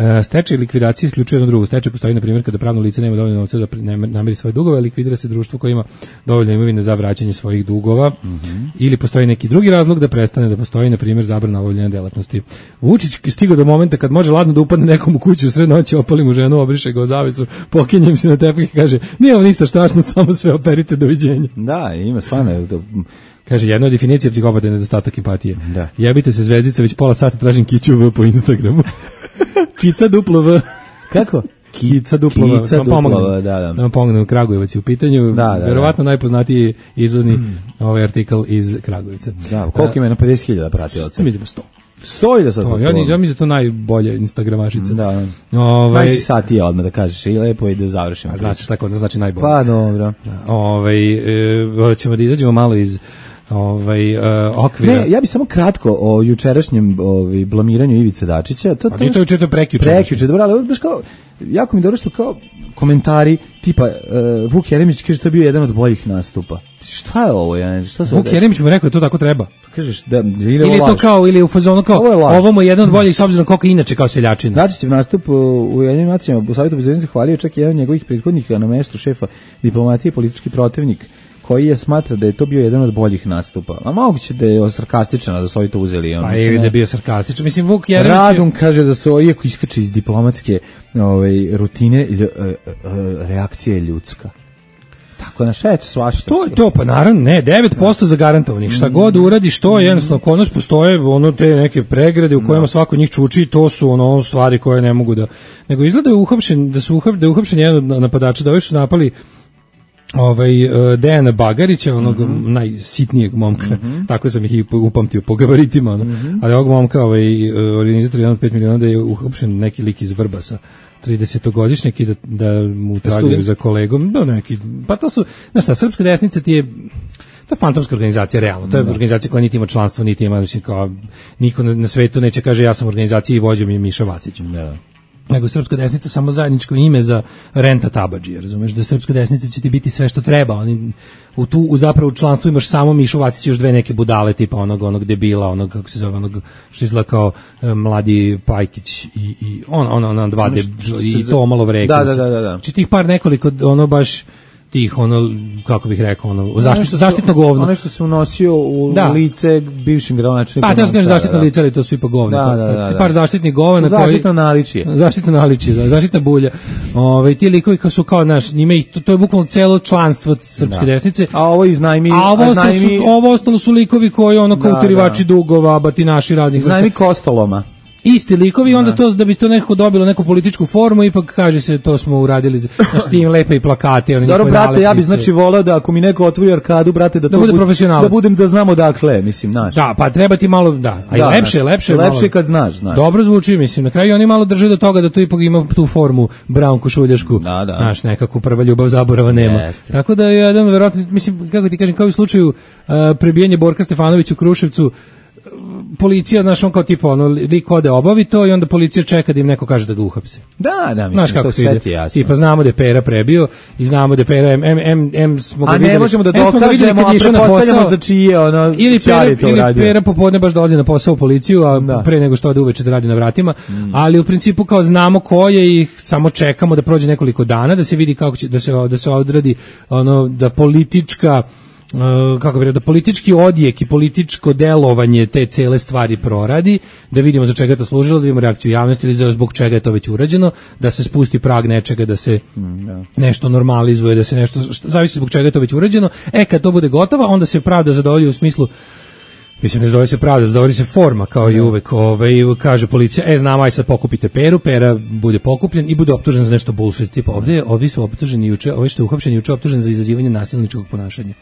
Uh, stečaj i likvidacija isključuje jedno drugo. Stečaj postoji, na primjer, kada pravno lice nema dovoljno novca da namiri svoje dugove, likvidira se društvo koje ima dovoljno imovine za vraćanje svojih dugova, mm-hmm. ili postoji neki drugi razlog da prestane da postoji, na primjer, zabrana obavljanja delatnosti. Vučić stigao do momenta kad može ladno da upadne nekom u kuću u sred noći, opali mu ženu, obriše ga u zavesu, pokenjem se na tepih i kaže, nije ovo ništa strašno, samo sve operite, doviđenja. Da, ima stvarno... Kaže, jedna od definicija psihopata je nedostatak empatije. Da. Jebite se zvezdice, već pola sata tražim kiću V po Instagramu. Kica duplo V. Kako? Kica duplo V. Kica duplo V, da, da. Da vam pomognem, Kragujevac je u pitanju. Da, da, verovatno da. Najpoznatiji izvozni mm. ovaj artikl iz Kragujevca. Da, koliko ima na pedeset hiljada pratilaca? Mi idemo sto. Sto i da sad to, ja, ja mislim da to najbolja Instagramašica. Da. Ovaj najsi sat je odmah da kažeš i lepo i da završimo. A znači šta kod znači najbolje. Pa dobro. Ovaj e, ćemo da izađemo malo iz ovaj uh, okvira. Ne, ja bih samo kratko o jučerašnjem ovaj blamiranju Ivice Dačića. To to je to juče prekjuče. Prekjuče, dobro, ali baš kao jako mi dobro što kao komentari tipa uh, Vuk Jeremić kaže to je bio jedan od boljih nastupa. Šta je ovo? Ja, šta se Vuk Jeremić mu rekao je to tako treba. Kažeš da ili, ili je to kao ili u fazonu kao ovo, ovo mu je jedan od boljih s obzirom koliko inače kao seljačina. Dačićev nastup u Ujedinjenim nacijama u Savetu bezbednosti hvalio čak jedan od njegovih prethodnih na mestu šefa diplomatije, politički protivnik, koji je smatra da je to bio jedan od boljih nastupa. A moguće da je sarkastičan, da su ovi to uzeli. On, pa je da je bio sarkastičan. Mislim, Vuk Jeremić... Radun kaže da su, iako iskače iz diplomatske ovaj, rutine, lj, uh, uh, reakcija je ljudska. Tako na šta je to svašta? To je to, pa naravno, ne, devet posto zagarantovanih. Šta god uradiš, to je jednostavno, kod nas postoje ono te neke pregrade u kojima svako njih čuči, to su ono stvari koje ne mogu da... Nego izgleda je uhapšen, da su uhapšen, da je uhapšen jedan od napadača, da ovi su napali ovaj uh, Dejana Bagarića, onog mm-hmm. najsitnijeg momka, mm-hmm. tako sam ih i upamtio po gabaritima, ono. Mm-hmm. Ali ovog momka, ovaj, organizator jedan od pet miliona, da je uhapšen neki lik iz Vrbasa, tridesetogodišnjak i da, da mu tragaju za kolegom, da neki, pa to su, znaš šta, srpska desnica ti je, to je fantomska organizacija, realno, to je da. Organizacija koja niti ima članstvo, niti ima, mislim, kao, niko na, na svetu neće kaže ja sam organizacija i vođa mi je Miša Vacić. Da. Nego srpska desnica samo zajedničko ime za Renta Tabadžija, razumeš, da srpska desnica će ti biti sve što treba, oni u tu u zapravo u članstvu imaš samo Mišu Vacić i još dve neke budale tipa onog onog debila, onog kako se zove, onog što izgleda kao e, mladi Pajkić i i on on on, on dva de, i to malo vreke. Da, da, da, da. Znači tih par nekoliko ono baš tih ono kako bih rekao ono zaštitno zaštitno govno. Ono što se unosio u da. lice bivšim gradonačelnikom. Pa to kaže zaštitno lice, ali to su ipak govna. Da, da, da, da. Par zaštitnih govana koji zaštitno naličje. Zaštitno naličje, da, zaštitna bulja. Ovaj ti likovi kao su kao naš, njima ih to, to je bukvalno celo članstvo srpske da. desnice. A ovo iznajmi, a ovo ostalo su ovo ostalo su likovi koji ono kao da, utirivači da. dugova, batinaši raznih vrsta. Iznajmi kostoloma. Isti likovi, onda to da bi to nekako dobilo neku političku formu, ipak kaže se to smo uradili, znači tim lepe i plakate, oni dobro, brate, nalepnice. Ja bih znači voleo da ako mi neko otvori arkadu, brate, da, da to bude profesionalac. Da budem da znamo dakle, mislim, znaš. Da, pa treba ti malo, da, a da, lepše, lepše, lepše malo, kad znaš, znaš. Dobro zvuči, mislim, na kraju oni malo drže do toga da to ipak ima tu formu braunku šuljašku. Da, da. Znaš, nekako prva ljubav zaborava nema. Jeste. Tako da je jedan verovatno, mislim, kako ti kažem, kao u slučaju uh, prebijanje Borka Stefanovića u Kruševcu, policija, znaš, on kao tipa, ono, lik ode obavi to i onda policija čeka da im neko kaže da ga uhapse. Da, da, mislim, znaš, to sve ti jasno. Tipa, znamo da je Pera prebio i znamo da je Pera, em, em, em smo ga a videli. A ne možemo da dokažemo, a prepostavljamo za čije, ono, ili Pera, ili Pera popodne baš dolazi na posao u policiju, a da. pre nego što ode uveče da radi na vratima, mm. ali u principu kao znamo ko je i samo čekamo da prođe nekoliko dana, da se vidi kako će, da se, da se odradi, ono, da politička Uh, kako bih rekao, da politički odjek i političko delovanje te cele stvari proradi, da vidimo za čega je to služilo, da vidimo reakciju javnosti ili za zbog čega je to već urađeno, da se spusti prag nečega, da se mm, yeah. nešto normalizuje, da se nešto, što, zavisi zbog čega je to već urađeno. E, kad to bude gotovo, onda se pravda zadovolji u smislu, mislim, ne zadovolji se pravda, zadovolji se forma, kao i uvek. Ovaj, kaže policija, e, znam, aj sad pokupite Peru, Pera bude pokupljen i bude optužen za nešto bullshit. Tipa, ovdje, ovi su optuženi juče, ovi što je uhapšeni juče optužen za izazivanje nasilničkog ponašanja.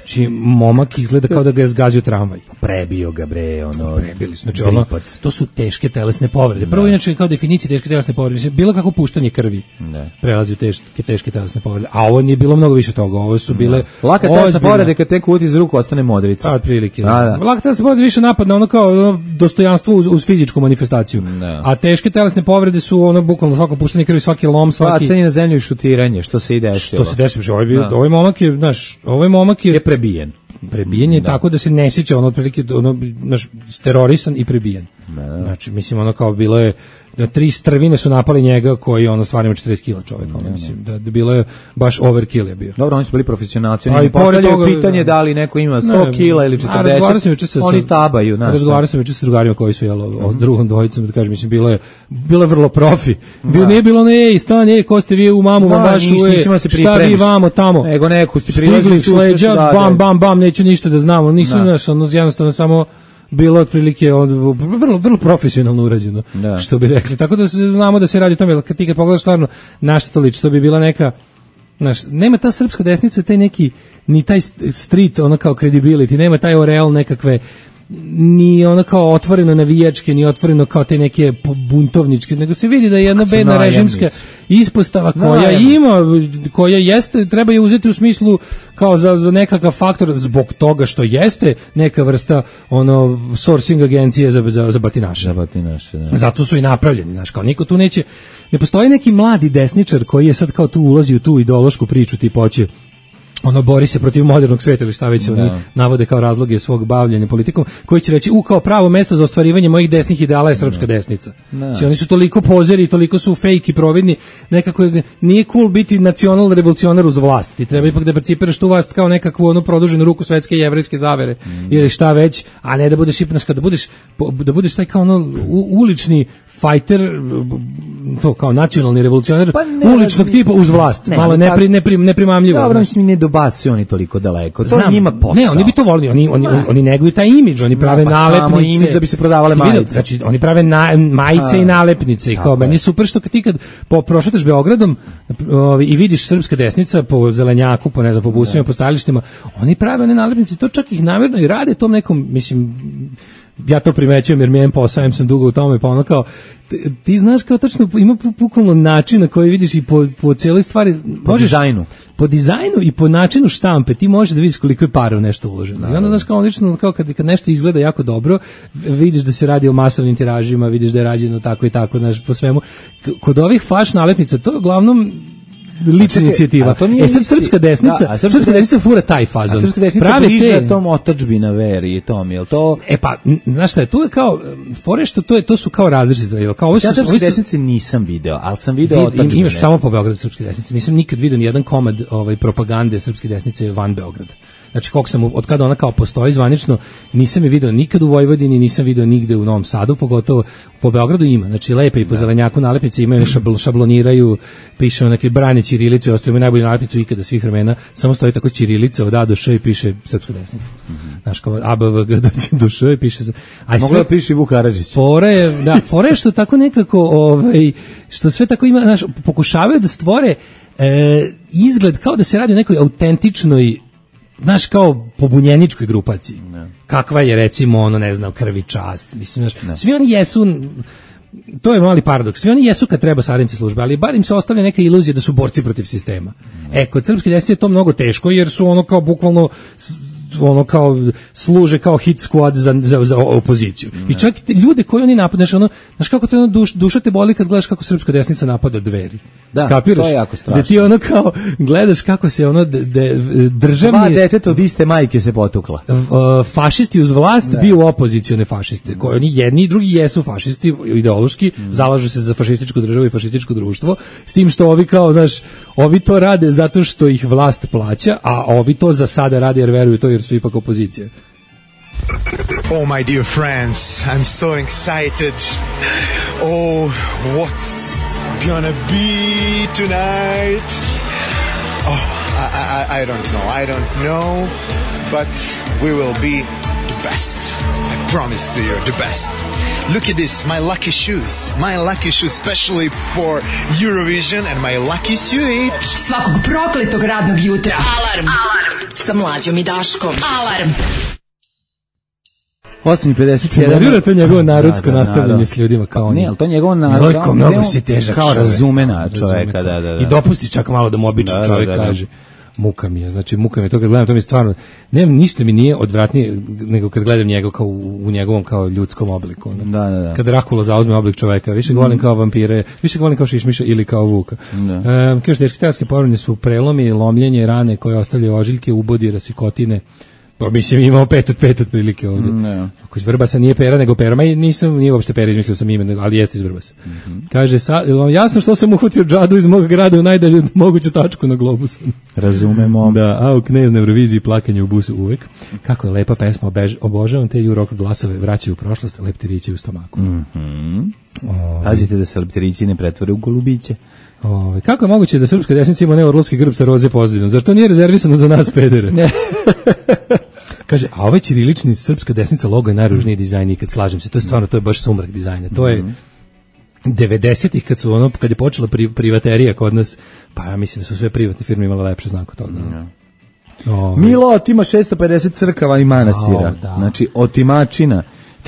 Znači, momak izgleda kao da ga je zgazio tramvaj. Prebio ga, bre, ono... Prebili su, znači, ono, to su teške telesne povrede. Prvo, inače, kao definicija teške telesne povrede, mislim, bilo kako puštanje krvi ne. prelazi u teške, teške telesne povrede. A ovo nije bilo mnogo više toga, ovo su bile... Ne. Laka telesna povrede, kad tek uti iz ruku, ostane modrica. Pa, otprilike. Da. Laka telesna povrede više napad na ono kao ono, dostojanstvo uz, uz fizičku manifestaciju. Ne. A teške telesne povrede su ono, bukvalno svako puštanje krvi, svaki lom, svaki... Bacanje na zemlju i šutiranje, što se i desilo. Što se desilo, ovaj, bio, ovaj momak je, znaš, ovaj momak je... je prebijen. Prebijen je da. Tako da se ne sjeća, ono otprilike ono naš terorisan i prebijen. Da. Znači mislim ono kao bilo je da tri strvine su napali njega koji ono stvarno ima četrdeset kila čovjek, ono mislim da, da bilo je baš overkill je bio. Dobro, oni su bili profesionalci, oni postavljaju pitanje da li neko ima sto kila ili četrdeset. Oni tabaju, znači. Razgovarao sam juče sa drugarima koji su jelo mm-hmm. o drugom dvojicom, da kažem, mislim bilo je bilo je vrlo profi. Bilo nije bilo ne, ej, stan, ej, ko ste vi u mamu vam vašu, šta vi vamo tamo. Nego neku ste prilazili sleđa, bam bam bam, neću ništa da znamo, nisam znaš, ono jednostavno samo bilo otprilike od, vrlo vrlo profesionalno urađeno, da. Što bi rekli. Tako da se, znamo da se radi o tome, kad ti kad pogledaš stvarno na što to liči, to bi bila neka, znaš, nema ta srpska desnica, taj neki, ni taj street, ono kao credibility, nema taj oreal nekakve, ni ono kao otvoreno navijačke, ni otvoreno kao te neke buntovničke, nego se vidi da je jedna bedna režimska ispostava koja najemnic. Ima, koja jeste, treba je uzeti u smislu kao za, za nekakav faktor zbog toga što jeste neka vrsta ono sourcing agencije za, za, za batinaše. Za batinaše, da. Zato su i napravljeni, znaš, kao niko tu neće, ne postoji neki mladi desničar koji je sad kao tu ulazi u tu ideološku priču tipa hoće ono bori se protiv modernog sveta ili šta već oni no. navode kao razloge svog bavljenja politikom, koji će reći u kao pravo mesto za ostvarivanje mojih desnih ideala je srpska no. desnica. No. Oni su toliko pozeri, toliko su fake i providni, nekako je, nije cool biti nacional revolucionar uz vlast. Ti treba ipak da percipiraš tu vlast kao nekakvu onu produženu ruku svetske jevrejske zavere mm. ili šta već, a ne da budeš ipnaš kada budeš da budeš taj kao ono u, ulični fighter, to kao nacionalni revolucionar pa ne, uličnog tipa uz vlast, ne, malo nepri, nepri, neprimamljivo. Dobro, mislim, ne dobacuju oni toliko daleko, to znam, njima posao. Ne, oni bi to volili, oni, oni, oni, oni neguju taj imidž, oni prave no, pa nalepnice. Imidž da bi se prodavale majice. Znači, oni prave na, majice a, i nalepnice. I kao, meni je super što kad ti kad po, prošetaš Beogradom ovi, i vidiš srpska desnica po zelenjaku, po, ne znam, po busima, po stajalištima, oni prave one nalepnice, to čak ih namjerno i rade tom nekom, mislim, ja to primećujem jer mi je posao, sam dugo u tome, pa ono kao, ti, ti znaš kao tačno, ima bukvalno način na koji vidiš i po, po cijeloj stvari. Po možeš, dizajnu. Po dizajnu i po načinu štampe ti možeš da vidiš koliko je para u nešto uloženo. I onda znaš kao, lično, kao kad, kad nešto izgleda jako dobro, vidiš da se radi o masovnim tiražima, vidiš da je rađeno tako i tako, znaš, po svemu. Kod ovih flash nalepnica, to je uglavnom lična inicijativa. E sad srpska desnica, da, srpska desnica fura taj fazon. A srpska desnica bliža te... tom otadžbina veri i tom, jel to? E pa, znaš šta je, tu je kao, fore što to je, to su kao različite, kao ovo su... Ja srpske desnice nisam video, ali sam video vid, otadžbine. Imaš samo po Beogradu srpske desnice, nisam nikad video ni jedan komad ovaj, propagande srpske desnice van Beograda. Znači, koliko sam, od kada ona kao postoji zvanično, nisam je video nikad u Vojvodini, nisam video nigde u Novom Sadu, pogotovo po Beogradu ima. Znači, lepe i po zelenjaku nalepnice imaju, šabl, šabloniraju, piše neke brane ćirilice, ostaju imaju najbolju nalepnicu ikada svih vremena, samo stoji tako ćirilica od A do Š i piše srpska desnica. Mm-hmm. Znaš, kao A, B, V, G, do Š i piše... Mogla da piše Vuk Karadžić. Fore, da, fore što tako nekako, ovaj, što sve tako ima, znaš, pokušavaju da stvore e, izgled kao da se radi o nekoj autentičnoj, znaš, kao pobunjeničkoj grupaciji. Ne. Kakva je, recimo, ono, ne znam, Krvi čast. Mislim, znaš, svi oni jesu, to je mali paradoks, svi oni jesu kad treba saradnici službe, ali bar im se ostavlja neka iluzija da su borci protiv sistema. Ne. E, kod srpske desnice je to mnogo teško, jer su ono kao bukvalno ono kao služe kao hit squad za, za, za opoziciju. Ne. I čak te ljude koji oni napadaju, ono, znaš kako te ono duš, duša te boli kad gledaš kako srpska desnica napada Dveri. Da, kapiraš? To je jako strašno. Da ti ono kao gledaš kako se ono de, de, državni... Dva deteta od iste majke se potukla. Uh, fašisti uz vlast da. Bio opozicione fašiste. Koji oni jedni i drugi jesu fašisti ideološki, mm. zalažu se za fašističku državu i fašističko društvo, s tim što ovi kao, znaš, ovi to rade zato što ih vlast plaća, a ovi to za sada rade jer veruju to jer su ipak opozicija. Oh, my dear friends, I'm so excited. Oh, what's gonna be tonight? Oh, I, I, I don't know. I don't know, but we will be the best. I promise to you, the best. Look at this, my lucky shoes. My lucky shoes specially for Eurovision and my lucky suit. Svakog prokletog radnog jutra. Alarm. Alarm. Sa Mlađom i Daškom. Alarm. osam i pedeset jedan. Nervira to njegovo narodsko da, da, nastavljanje da. S ljudima kao on. Ne, ali to njegovo narodsko. Mnogo, mnogo si težak kao čovjek. razumena čovjeka, da, da, da. I dopusti čak malo da mu običan da, čovjek da, da, da. kaže. Muka mi je, znači muka mi je to kad gledam, to mi je stvarno, nemam ništa mi nije odvratnije nego kad gledam njega kao u, u njegovom kao ljudskom obliku. Ne? Da, da, da. Kad Rakula zauzme oblik čoveka, više ga volim kao vampire, više ga volim kao Šišmiša ili kao Vuka. Da. E, kaže, teške telatske povrede su prelomi, lomljenje, rane koje ostavljaju ožiljke, ubodi, rasikotine. Pa mislim imao pet od pet otprilike ovdje. Ne. Ako iz Vrbasa nije pera nego pera, ma nisam nije uopšte pera, izmislio sam ime, ali jeste iz Vrbasa. Mm-hmm. Kaže, sa, jasno što sam uhvatio džadu iz mog grada u najdalju moguću tačku na globusu. Razumemo. Da, a u Knez na Euroviziji plakanje u busu uvek. Kako je lepa pesma, obež, obožavam te Jurok glasove, vraćaju u prošlost, leptirići u stomaku. Mm-hmm. Pazite da se leptirići ne pretvore u golubiće. Ove, kako je moguće da srpska desnica ima neorlovski grb sa roze pozadinom? Zar to nije rezervisano za nas pedere? Ne. Kaže, a ovaj ćirilični srpska desnica logo je najružniji dizajn ikad, slažem se, to je stvarno, to je baš sumrak dizajna. To je devedesetih kad su ono, kad je počela pri, privaterija kod nas, pa ja mislim da su sve privatne firme imale lepše znak od toga. Mm. Ove. Milo otima šesto pedeset crkava i manastira. O, da. Znači, otimačina.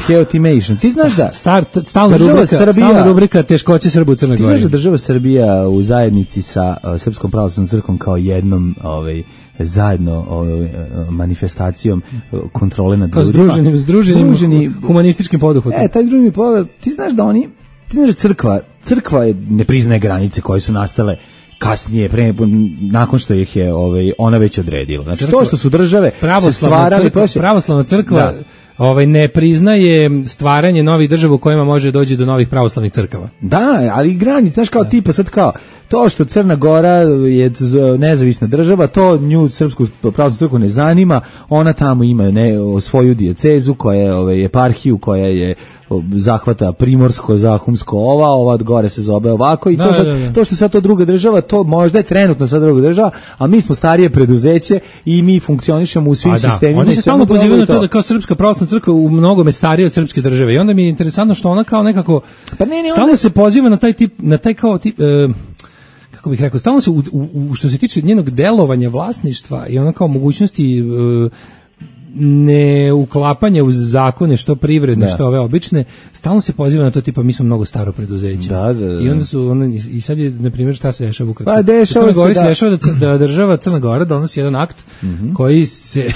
Theotimation. Ti znaš da Start, stalna rubrika, Srbija, stalna rubrika teškoće Srba u Crnoj Gori. Ti znaš da država Srbija u zajednici sa uh, Srpskom pravoslavnom crkvom kao jednom ovaj, zajedno ovaj, manifestacijom uh, kontrole nad ljudima. Združenim, združenim Združeni, humanističkim poduhvatom. E, taj drugi poduhvat, ti znaš da oni, ti znaš da crkva, crkva ne priznaje granice koje su nastale kasnije, pre, nakon što ih je ovaj, ona već odredila. Znači, crkva, to što su države se stvarali... Crkva, pravoslavna crkva... Da. Ovaj ne priznaje stvaranje novih država u kojima može doći do novih pravoslavnih crkava. Da, ali granice, znaš kao da. Tipa sad kao to što Crna Gora je nezavisna država, to nju srpsku pravoslavnu crkvu ne zanima, ona tamo ima ne svoju dijecezu koja je ovaj eparhiju koja je zahvata primorsko, zahumsko, ova, ova gore se zove ovako i da, to, sad, da, da. To što sad to druga država, to možda je trenutno sad druga država, a mi smo starije preduzeće i mi funkcionišemo u svim a sistemima. Oni se stalno pozivaju na to da kao srpska pravoslavna crkva u mnogome starije od srpske države i onda mi je interesantno što ona kao nekako pa ne, ne, stalno onda... se poziva na taj tip, na taj kao tip, e, kako bih rekao, stalno se u, u, u što se tiče njenog delovanja vlasništva i ona kao mogućnosti e, ne uklapanje u zakone što privredne, da. Što ove obične, stalno se poziva na to tipa mi smo mnogo staro preduzeće. Da, da, da. I onda su ono, i sad je na primjer šta se dešava u Ukrajini. Pa dešava se, da. dešava da, da država Crna Gora donosi jedan akt mm-hmm. koji se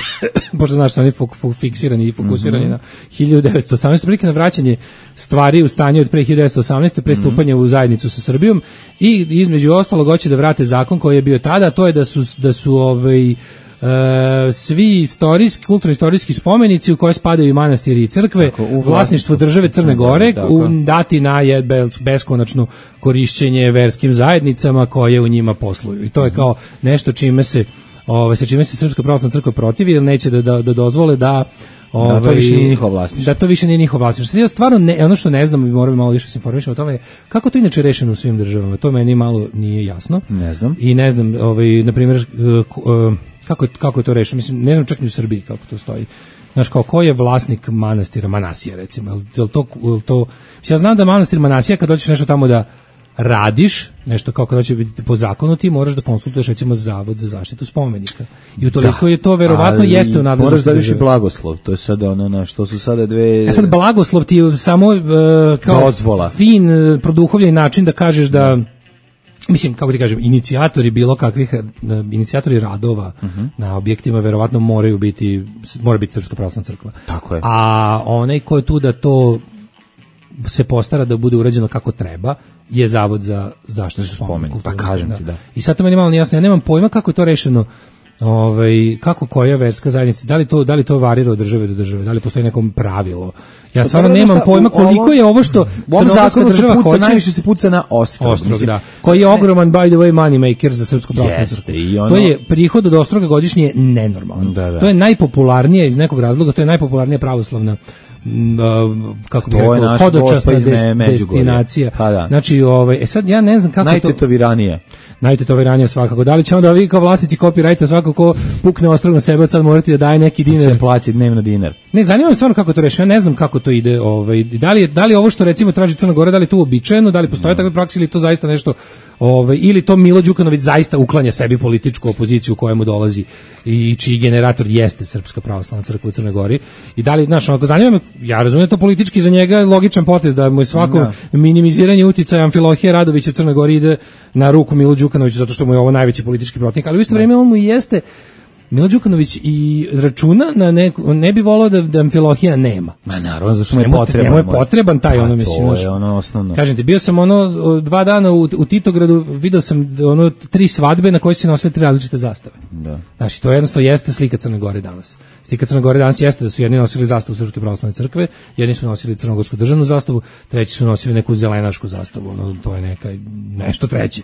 pošto znaš da oni fok, fok, fiksirani i fokusirani mm-hmm. na hiljadu devetsto osamnaeste prilike na vraćanje stvari u stanje od pre hiljadu devetsto osamnaeste prestupanje mm-hmm. u zajednicu sa Srbijom i između ostalog hoće da vrate zakon koji je bio tada, a to je da su da su ovaj Uh, svi istorijski, kulturno-istorijski spomenici u koje spadaju i manastiri i crkve, tako, u vlasništvu države Crne Gore, u, dati na beskonačno korišćenje verskim zajednicama koje u njima posluju. I to je kao nešto čime se, ove, sa čime se Srpska pravoslavna crkva protivi, jer neće da, da, da dozvole da Ove, da to više nije njihov vlasništvo. Da to više nije njihov vlasništvo. Ja stvarno ne, ono što ne znam, moram malo više se informišem o tome, kako to inače rešeno u svim državama. To meni malo nije jasno. Ne znam. I ne znam, ovaj na primjer uh, kako je, kako je to rešeno. Mislim, ne znam čak ni u Srbiji kako to stoji. Znaš, kao ko je vlasnik manastira Manasija, recimo. Je li to, je to, ja znam da manastir Manasija, kad dođeš nešto tamo da radiš, nešto kao kada će biti po zakonu, ti moraš da konsultuješ recimo Zavod za zaštitu spomenika. I utoliko da, je to verovatno jeste u nadležnosti. Moraš da viš i blagoslov, to je sad ono na što su sada dve... Ja sad blagoslov ti je samo uh, kao dozvola. Fin, uh, produhovljen način da kažeš da, mislim, kako ti kažem, inicijatori bilo kakvih, uh, inicijatori radova uh-huh. na objektima verovatno moraju biti, mora biti Srpska pravoslavna crkva. Tako je. A onaj ko je tu da to se postara da bude urađeno kako treba, je Zavod za zaštitu spomenika. Pa kažem ti, da. I sad to meni malo nejasno, ja nemam pojma kako je to rešeno, ovaj, kako koja verska zajednica, da li to, da li to varira od države do države, da li postoji neko pravilo. Ja pa stvarno nemam pojma koliko ovo, je ovo što u ovom zakonu država se puca, hoće. Najviše se puca na Ostrog. Ostrog, mislim, da. Koji je ogroman, by the way, money maker za Srpsku pravoslavnu crkvu. Ono... To je prihod od Ostroga godišnje nenormalan. Da, da. To je najpopularnija iz nekog razloga, to je najpopularnija pravoslavna kako bih rekao, hodočasna des, destinacija. Pa da. Znači, ovaj, e sad ja ne znam kako najtetoviranije. Najtetoviranije svakako. Da li će onda ovi kao vlasnici copyrighta svako ko pukne ostrog na sebe od sad morati da daje neki dinar? Se plaći dnevno dinar. Ne, zanima me stvarno kako to reši. Ja ne znam kako to ide. Ovaj, da li je, da li ovo što recimo traži Crna Gora, da li je to uobičajeno, da li postoje takve prakse ili to zaista nešto, ovaj, ili to Milo Đukanović zaista uklanja sebi političku opoziciju kojemu dolazi i čiji generator jeste Srpska pravoslavna crkva u Crnoj Gori. I da li, znaš, onako, zanima me, ja razumijem to politički za njega logičan potez da mu je svako no. minimiziranje uticaja Amfilohije Radovića u Crnoj Gori ide na ruku Milu Đukanoviću zato što mu je ovo najveći politički protivnik, ali u isto vrijeme on mu i jeste Milo Đukanović i računa na neku, ne bi volao da, da Amfilohija nema. Ma naravno, zašto mu je potreban. Njemu je potreban taj, pa, ono, mislim. To je ono osnovno. Kažem ti, bio sam ono, dva dana u, u Titogradu, vidio sam ono, tri svadbe na koje se nosile tri različite zastave. Da. Znači, to jednostavno jeste slika Crne Gore danas. Slika Crne Gore danas jeste da su jedni nosili zastavu Srpske pravoslavne crkve, jedni su nosili crnogorsku državnu zastavu, treći su nosili neku zelenašku zastavu, ono, to je neka, nešto treći.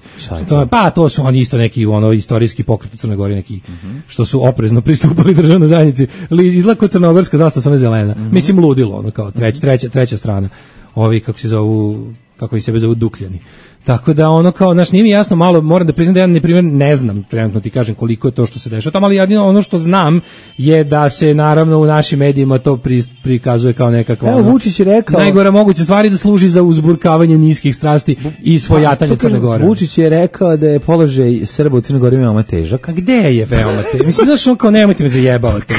To je, pa, to su oni isto neki, ono, istorijski pokret u Crnoj Gori, neki, mm-hmm. što su oprezno pristupali državnoj zajednici. Izlako crnogorska zastava, samo je zelena. Mm-hmm. Mislim, ludilo, ono, kao treć, treća, treća strana. Ovi, kako se zovu, kako i sebe zovu, Dukljani. Tako da ono kao, znaš, nije mi jasno, malo moram da priznam da ja na primjer ne znam, trenutno ti kažem koliko je to što se dešava tamo, ali jedino ono što znam je da se naravno u našim medijima to pri, prikazuje kao nekakva Evo, Vučić je rekao, najgora moguća stvari da služi za uzburkavanje niskih strasti i svojatanje Crne Gore. Vučić je rekao da je položaj Srba u Crnoj Gori veoma težak. A gde je veoma težak? Mislim, znaš, on kao nemojte me zajebavati.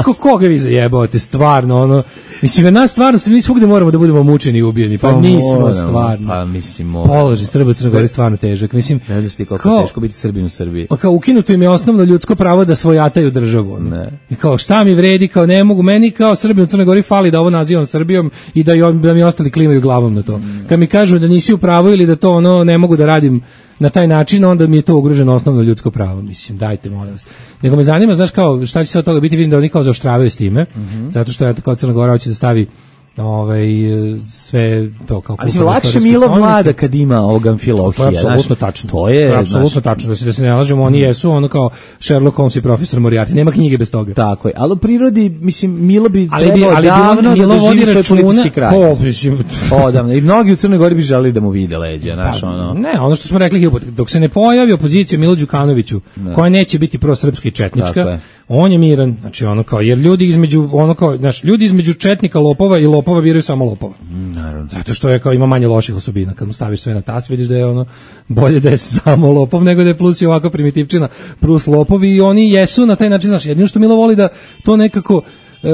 Ko, koga vi zajebavate, stvarno, ono, mislim, nas stvarno, mi svugde moramo da budemo mučeni i ubijeni, pa, pa nismo stvarno. Pa mislim, položaj Srba u Crnoj Gori stvarno težak. Mislim, ne znaš ti koliko je teško biti Srbin u Srbiji. Pa kao ukinuto im je osnovno ljudsko pravo da svojataju državu. Ne. I kao šta mi vredi, kao ne mogu, meni kao Srbin u Crnoj Gori fali da ovo nazivam Srbijom i da, jo, da mi ostali klimaju glavom na to. Mm. Kad mi kažu da nisi u pravu ili da to ono ne mogu da radim na taj način, onda mi je to ugroženo osnovno ljudsko pravo. Mislim, dajte, molim vas. Nego me zanima, znaš kao, šta će se od toga biti, vidim da oni kao zaoštravaju s time, mm-hmm. zato što je kao Crna Gora hoće da stavi ovaj sve to kao ali lakše Milo vlada kad ima ovog Amfilohija. To je apsolutno tačno. To je, to je apsolutno tačno, da se da se ne lažemo, oni jesu ono kao Sherlock Holmes i profesor Moriarty, nema knjige bez toga. Tako je. Ali u prirodi mislim Milo bi ali bi ali davno Milo da vodi računa po mislim odavno i mnogi u Crnoj Gori bi želeli da mu vide leđa, znaš, pa, ono. Ne, ono što smo rekli, dok se ne pojavi opozicija Milu Đukanoviću, ne. koja neće biti prosrpska i četnička, on je miran, znači ono kao, jer ljudi između ono kao, znaš, ljudi između četnika, lopova i lopova biraju samo lopova. Naravno. Zato što je kao ima manje loših osobina. Kad mu staviš sve na tas, vidiš da je ono bolje da je samo lopov nego da je plus i ovako primitivčina plus lopovi i oni jesu na taj način, znaš, jedino što Milo voli da to nekako e,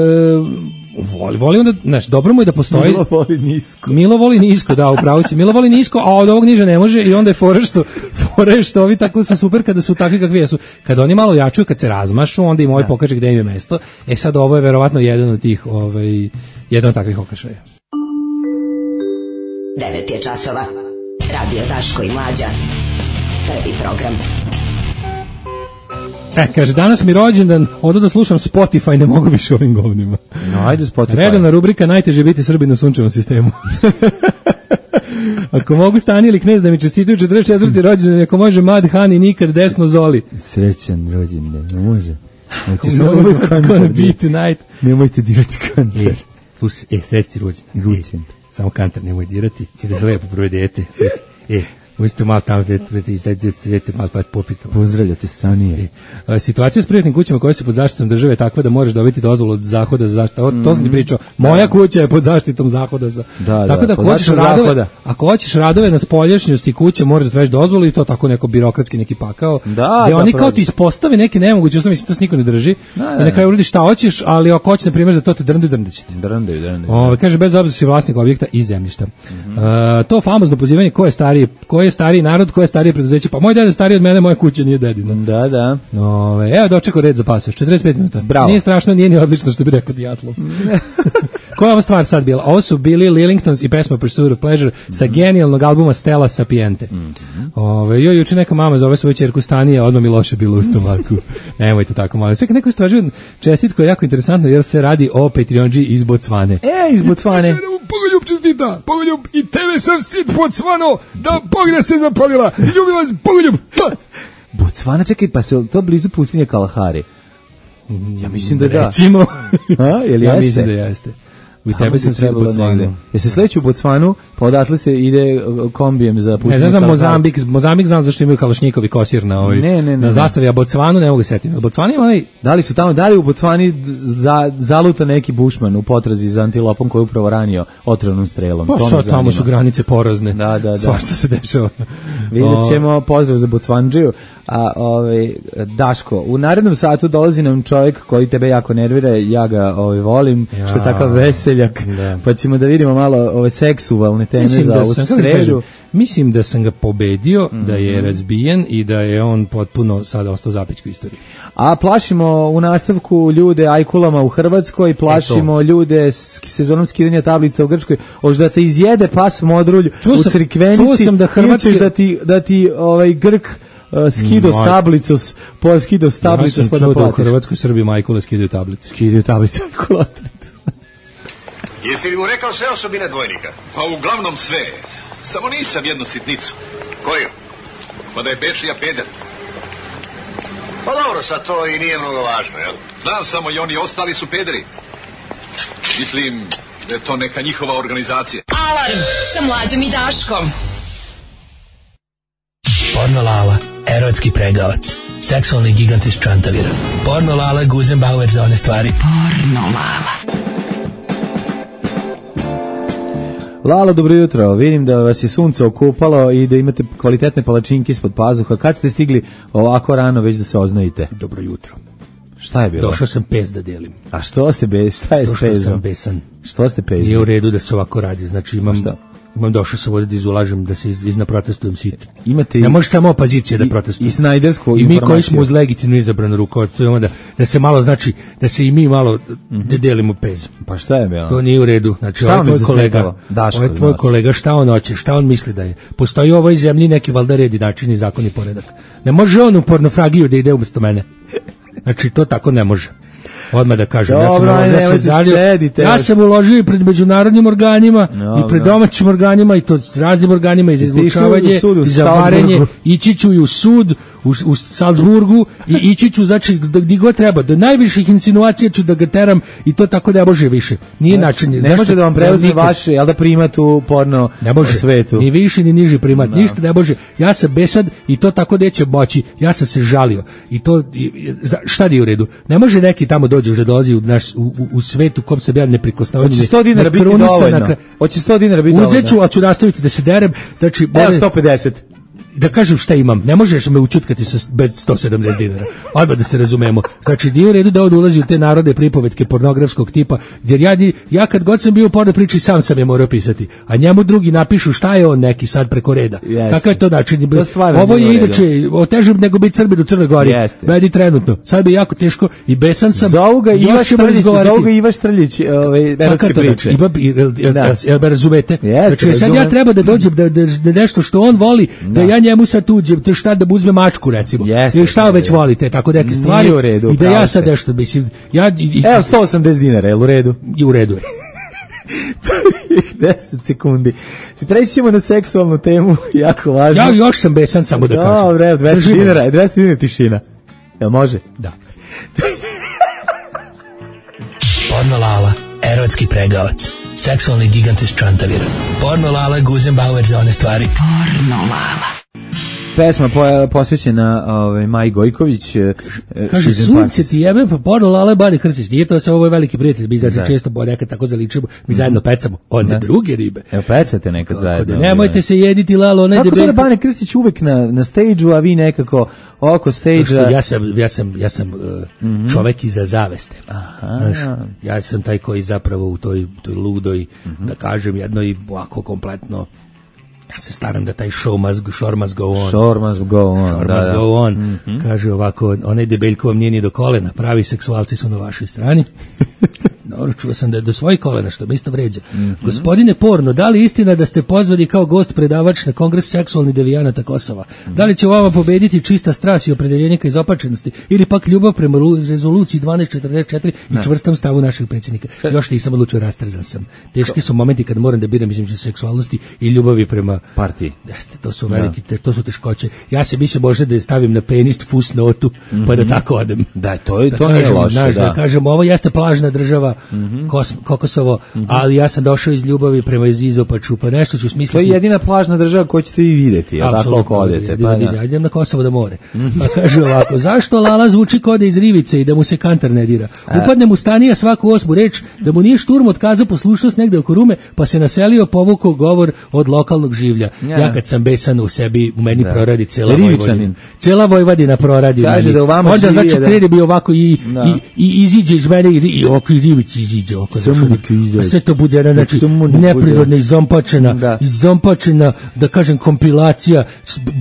voli, voli onda, znaš, dobro mu je da postoji. Milo voli nisko. Milo voli nisko, da, upravo si. Milo voli nisko, a od ovog niže ne može i onda je fora što, fora što ovi tako su super kada su takvi kakvi jesu. Kada oni malo jačuju, kad se razmašu, onda im ovaj pokaže gde im je mesto. E sad ovo je verovatno jedan od tih, ovaj, jedan od takvih okršaja. devet je časova. Radio Daško i Mlađa. Prvi program. E, kaže, danas mi rođendan, odo da slušam Spotify, ne mogu više ovim govnima. No, ajde Spotify. Redovna rubrika, najteže biti Srbin u sunčevom sistemu. Ako mogu Stani ili Knez da mi čestitaju četrdeset četvrti rođendan, ako može Mad Hani, nikad desno Zoli. Srećan rođendan, ne može. Nemojte dirati kantar. E, slušaj, e, srećti rođendan. E, samo kantar nemoj dirati, i da se lepo prve dete. E, možete malo tamo dete malo pa popiti. Pozdravljate Stanije. E, situacija s privatnim kućama koje su pod zaštitom države je takva da možeš dobiti dozvolu od Zahoda za zaštitu. Mm-hmm. To sam ti pričao. Moja kuća je pod zaštitom Zahoda za. Da, tako da, da ako hoćeš radove, ako hoćeš radove na spoljašnjosti kuće, moraš da tražiš dozvolu i to tako neko birokratski neki pakao. Da, gde da, oni kao ti ispostave neke nemoguće, ja mislim to se niko ne drži. Da, da, I na kraju uradiš šta hoćeš, ali ako hoćeš na primjer za to te drndaju, drndaćete. Drndaju, drndaju. Ovaj kaže bez obzira si vlasnik objekta i zemljišta. Mm-hmm. Uh, to famozno pozivanje ko je stariji, ko je stariji narod, ko je starije preduzeće. Pa moj deda je stariji od mene, moja kuća nije dedina. Da, da. Ove, evo dočekao red za pasoš, četrdeset pet minuta. Bravo. Nije strašno, nije ni odlično što bi rekao Dijatlov. Koja je ova stvar sad bila? Ovo su bili Lillingtons i pesma Pursuit of Pleasure mm-hmm. sa genijalnog albuma Stella Sapiente. Mm-hmm. Ove, joj, juče neka mama zove svoju ćerku Stanije, odmah mi loše bilo u stomaku. Nemojte tako malo. Čekaj, neko istražuje čestitko je jako interesantno jer se radi o Patreonđi iz Bocvane. E, iz Bocvane. Pogoljub čestita, Pogoljub, i tebe sam sit Bocvano, da Bog se zapalila, ljubim vas, Pogoljub. Bocvana, čekaj, pa se to blizu pustinje Kalahari? Ja mislim da da. Recimo. A, jel ja jeste? mislim da jeste. I tebe sam se u Bocvanu. Jesi sledeći u Bocvanu, pa odatle se ide kombijem za puštanje. Ne znam, Mozambik, Mozambik znam zašto imaju kalašnjikovi kosir na ovoj, ne, ne, ne, na zastavi, a Bocvanu ne mogu setiti. Bocvani ima onaj... Da li su tamo, da li u Bocvani za, zaluta neki bušman u potrazi za antilopom koji je upravo ranio otrovnom strelom? Pa sad tamo su granice porazne. Da, da, da. Svašta se dešava. Vidjet ćemo, pozdrav za Bocvanđiju. A ovaj Daško, u narednom satu dolazi nam čovjek koji tebe jako nervira, ja ga ovaj volim, ja, što je takav veseljak, da. Pa ćemo da vidimo malo ove seksualne teme mislim za ovu sredu. Mislim da sam ga pobedio, mm-hmm. da je razbijen i da je on potpuno sada ostao zapećku istoriju. A plašimo u nastavku ljude ajkulama u Hrvatskoj, plašimo Eto. ljude s sezonom skidanja tablica u Grčkoj, hoće da te izjede pas modrulj čuo u Crikvenici, čuo sam da Hrvatske... da ti, da ti ovaj Grk Uh, skido mm, stablicos, po skido stablicos, ja pa da platiš. U Hrvatskoj Srbiji majkule skidaju tablice. Skidaju tablice, majkule. Jesi li mu rekao sve osobine dvojnika? Pa uglavnom sve. Samo nisam jednu sitnicu. Koju? Pa da je Bečija peder. Pa dobro, sad to i nije mnogo važno, jel? Znam, samo i oni ostali su pederi. Mislim da je to neka njihova organizacija. Alarm sa Mlađom i Daškom. Porno Lala, erotski pregavac, seksualni gigant iz Čantavira. Porno Lala, Guzenbauer za one stvari. Porno Lala. Lalo, dobro jutro. Vidim da vas je sunce okupalo i da imate kvalitetne palačinke ispod pazuha. Kad ste stigli ovako rano već da se oznojite? Dobro jutro. Šta je bilo? Došao sam pes da delim. A što ste bez? Šta je s pezom? Došao sam besan. Što ste pezom? Nije u redu da se ovako radi. Znači imam... Šta? Imam došao sam ovdje da izulažem, da se iz, izna protestujem sit. Imate ne može samo opozicija da protestuje. I snajdersku I mi koji smo uz legitimno izabrano rukovodstvo, imamo da, da se malo, znači, da se i mi malo mm-hmm. da delimo pez. Pa šta je bilo? To nije u redu. Znači, ovaj tvoj kolega, Daško, ovaj tvoj kolega, šta on hoće, šta on misli da je? Postoji u ovoj zemlji neki valjda red i način i zakon i poredak. Ne može on u pornofragiju da ide umjesto mene. Znači, to tako ne može. Odmah da kažem, Dobro, ja sam uložio, sedite, ja sam uložio i pred međunarodnim organima no, i pred domaćim organima i to raznim organima i za izlučavanje i za varenje, ići ću i u sud u, u Salzburgu i ići ću, znači, gdje god treba, do najviših insinuacija ću da ga teram i to tako ne može više. Nije način. Ne zašto, može da vam preuzme nikad, vaš, jel da primat u porno ne može, svetu? Ni viši ni niži primat, no. Ništa ne može. Ja sam besad i to tako neće moći. Ja sam se žalio i to, i, šta nije u redu? Ne može neki tamo dođe da dolazi u naš u, u, u svetu kom se ja neprikosnovan. Hoće sto dinara biti dovoljno. Hoće sto dinara biti dovoljno. Uzet ću, ali ću nastaviti da se derem. Znači, evo sto pedeset. Da kažem šta imam, ne možeš me učutkati sa bez sto sedamdeset dinara. Odmah da se razumemo. Znači, nije u redu da on ulazi u te narode pripovetke pornografskog tipa, jer ja, ja kad god sam bio u porno priči, sam sam je morao pisati. A njemu drugi napišu šta je on neki sad preko reda. Kakav je to način? Ovo je inače otežem nego biti Srbi do Crne Gori. Meni trenutno. Sad bi jako teško i besan sam. Zovu ga Iva Štrljić, zovu ga Iva Štrljić, ove erotske priče. Ima, jel me razumete? Znači, sad ja treba da dođem da, da, da nešto što on voli, da ja njemu sad tuđe, to šta da uzme mačku recimo. Jeste, ili šta već volite, tako neke stvari. U redu, i da ja sad nešto mislim, ja i, evo sto osamdeset dinara, je u redu? I u redu je. deset sekundi. Preći ćemo na seksualnu temu, jako važno. Ja još sam besan, samo da kažem. Dobre, dvesta dinara, dvesta dinara tišina. Jel može? Da. Porno Lala, erotski pregavac, seksualni gigant iz Čantavira. Porno Lala, Guzenbauer za one stvari. Porno Lala. Pesma po, posvećena ovaj, Maji Gojković. Kaže, sunce ti jebe, pa porno Lala Bani Krstić. Nije to sa ovoj veliki prijatelj, mi znači često bo nekad tako zaličimo, mi zajedno pecamo, one druge ribe. Evo, pecate nekad zajedno. Nemojte se jediti, Lalo, onaj debel. Kako to da Bani Krstić uvek na, na stage-u, a vi nekako oko stage-a? Ja sam, ja sam, ja sam uh, mm-hmm. čovek iza zaveste. Aha. Znaš, ja sam taj koji zapravo u toj, toj ludoj, mm-hmm. da kažem, jednoj ovako kompletno ja se staram da taj show must, show must go on. Show must go on. Show da, must da. go on. Mm-hmm. Kaže ovako, onaj debeljko vam nije ni do kolena, pravi seksualci su na vašoj strani. Dobro, čuo sam da je do svojih kolena, što me isto vređa. Mm-hmm. Gospodine Porno, da li istina da ste pozvani kao gost predavač na Kongres seksualnih devijanata Kosova? Mm-hmm. Da li će vama pobediti čista strast i opredeljenje ka izopačenosti ili pak ljubav prema rezoluciji dvanaest četrdeset četiri i čvrstom stavu našeg predsjednika? Još nisam odlučio, rastrzan sam. Teški su momenti kad moram da biram između seksualnosti i ljubavi prema partiji. Jeste, to su veliki, te, to su teškoće. Ja se mislim možda da je stavim na penist fusnotu, mm-hmm. pa da tako odem. Da, to je da to kažem, nije loše, naš, da. da kažem, ovo jeste plažna država, Kosovo, mm-hmm. Kos, Kokosovo, mm-hmm. ali ja sam došao iz ljubavi prema Izopaču, pa nešto ću smisliti. To je jedina plažna država koju ćete vi vidjeti, ja tako ako odete. Pa ja idem na Kosovo da more. Mm-hmm. Pa kaže ovako, zašto Lala zvuči kode iz rivice i da mu se kantar ne dira? Upadne mu stanija svaku osmu reč, da mu nije šturm otkazao poslušnost negde oko Rume, pa se naselio, povukao govor od lokalnog življa. Ja, ja kad sam besan u sebi, u meni da. proradi cela Vojvodina. Cela Vojvodina proradi u meni. Da onda znači da... krene bi ovako i, no. i, i iziđe iz mene i, i oko rivici iziđe oko. A sve to bude jedna, znači, neprirodna, izompačena, da. izompačena, da kažem, kompilacija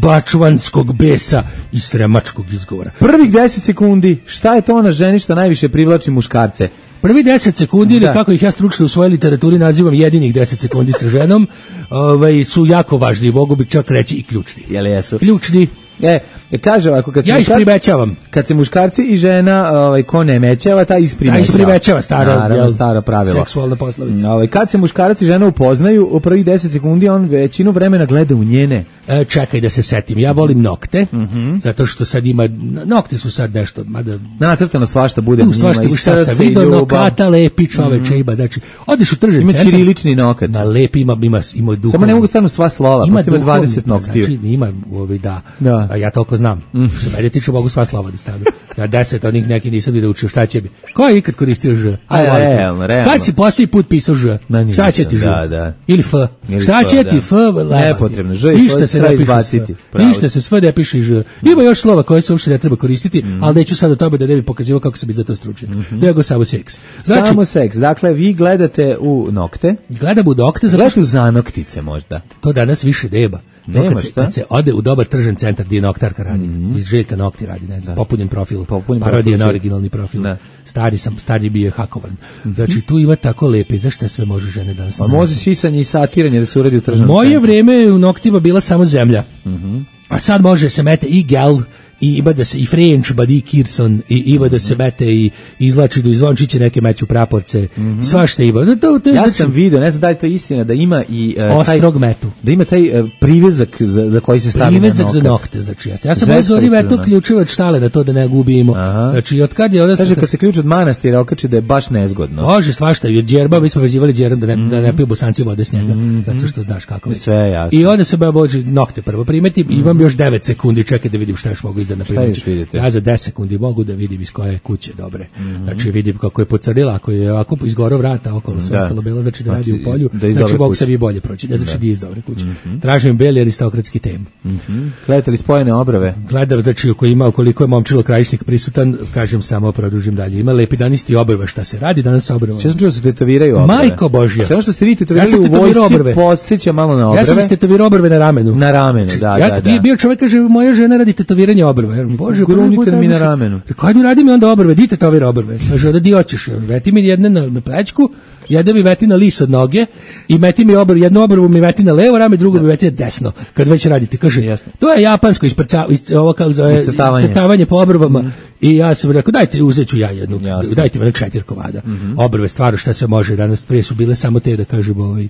bačvanskog besa i sremačkog izgovora. Prvih deset sekundi, šta je to ona ženi što najviše privlači muškarce? Prvi deset sekundi, ili kako ih ja stručno u svojoj literaturi nazivam jedinih deset sekundi sa ženom, ovaj, su jako važni, mogu bi čak reći i ključni. Jel jesu? Ključni. E, kaže ovako, kad se ja isprimećavam. Kad se muškarci i žena, ovaj, ko ne mećava, ta isprimećava. Ta isprimećava, staro, naravno, staro pravilo. Seksualna poslovica. Ovaj, kad se muškarac i žena upoznaju, u prvih deset sekundi on većinu vremena gleda u njene. E, čekaj da se setim, ja volim nokte, mm-hmm. zato što sad ima, nokte su sad nešto, mada... Nacrtano svašta bude u njima, svašta, i srce, i ljubav. Nokata lepi čoveče, mm-hmm. ima, znači, odeš u tržni centar. Ima ćirilični nokat. Ma lepi, ima, ima, ima duhovno. Samo ne mogu stavno sva slova, ima, ima dvadeset noktiju. Znači, ima, ovaj, da, da. A ja toliko znam. Mm. Što mene tiče, mogu sva slova da stavim. Ja deset onih neki nisam da učio, šta će bi. Ko je ikad koristio ž? A, realno, realno. Kad si posljednji put pisao ž? Šta će ti ž? Da, da. Ili f? Ili šta f, će da. ti f? Nepotrebno, ž i f se ne izbaciti. Ništa se sve ne piše ž. Ima još slova koje se uopšte ne treba koristiti, mm. ali neću sad o tome da ne bi pokazivao kako se bi za to stručio. Mm-hmm. Nego samo seks. Znači, samo seks. Dakle, vi gledate u nokte. Gledam u nokte. Gledate u zanoktice možda. To danas više nema. Nema, kad, se, kad se ode u dobar tržan centar gdje noktarka radi, mm-hmm. iz Željka Nokti radi, ne znam, popunjen profil, parodija na originalni profil. Da. Stari sam, stari bio je hakovan. Mm-hmm. Znači tu ima tako lepe, znaš šta sve može žene danas. Pa može sisanje i satiranje da se uradi u tržanom Moje centru. Vreme u noktima bila samo zemlja. Mm-hmm. A sad može se mete i gel, i ima da se i French, Buddy Kirson, i ima da se mete i izlači do izvončiće neke meću praporce, mm-hmm. svašta ima. To, to, to, ja znači, sam vidio, ne znam da je to istina, da ima i uh, ostrog metu. Da ima taj uh, privezak za, za koji se stavi privezak na nokat. Privezak za nokte, znači jeste. Ja sam ozori veto ključeva od štale da to da ne gubimo. Aha. Znači, od kad je... Od kaže, kad se ključ od manastira okači da je baš nezgodno. Može, svašta. I od džerba, mi smo vezivali džerom da ne, mm-hmm. da ne piju bosanci vode s njega, mm-hmm. zato što znaš kako je. Sve jasno. I onda se ba bože nokte prvo primeti, mm-hmm. imam još devet sekundi, čekaj da vidim šta još mogu iza naprimiti. Ja za deset sekundi mogu da vidim iz koje kuće dobre. Mm-hmm. Znači vidim kako je pocrnila, ako je ovako izgorao vrata okolo, sve da. ostalo belo, znači da radi znači, u polju, da znači mogu se vi bolje proći, da znači da iz dobre kuće. Mm-hmm. Tražim beli aristokratski tem. Mm-hmm. Gledate li spojene obrave? Gledam, znači ako ima, koliko je momčilo Krajišnik prisutan, kažem samo produžim dalje. Ima lepi danisti obrva, šta se radi danas sa obrvom? Šta sam čuo da se tetoviraju obrve? Majko Božja. Sve što ste vi tetovirali u vojsci podsjeća malo na obrve. Ja sam istetovirao obrve na ramenu. Na ramenu, da, ja, da, da. Ja bio čovjek kaže moja žena radi tetoviranja obrve. Bože, grunite mi na ramenu. Hajde radi mi onda obrve, di tetovira obrve. Kaže da di hoćeš. Veti mi jedne na, na plećku, jedne mi veti na lis od noge i meti mi obrvu, jednu obrvu mi veti na levo rame, drugu mi veti na desno. Kad već radite, kaže, jasno. To je japansko isprcavanje, ovo kao iscrtavanje po obrvama. Mm. I ja sam rekao, dajte, uzet ću ja jednu, jasno. Dajte mi na četiri komada. Mm-hmm. Obrve, stvarno šta se može, danas prije su bile samo te, da kažem, ovaj,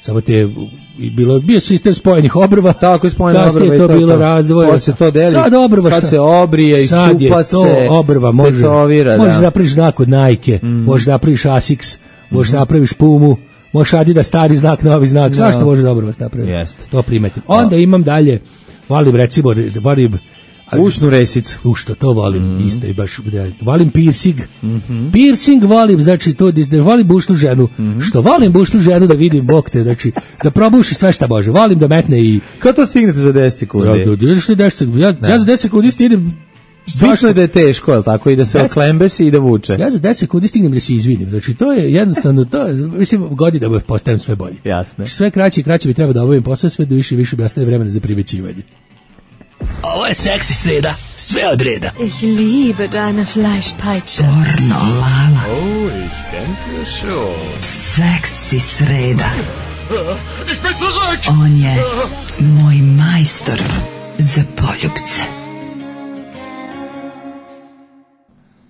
samo te, i bilo, bio sistem spojenih obrva, tako je spojene obrve, kasnije to, to bilo razvoj, sad se to deli, sad obrva, sad se obrije i sad čupa se, sad je to obrva, može, tetovira, možeš da. napraviš znak od Nike, mm. možeš napraviš Asics, možeš mm-hmm. napraviš Pumu, možeš Adidas stari znak, novi znak, no. Svašta može dobro vas napraviti, Jest. to primetim. Onda no. imam dalje, volim recimo, volim, ušnu resicu. U što to volim, mm. isto i baš, volim piercing. Mm-hmm. Piercing volim, znači to, da volim bušnu ženu. Mm-hmm. Što volim bušnu ženu da vidim bok te, znači da probuši sve šta može. Volim da metne i... Kad to stignete za deset sekundi? Ja, deset sekundi? Ja, ja za deset sekundi stignem... Bitno je da je teško, je li tako? I da se oklembesi i da vuče. Ja za deset sekundi stignem da se izvinim. Znači to je jednostavno, to je, mislim, godinama postajem sve bolje. Jasne. Znači, sve kraće i kraće bi treba da obavim posao, sve do više i više bi ostane vremena za primećivanje. Ovo je seksi sreda, sve od reda. Ich liebe deine Fleischpeitsche. Pornolala. Oh, ich denke schon. Seksi sreda. Ich bin zurück! On je moj majstor za poljubce.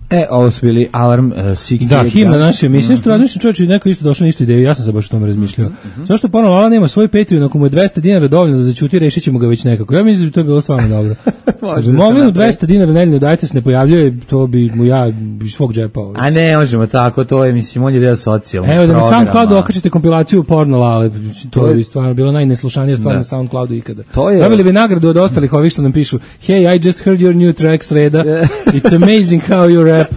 E, ovo su bili Alarm uh, šezdeset Da, himna naše emisije, mm-hmm. što razmišljam čovječe, neko isto došao na istu ideju, ja sam se baš o tome razmišljao. Mm-hmm. Zašto Porno Lala nema svoj Patreon, ako mu je dvesta dinara dovoljno da zaćuti, rešit ćemo ga već nekako. Ja mislim da bi to bilo stvarno dobro. Može da mogli mu dvesta dinara nedeljno dajte se ne pojavljuje, to bi mu ja iz svog džepa. Ovaj. A ne, možemo tako, to je, mislim, on je deo socijalnog programa. Evo, da na SoundCloudu okačite okačite kompilaciju Porno Lale, to, to je stvarno bilo najneslušanija stvar da. Na SoundCloudu ikada. To je... Dobili bi nagradu od ostalih ovih što nam pišu, hey, I just heard your new track, Sreda, it's amazing how you rap.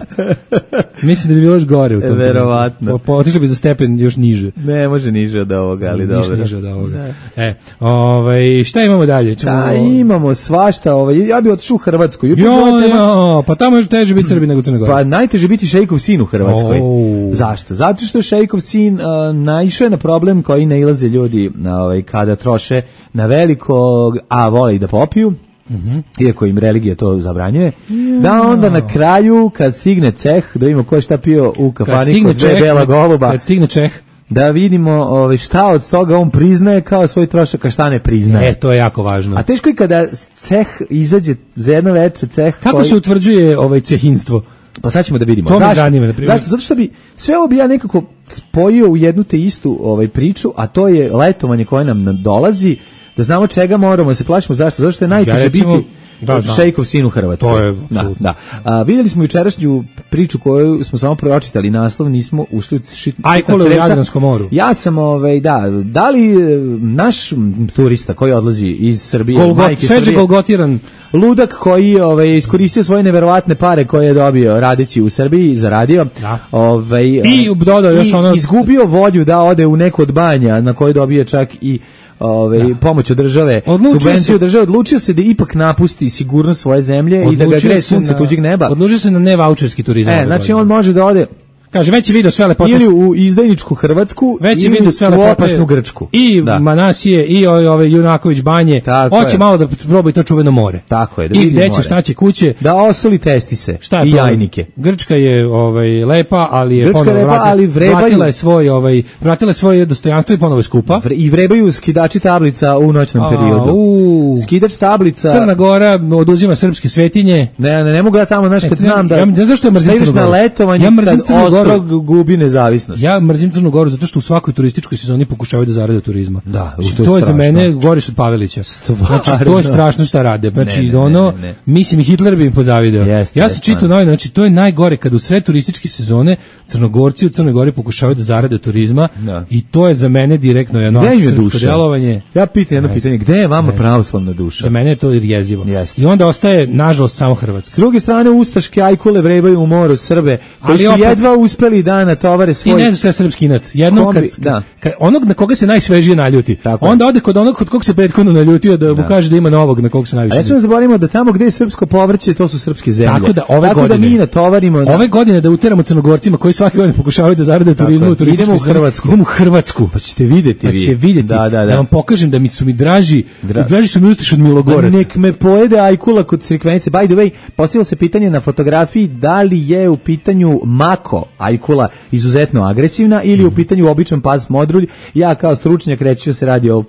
Mislim da bi bilo još gore u tom. Verovatno. Po, otišli bi za stepen još niže. Ne, može niže od ovoga, ali niže, dobro. Niže od ovoga. Da. E, ovaj, šta imamo dalje? Čemo... Da, imamo svašta, ovaj, ja bih otišao u Hrvatsku. Jo, jo, pa tamo je teže biti Srbi nego Crna Gora. Pa najteže biti Šejkov sin u Hrvatskoj. Oh. Zašto? Zato što Šejkov sin uh, naišao je na problem koji nailaze ljudi ovaj, kada troše na veliko, a vole i da popiju. Mm-hmm. Iako im religija to zabranjuje, yeah. Da onda na kraju kad stigne ceh, da vidimo ko je šta pio u kafani kod dve bela goluba, kad stigne čeh, da vidimo ovaj, šta od toga on priznaje kao svoj trošak, a šta ne priznaje. E, to je jako važno. A teško je kada ceh izađe za jedno veče ceh. Kako koji... se utvrđuje ovaj cehinstvo? Pa sad ćemo da vidimo. To Zašto? me zanima, na primjer. Zašto? Zato što bi sve ovo bi ja nekako spojio u jednu te istu ovaj, priču, a to je letovanje koje nam dolazi, da znamo čega moramo, se plašimo. Zašto? Zato što je najteže ja, recimo, biti da, Šejkov sin u Hrvatskoj. To je, da, da. A, vidjeli smo jučerašnju priču koju smo samo pročitali, naslov, nismo ušli u šit. Ajkule u Jadranskom moru. Ja sam, ovaj, da, da li naš turista koji odlazi iz Srbije, Golgot, majke Srbije, golgotiran ludak koji ovaj, iskoristio svoje neverovatne pare koje je dobio radeći u Srbiji, zaradio, da. ovaj, i dodao još ono... izgubio volju da ode u neku od banja na kojoj dobije čak i Ove, da. pomoć od države, odlučio subvenciju od države, odlučio se da ipak napusti sigurnost svoje zemlje odlučio i da ga gre sunce tuđeg neba. Odlučio se na nevaučerski turizam. E, znači on može da ode Kaže, već je video sve lepote. Ili u izdajničku Hrvatsku, već je video sve u lepote, opasnu Grčku. I da. Manasije, i ove Junaković banje. Hoće malo da proba i to čuveno more. Tako je, da i gde će, šta će, kuće. Da osoli testise šta je i to? jajnike. Grčka je ovaj, lepa, ali je Grčka ponovo lepa, vratila, ali vrebaju, vratila je svoj, ovaj, vratila je svoje dostojanstvo i ponovo je skupa. Vre, I vrebaju skidači tablica u noćnom A, periodu. U, Skidač tablica. Crna Gora oduzima srpske svetinje. Ne, ne, ne mogu ja tamo, znaš, kad znam da... Ja, ne zašto je mrzim Crnu Goru? Na letovanje, ja mrzim kad Ostrog gubi nezavisnost. Ja mrzim Crnu Goru zato što u svakoj turističkoj sezoni pokušavaju da zarade turizma. Da, znači, to, to je je za mene gori su od Pavelića. Znači, to je strašno šta rade. Znači, ne, ne, ono, ne, ne. mislim, i Hitler bi im pozavideo. Jest, ja sam čitao novine, znači, to je najgore kad u sred turističke sezone Crnogorci u Crnoj Gori pokušavaju da zarade od turizma da. I to je za mene direktno jedno srpsko djelovanje. Ja pitam jedno pitanje, gde je vama pravoslavna duša? Za mene je to jezivo. Jest. I onda ostaje, nažalost, samo Hrvatska. S druge strane, ustaške ajkule vrebaju u moru Srbe, koji ali su opet, jedva uspeli da natovare svoj... Ti ne znaš sve srpski inat. Jednom kad, da. kad, onog na koga se najsvežije naljuti, tako onda ode kod onog kod kog se prethodno naljutio da, da mu kaže da ima novog na kog se najviše. A ja smo zaboravimo da tamo gde je srpsko povrće, to su srpske zemlje. Tako da ove tako godine, da mi natovarimo... Da. Ove godine da uteramo Crnogorcima koji svake godine pokušavaju da zarade turizmu u turističku. Idemo u Hrvatsku. Idemo u Hrvatsku. Pa ćete vidjeti pa vi. ćete vidjeti. Da, da, da. da vam pokažem da mi su mi draži, Dra... draži su mi Ustaš od Milogoraca. Nek me pojede ajkula kod Crikvenice. By the way, postavilo se pitanje na fotografiji da li je u pitanju mako ajkula izuzetno agresivna ili u pitanju običan pas modrulj. Ja kao stručnjak reći ću se radi o,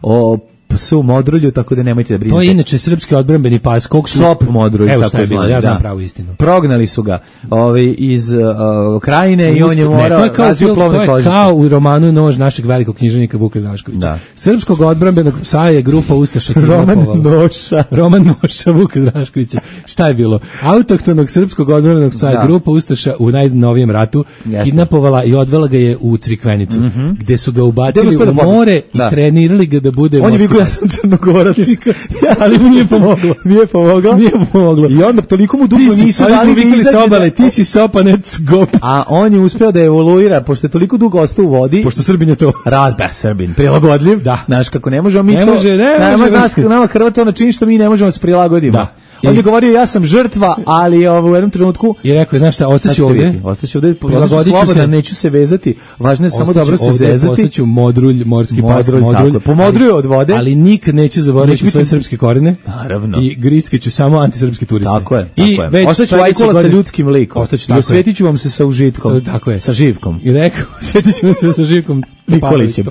o psu modrulju, tako da nemojte da brinete. To je inače srpski odbrambeni pas. Kog su... Sop modrulj. Evo šta je bilo, ja znam da. pravu istinu. Prognali su ga ovaj, iz uh, krajine Ust, i on je morao razviju plovne kožice. To je kao u romanu Nož našeg velikog književnika Vuka Draškovića. Da. Srpskog odbrambenog psa je grupa ustaša Roman Noša. Roman Noša Vuka Draškovića. Šta je bilo? Autohtonog srpskog odbrambenog psa je grupa ustaša u najnovijem ratu Jasne. kidnapovala i odvela ga je u Crikvenicu, mm -hmm. gde su ga ubacili u more da. i trenirali ga da bude ja sam Crnogorac. Ja ali mu nije pomoglo. Nije pomoglo. Nije pomoglo. I onda toliko mu dugo nisu dali vikali se obale, ti si sopanec gop. A on je uspeo da evoluira, pošto je toliko dugo ostao u vodi. Pošto Srbin je to. Razber Srbin, prilagodljiv. Da. Znaš kako ne možemo mi ne to. Može, ne nama može. Nas, nama Hrvata ona čini što mi ne možemo se prilagodimo. Da. On je govorio ja sam žrtva, ali ovo, u jednom trenutku i rekao znaš šta, ostaću ovdje. Ostaću ovdje, slobodno, se, neću se vezati. Važno je samo dobro se zezati. Ostaću modrulj, morski pas, modrulj. Pomodruju od vode. Ali nikad neću zaboraviti svoje srpske korene. Naravno. I grickeću samo antisrpski turiste. Tako je. I već ostaću ajkula sa ljudskim likom. Ostaću tako. I osvetiću vam se sa užitkom. Tako je. Sa živkom. I rekao, osvetiću vam se sa živkom. Nikolićem.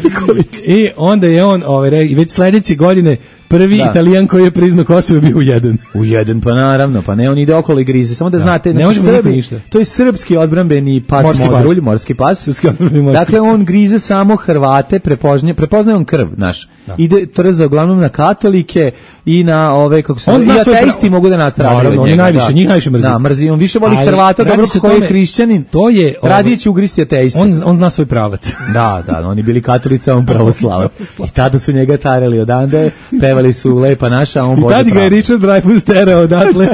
Nikolić. I onda je on ovaj, već sledeće godine prvi da. Italijan koji je priznao Kosovo bio u jedan. U jedan, pa naravno, pa ne, on ide okolo i grize. Samo da, da. znate, ne znači, Srbi, to je srpski odbrambeni pas morski modrulj, pas. morski pas. Srpski odbrambeni morski. Dakle, on grize samo Hrvate, prepoznaje, prepoznaje on krv, naš. Da. Ide trza uglavnom na katolike i na ove, kako se... I ateisti pra... mogu da nastradaju od njega. Oni najviše, njih najviše mrzi. Da, mrzi, on više voli ali, Hrvata, dobro koji je hrišćanin. To je... Radije će ugristi ateista. On, on zna svoj pravac. Da, da, oni bili katolici, on pravoslavac. I tada su njega tarali odande, pevali su Lepa naša, on Bože Tad ga je Richard Dreyfuss terao odatle,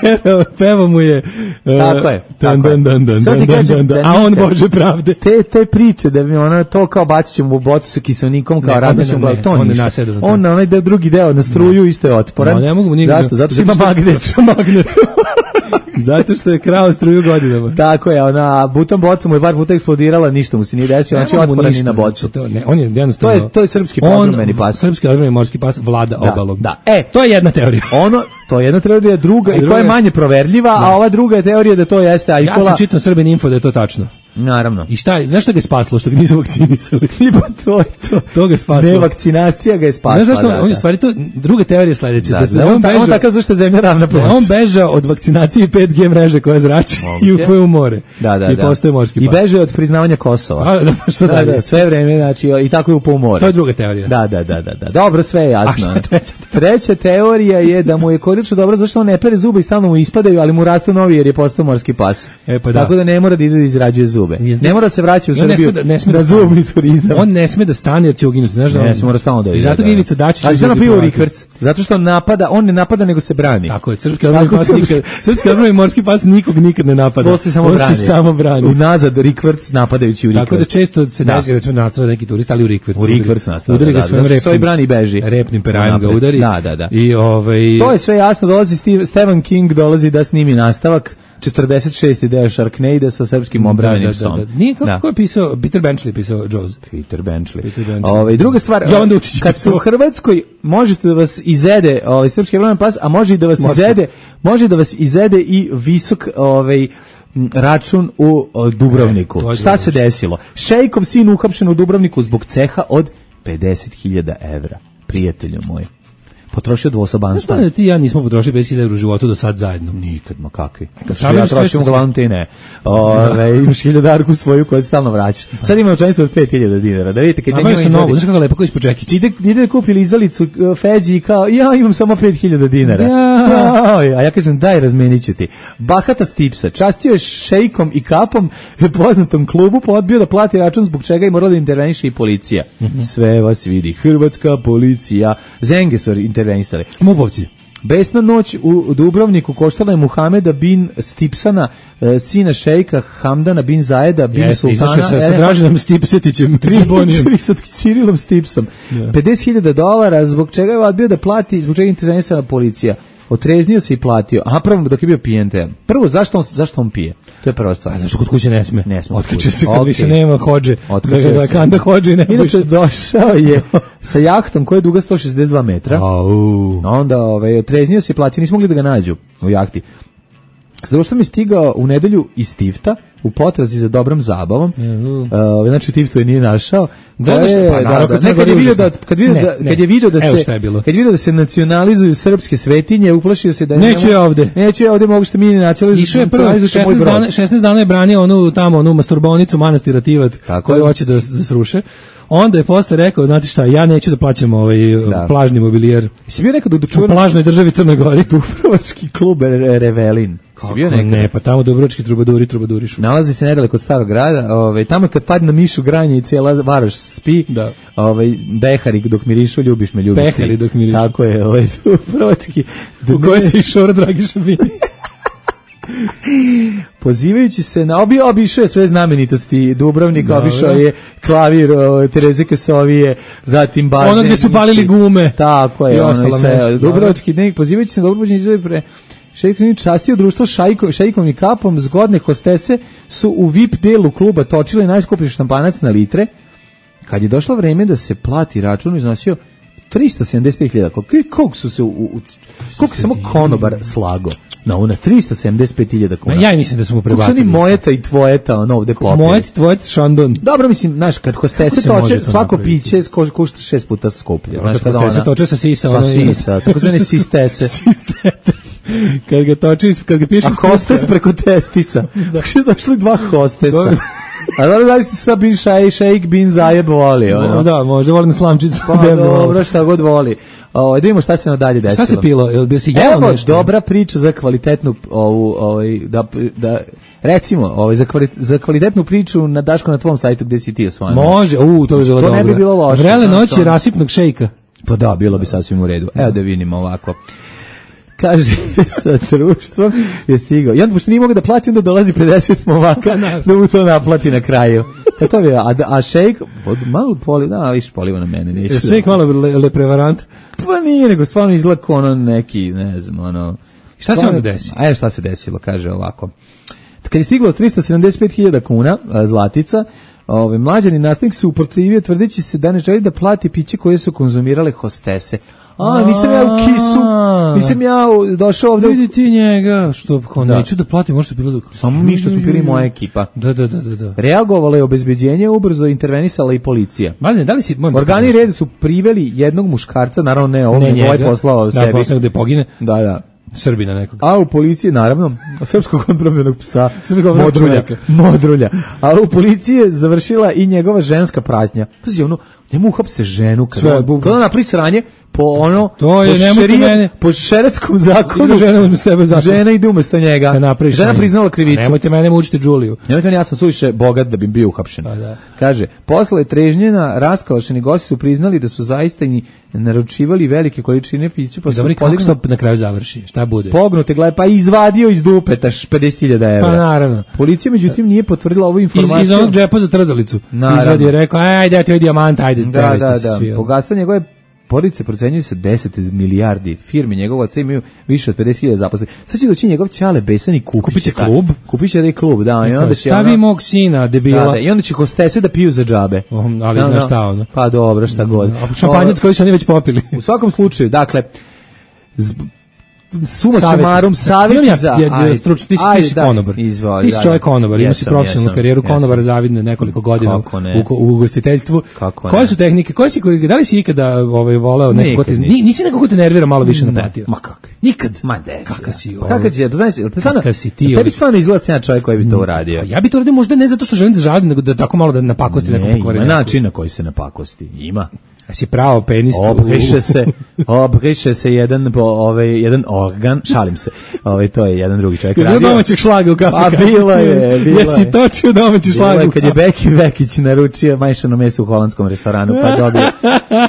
terao, pevo mu je... Uh, tako je. Dan, dan, dan, dan, dan, dan, dan, a on Bože pravde. Te, te priče, da bi ona to kao bacit ćemo u bocu sa kiselnikom, kao različnom, to on ništa. On na onaj drugi deo, na struju isto je otporan. No, ne mogu mu zašto? Zato što ima magnet. magnet. Zato što je krao struju godinama. Tako je, ona butom boca mu je bar puta eksplodirala, ništa mu se nije desilo, znači otporan i na bocu. To, ne, on je jednostavno... To je, to je srpski odbrambeni pas. Srpski odbrambeni morski pas vlada da, obalom. Da, e, to je jedna teorija. Ono, to je jedna teorija, druga, i koja je manje proverljiva, da. A ova druga je teorija da to jeste ajkola. Ja sam čitao Srbin Info da je to tačno. Naravno. I šta je, zašto ga je spaslo, što ga nisu vakcinisali? Iba to je to. To ga je spaslo. Ne, vakcinacija ga je spasla. Ne, zašto, da, on je da. stvari to, druga teorija sledeća. Da, da, se da, on, on, beža, on tako zašto je zemlja ravna ploča. On beža od vakcinacije i pet G mreže koja zrači i upuje u more. Da, da, I da. postaje morski pas. I beže od priznavanja Kosova. A, da, što da, dalje? Da, sve vreme, znači, i tako je upao u more. To je druga teorija. Da, da, da, da, da. Dobro, sve je jasno. A šta je treća? Treća teorija je da mu je korično dobro zašto on ne pere zube i stalno mu ispadaju, ali mu rastu novi jer je postao morski pas. E, pa da. Tako da ne mora da ide da izrađuje zube. Ne mora se vraća u Srbiju. Ne sme da, da zubni turizam. On ne sme da stane jer će uginuti, znaš da on. Ne, se mora stalno da ide. I zato ga Ivica Dačić ali zato pije u rikverc. Zato što napada, on ne napada nego se brani. Tako je, srpski odbrambeni pas nikad, srpski odbrambeni morski pas nikog nikad ne napada. On se samo on brani. Se samo brani. Unazad rikverc napadajući u rikverc. Tako da često se desi recimo nastrada neki turist, ali u rikverc. U rikverc nastrada. Udari ga svojim repnim. Svoj brani beži. Repnim perajem ga udari. Da, da, da. I ovaj to je sve jasno, dolazi Steve, Stephen King dolazi da snimi nastavak. četrdeset šesti deo Sharknado sa srpskim obrambenim psom. Da, da, da. Nije kako da. Ko je pisao, Peter Benchley pisao Jaws. Peter Benchley. Peter Benchley. Ove, druga stvar, kad ste u Hrvatskoj, možete da vas izede ovaj, srpski obrambeni pas, a može i da vas Morski. izede, može da vas izede i visok ovaj, račun u o, Dubrovniku. E, Šta se desilo? Šejkov sin uhapšen u Dubrovniku zbog ceha od pedeset hiljada evra. Prijatelju moj. Potrošio dvosobanstva. Znaš da ti ja nismo potrošili pedeset hiljada u životu do sad zajedno? Nikad, ma kakvi. Kad što ja trošim, uglavnom ti ne. Ove, imaš hiljadarku svoju koju stalno vraćaš. Sad ima učenicu od pet hiljada dinara. Da vidite, kad ja njima izali... Znaš kako lepo koji ispod čekić? Ide, ide da kupi lizalicu uh, Feđi i kao, ja imam samo pet hiljada dinara. Ja. Ja. A ja kažem, daj, razmenit ću ti. Bahata Stipsa, častio je šejkom i kapom poznatom klubu, pa odbio da plati račun zbog čega i morala da interveniše i policija. Mm-hmm. Sve vas vidi. Hrvatska policija. Zenge su intervenisali. Mubovci. Besna noć u Dubrovniku koštala je Muhameda bin Stipsana, e, sina šejka Hamdana bin Zajeda bin Jeste, Sultana. Jeste, izašao sa Draženom Stipsetićem. Tri sa Cirilom Stipsom. Yeah. pedeset hiljada dolara, zbog čega je odbio da plati, zbog čega intervenisala policija. Otreznio se i platio. Aha, prvo dok je bio pijen te. Prvo, zašto on, zašto on pije? To je prva stvar. A zašto kod kuće ne sme? Ne sme. Otkače se kad okay. više nema hođe. Otkače da, se. Kanda hođe i ne Inače, došao je sa jahtom koja je duga sto šezdeset dva metra. Au. Onda ovaj, otreznio se i platio. Nismo mogli da ga nađu u jahti. Zato što mi je stigao u nedelju iz Tifta u potrazi za dobrom zabavom. Uh, znači Tiftu je nije našao. Da, je, pa, naravno, da, da, kad je video da kad video da kad je video da se kad video da se nacionalizuju srpske svetinje, uplašio se da neću ja ovde. Neću ja ovde, mogu što mi nacionalizujemo. Išao je prvo šesnaest dana, šesnaest dana je branio onu tamo onu masturbonicu manastira Tivat koju hoće da, da sruše. Onda je posle rekao, znate šta, ja neću da plaćam ovaj da. plažni mobilijer. Si bio nekad u čuvenoj plažnoj državi Crnoj Gori, Dubrovački klub Revelin. Si bio nekad? Ne, pa tamo Dubrovački trubaduri trubadurišu. Nalazi se nedaleko od starog grada, ovaj tamo kad padne na mišu granje i cijela Varoš spi. Da. Ovaj behari dok mirišu, ljubiš me, ljubiš. Behari dok mirišu. Tako je, ovaj Dubrovački. U kojoj se išao Dragiša Minić. Pozivajući se na obi obišao je sve znamenitosti Dubrovnika, da, obišao je klavir o, Tereze Kesovije, zatim bazen. Ono gdje su palili gume. Tako je, ono sve. Dubrovački dnevnik, pozivajući se na Dubrovnik izove pre Šejkovni častio društvo šajko, šejkovnim kapom, zgodne hostese su u V I P delu kluba točile najskuplji šampanac na litre. Kad je došlo vreme da se plati račun, iznosio trista sedamdeset pet hiljada. Koliko su se u, u koliko samo konobar slago? No, na tristo sedamdeset pet hiljada kuna. Ja mislim da smo prebacili. Kako su ni mojeta i tvojeta, ono ovde popili. Mojet, tvojeta, šandon. Dobro, mislim, znaš, kad hostese toče, svako napraviti. piće košta šest puta skuplje. Znaš, kad hostese toče sa sisa. Sa sisa, tako zvane sistese. Sistete. Kad ga toči, kad ga piše... A hostes preko testisa. Da. Došli dva hostesa. A dobro, znaš ti sad bin šaj, šejk, bin zajeb voli. Ono. Da, možda voli na slamčicu. Pa dobro, šta god voli. O, da vidimo šta se nadalje desilo. Šta se pilo? Jel bi se jelo Evo, nešto? dobra priča za kvalitetnu ovu, ovaj, da, da, recimo, ovaj, za, kvalit, za kvalitetnu priču na Daško na tvom sajtu gde si ti osvojeno. Može, u, to bi bilo dobro. To ne bi bilo loše. Vrele noći rasipnog šejka. Pa da, bilo bi sasvim u redu. Evo da vidimo ovako. Kaže, sa društvom je stigao. I onda, pošto nije mogu da plati, onda dolazi pedeset momaka da mu to naplati na kraju. E to bi, a, a šejk, malo poliva, da, više poliva na mene. Neću šejk da, malo le, le prevarant? Pa nije, nego stvarno izgleda ono neki, ne znam, ono... Šta se onda desi? A šta se desilo, kaže ovako. Kad je stiglo tristo sedamdeset pet hiljada kuna, zlatica, ove, mlađani nastavnik se uprotivio tvrdeći se da ne želi da plati piće koje su konzumirale hostese. A, nisam ja u kisu, nisam ja došao ovde. Vidi ti njega, što kao da. Neću da platim, možda bilo da... Samo mi što smo bili moja ekipa. Da, da, da, da. Reagovalo je obezbeđenje, ubrzo intervenisala i policija. Mladine, da li si... Organi reda su priveli jednog muškarca, naravno ne, ovog ne ovaj poslao da, sebi. Da, poslao gde pogine. Da, da. Srbina nekog. A u policiji, naravno, srpskog odbranbenog psa, modrulja, modrulja. A u policiji je završila i njegova ženska pratnja. Pazi, ono, njemu uhapse ženu, kada ona napravi sranje, po ono, to je, po, šerije, po šeretskom zakonu, žena, umesto tebe zakon. Žena ide umesto njega. Žena priznala krivicu. Nemojte mene mučiti Đuliju. Nemojte, ja sam suviše bogat da bi bio uhapšen. Pa da. Kaže, posle trežnjena, raskalašeni gosti su priznali da su zaista i naručivali velike količine pića. Pa dobro, kako se na kraju završi? Šta bude? Pognute, gledaj, pa izvadio iz dupeta pedeset hiljada evra. Pa naravno. Policija, međutim, nije potvrdila ovu informaciju. Iz, iz onog džepa za trzalicu. Izvadi je rekao, ajde, ja ti ovaj dijamant, ajde. Da, da, da. Bogatstvo njegove porodice procenjuju se deset milijardi firmi, njegov oca imaju više od pedeset hiljada zaposlenih. Sad će doći njegov ćale besan i kupit će klub. Kupit će da i klub, da. I onda će stavi ono, mog sina, debila. Da, da, i onda će hostese da piju za džabe. Um, ali znaš šta ono. Pa dobro, šta god. A šampanjac koji su oni već popili. U svakom slučaju, dakle, suma sumarum savjeti za stručno, ti si konobar, ti si čovjek konobar, ima si profesionalnu karijeru konobara, zavidno nekoliko godina u, u ugostiteljstvu. Koje su tehnike, koje si, da li si ikada ovaj, voleo nekako te, nisi nekako te nervira malo više naplatio? Ma kako? Nikad? Ma des. Kakav si? Kakav će, znaš, kakav si ti? Tebi stvarno izgleda se ja čovjek koji bi to uradio. Ja bi to uradio možda ne zato što želim da žadim, nego da tako malo da napakosti nekom pokvarenju. Ima način na koji se napakosti, ima. A si pravo penis. Obriše se, obriše se jedan, ovaj, jedan organ, šalim se, ovaj, to je jedan drugi čovjek radio. Bilo domaćeg šlaga u kafe. A bilo je, bilo je. Jesi točio domaći šlag? Kad je Beki Vekić naručio majšano meso u holandskom restoranu, pa dobio,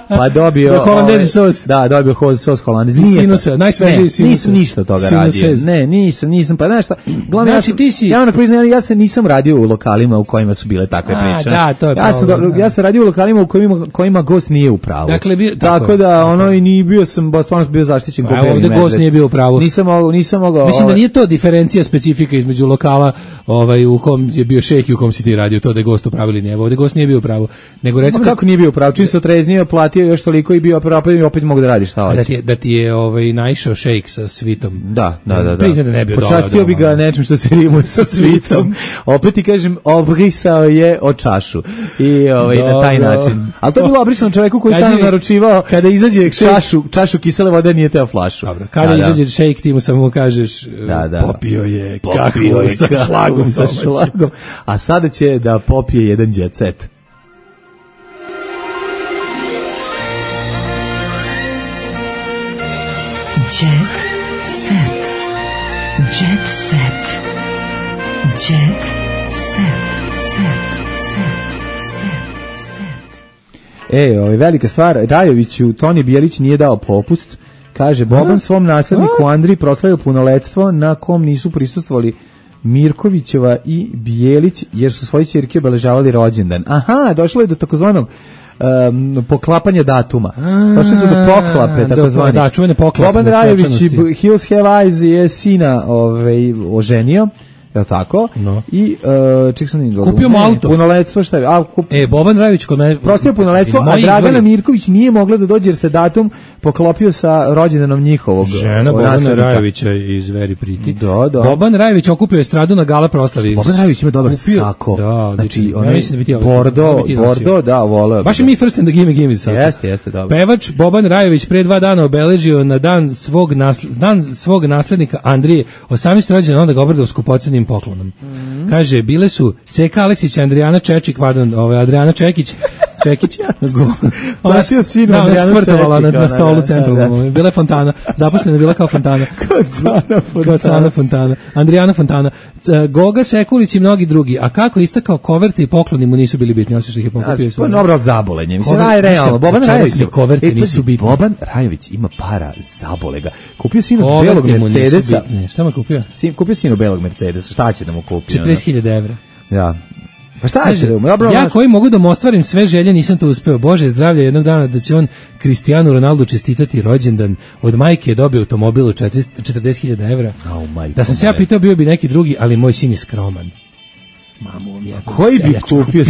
pa dobio... Da, holandezi sos. Da, dobio sos holandezi. Sinusa, najsvežiji sinusa. Nisam ništa toga radio. Ne, nisam, nisam, pa znaš šta, glavno ja sam, ja ono priznam, ja se nisam radio u lokalima u kojima su bile takve priče. Da, to je ja sam, ja sam radio u lokalima u kojima, kojima gost nije u pravu. Dakle, bi, tako, tako da ono i ni bio sam baš stvarno bio zaštićen ko beli medved. Gost nije bio u pravu. Nisam mogao, nisam mogao. Mislim ovaj, da nije to diferencija specifika između lokala, ovaj u kom je bio šejh i u kom si ti radio, to da je gost u pravu ili nije. Ovde gost nije bio u pravu. Nego recimo kako nije bio u pravu, čim se otreznio, platio još toliko i bio pravu i opet mogu da radiš šta hoće. Da ti je, da ti je ovaj naišao šejh sa svitom. Da, da, da, da. Priznaj da ne bio dobro. Počastio bi ga nečim što se rimuje sa svitom. Opet ti kažem, obrisao je o čašu. I ovaj na taj način. Al to je bilo obrisano čoveku koji stalno naručivao kada izađe čašu, čašu kisele vode, nije teo flašu. Dobro, kada da, izađe da. šejk, ti mu samo kažeš da, da. popio je, popio je sa šlagom, sa šlagom. A sada će da popije jedan jet set. Jet set. Jet set. Jet set. E, ovaj velika stvar, Rajoviću Toni Bijelić nije dao popust. Kaže, Boban svom nasledniku Andriji proslavio punoletstvo na kom nisu prisustvovali Mirkovićeva i Bijelić, jer su svoje ćerke obeležavali rođendan. Aha, došlo je do takozvanog um, poklapanja datuma. Došli su do poklape, takozvani. Da, čuvene poklape. Boban Rajović i Hills Have Eyes je sina ovaj, oženio. je li tako? No. I, uh, ček sam nije kupio mu auto. Punoletstvo, šta je? A, kup... E, Boban Rajović kod mene... Prostio punoletstvo, a Dragana Mirković nije mogla da dođe jer se datum poklopio sa rođendanom njihovog. Žena Bobana Rajovića iz Very Pretty. Da, da. Boban Rajović okupio estradu na gala proslavi. Boban Rajović ima dobar kupio, sako. Da, znači, ja mislim da bi ti Bordo, Bordo, da, voleo. Baš je mi first and the gimme gimme sako. Jeste, jeste, dobro. Pevač Boban Rajović pre dva dana obeležio na dan svog, nasl dan svog naslednika Andrije osamnaesti rođendan, onda ga obradao skupocenim poklonom. Mm. Kaže, bile su Seka Aleksić, Andrijana Čečik, pardon, ovaj, Adriana Čekić, Čekić, platio sinu ona Andrijanu skvrtovala na, na stolu da, centralnom, da, da. Bila je fontana, zaposlena bila kao fontana. Kod Cana Fontana. Kod Cana Fontana. Andrijana Fontana. Goga Sekulić i mnogi drugi. A kako istakao, koverte i pokloni mu nisu bili bitni, osim što ih je pokupio. Pa dobro, zabolenje. Mislim, aj, realno, Boban Rajović. Koverte nisu bitni. Boban Rajović ima para, zabole ga. Kupio sinu belog Mercedesa. Šta mu kupio? Sin, kupio sinu belog Mercedesa, šta će da mu kupi? četrdeset hiljada evra. Ja. Pa šta će da mu? Dobro, ja koji mogu da mu ostvarim sve želje, nisam to uspeo. Bože zdravlja, jednog dana da će on Cristiano Ronaldo čestitati rođendan. Od majke je dobio automobil od četrdeset hiljada evra. Oh, da sam se ja pitao, bio bi neki drugi, ali moj sin je skroman. Mamu mi jebem. Koji bi kupio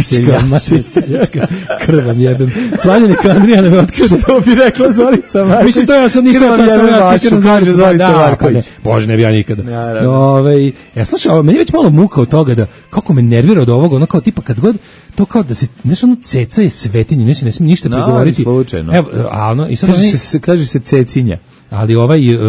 seljačka? Krvam jebem. Slavljenika Andrijana me otkrio. Što bi rekla Zorica Marković? Mislim, to ja sad nisam, to sam ja citiram Zorica, Zorica Marković. Bože, ne bi ja nikada. Ove, ja slušao, meni je već malo muka od toga da, kako me nervira od ovoga, ono kao tipa kad god, to kao da se, znaš, ono ceca je svetinje, ne se ne smije ništa pregovoriti. No, slučajno. Evo, a ono, i sad kaže, oni, se, kaže se cecinja. Ali ovaj uh,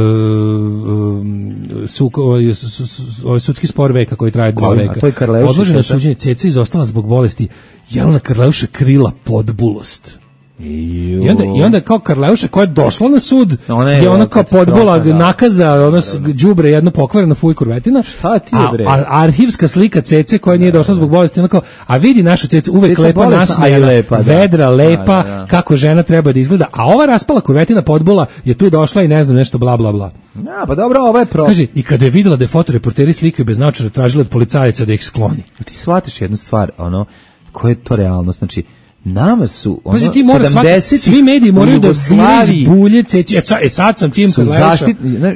su, ovaj, su, su, ovaj sudski spor veka koji traje dva veka. Odloženo suđenje, Ceca izostala zbog bolesti. Jelena Karleuša krila podbulost. I onda, I onda kao Karleuša koja je došla na sud, ona je, je ona kao podbola da. nakaza, ono đubre jedno pokvareno fuj kurvetina. Šta ti je bre? A, a arhivska slika Cece koja nije došla zbog bolesti, ona kao, a vidi našu Cecu uvek Ceca lepa nasmejana, lepa, da. vedra, lepa, da, da. kako žena treba da izgleda. A ova raspala kurvetina podbola je tu došla i ne znam nešto bla bla bla. Ja, pa dobro, ovo je pro. Kaže, i kada je videla da je fotoreporteri slikaju bez naočara, tražila od policajaca da ih skloni. A ti shvatiš jednu stvar, ono, koja je to realnost, znači nama su ono Pazi, ti mora svaki, svi mediji moraju da zbiraju bulje Ceci. E, e sad sam tim Karleuša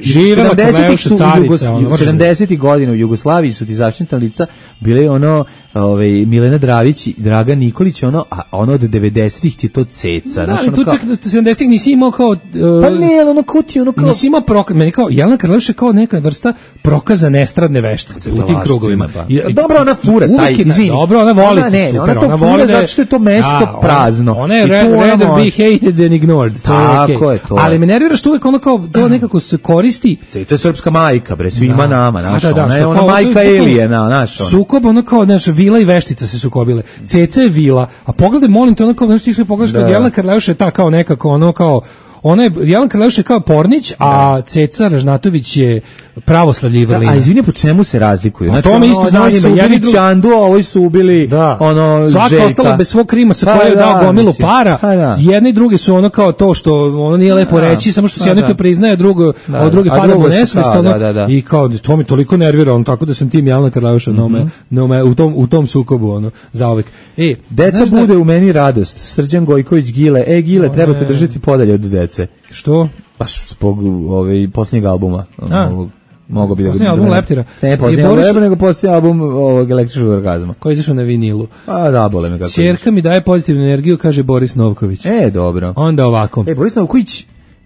živela Karleuša carica. sedamdesetih godina u Jugoslaviji su ti zaštitna lica bile ono ovaj Milena Dravić i Dragan Nikolić, ono, a ono od devedesetih ti to Ceca. Da, ali tu čak sedamdesetih nisi imao kao... Uh, pa ne, ono kao ti, ono kao... Nisi imao prokaz, meni kao, Jelena Karleuša kao neka vrsta prokaza nestradne veštice u tim krugovima. Pa. I, dobro, ona fura, taj, izvini. Dobro, ona voli ona, ne, super, ona to ona fura voli zato što je to mesto a, prazno. Ona je rather be hated than ignored. To tako je, okay. je to. Ali me nervira što uvek ono kao, to nekako se koristi. Ceca je srpska majka, bre, svima da. nama, znaš, da, da, ona je ona majka Elijena, znaš. Sukob, ono kao, znaš, vila i veštica se sukobile. Ceca je vila, a pogledaj, molim te, ono kao, znaš, ti se pogledaš kod Jelena Karleuša je ta kao nekako, ono kao, ona je, Jelena Karleuša je kao Pornić, a Ceca Ražnatović je pravoslavlje i vrlina. A izvini, po čemu se razlikuju? Znači, to me isto zanima. Jedni su Čandu, a ovi su ubili da. ono Svaka Željka. ostala bez svog krima sa pa, koje je dao gomilu para. Pa, da. Jedni i drugi su ono kao to što ono nije lepo da. reći, samo što se jedno priznaje, drugo, da. a drugi pada mu nesvest. Da, da, da. I kao, to mi toliko nervira, on tako da sam tim Jelena Karleuša mm -hmm. no me, u, tom, u tom sukobu, ono, zauvek. E, deca bude da... u meni radost. Srđan Gojković Gile. E, Gile, treba te držati podalje od dece. Što? Baš zbog ovaj posljednjeg albuma. Ovog, mogu bi da posljednji album Leptira. Ne, posljednji album Leptira, nego posljednji album ovog Električnog orgazma. Koji je izašao na vinilu. A da, bole me kako. Ćerka mi daje pozitivnu energiju, kaže Boris Novković. E, dobro. Onda ovako. E, Boris Novković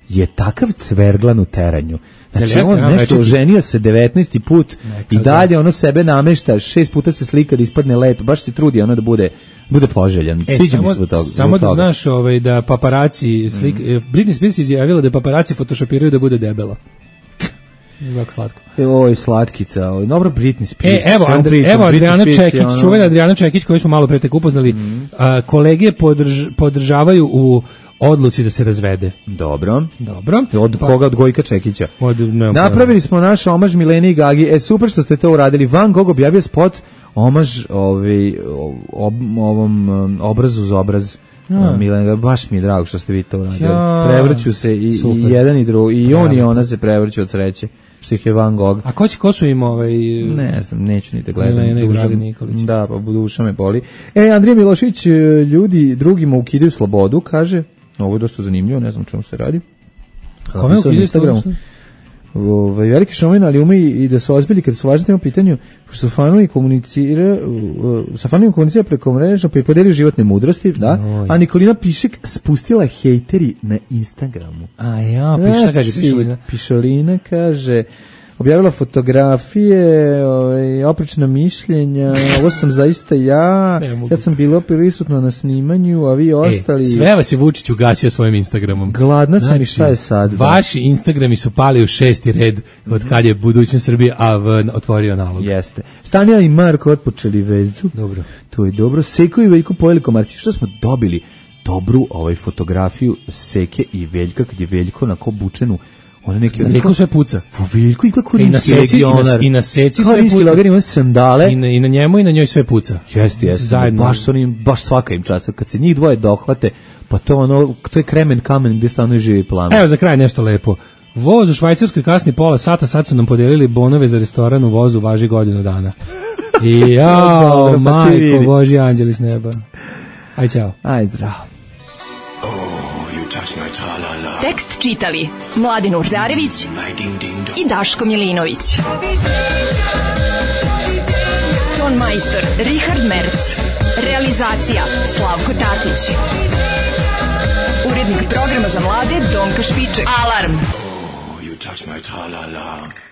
je takav cverglan u teranju. Znači, on nešto oženio se devetnaesti put i dalje ono sebe namešta, šest puta se slika da ispadne lep, baš se trudi ono da bude bude poželjan. E, Sviđa mi se toga. Samo da znaš ovaj, da paparaci slik, mm. Britney Spears izjavila da paparaci photoshopiraju da bude debela. Jako slatko. E, oj, slatkica. Oj, dobro, Britney Spears. E, evo, Andri, pričam, evo Adriana Čekić, ono... čuvena Adriana Čekić koju smo malo pre tek upoznali. Mm. A, kolege podrž, podržavaju u odluci da se razvede. Dobro. Dobro. Od pa, koga? Od Gojka Čekića. Od, ne, Napravili smo naš omaž Mileni i Gagi. E, super što ste to uradili. Van Gogh objavio spot omaž ovaj, ob, ovom um, obrazu za obraz. Ja. Milena, baš mi je drago što ste vi to uradili. Ja. Prevrću se i, i jedan i drugi. I on i ona se prevrću od sreće. Što ih je Van Gogh. A ko će, ko su im ovaj... Ne znam, neću ni da gledam. Milena i Dragan Nikolić. Da, pa duša me boli. E, Andrija Milošević, ljudi drugima ukidaju slobodu, kaže. Ovo je dosta zanimljivo, ne znam čemu se radi. Kome ukidaju slobodu? Ovaj veliki šomen, ali ume i da su ozbiljni kad su važni tema pitanju, što fanovi komunicira, sa fanovima komunicira preko mreža, pa i podelio životne mudrosti, da. Oj. A Nikolina Pišek spustila hejteri na Instagramu. A ja, piša, šta kaže Pišolina? Pišolina kaže, objavila fotografije, ovaj, oprečna mišljenja, ovo sam zaista ja, ja sam bila prisutna na snimanju, a vi ostali... E, sve vas je Vučić ugasio svojim Instagramom. Gladna sam znači, i šta je sad? Vaši Instagrami su pali u šesti red od kad je budućnost Srbije, a v, otvorio nalog. Jeste. Stanija i Marko otpočeli vezu. Dobro. To je dobro. Seko i Veljko pojeli komarci. Što smo dobili? Dobru ovaj fotografiju Seke i Veljka, kad je Veljko na ko bučenu ona neki na Veljko sve puca. Veljko i kako i na seci i na, i na seci sve puca. Logar ima sandale i na, i na njemu i na njoj sve puca. Jeste, jeste. Zajedno. Baš su oni, baš svaka im časa. Kad se njih dvoje dohvate, pa to ono, to je kremen kamen gdje stanu živi plamen. Evo za kraj nešto lepo. Voz u Švajcarskoj kasni pola sata, sad su nam podelili bonove za restoran u vozu, važi godinu dana. I jao, majko, Božji anđeli s neba. Aj, čao. Aj, zdravo. Tekst čitali Mladin Urdarević i Daško Milinović. Ton majstor Richard Merc. Realizacija Slavko Tatić. Urednik programa za mlade Donka Špiček. Alarm! Oh, you touch my tra-la-la.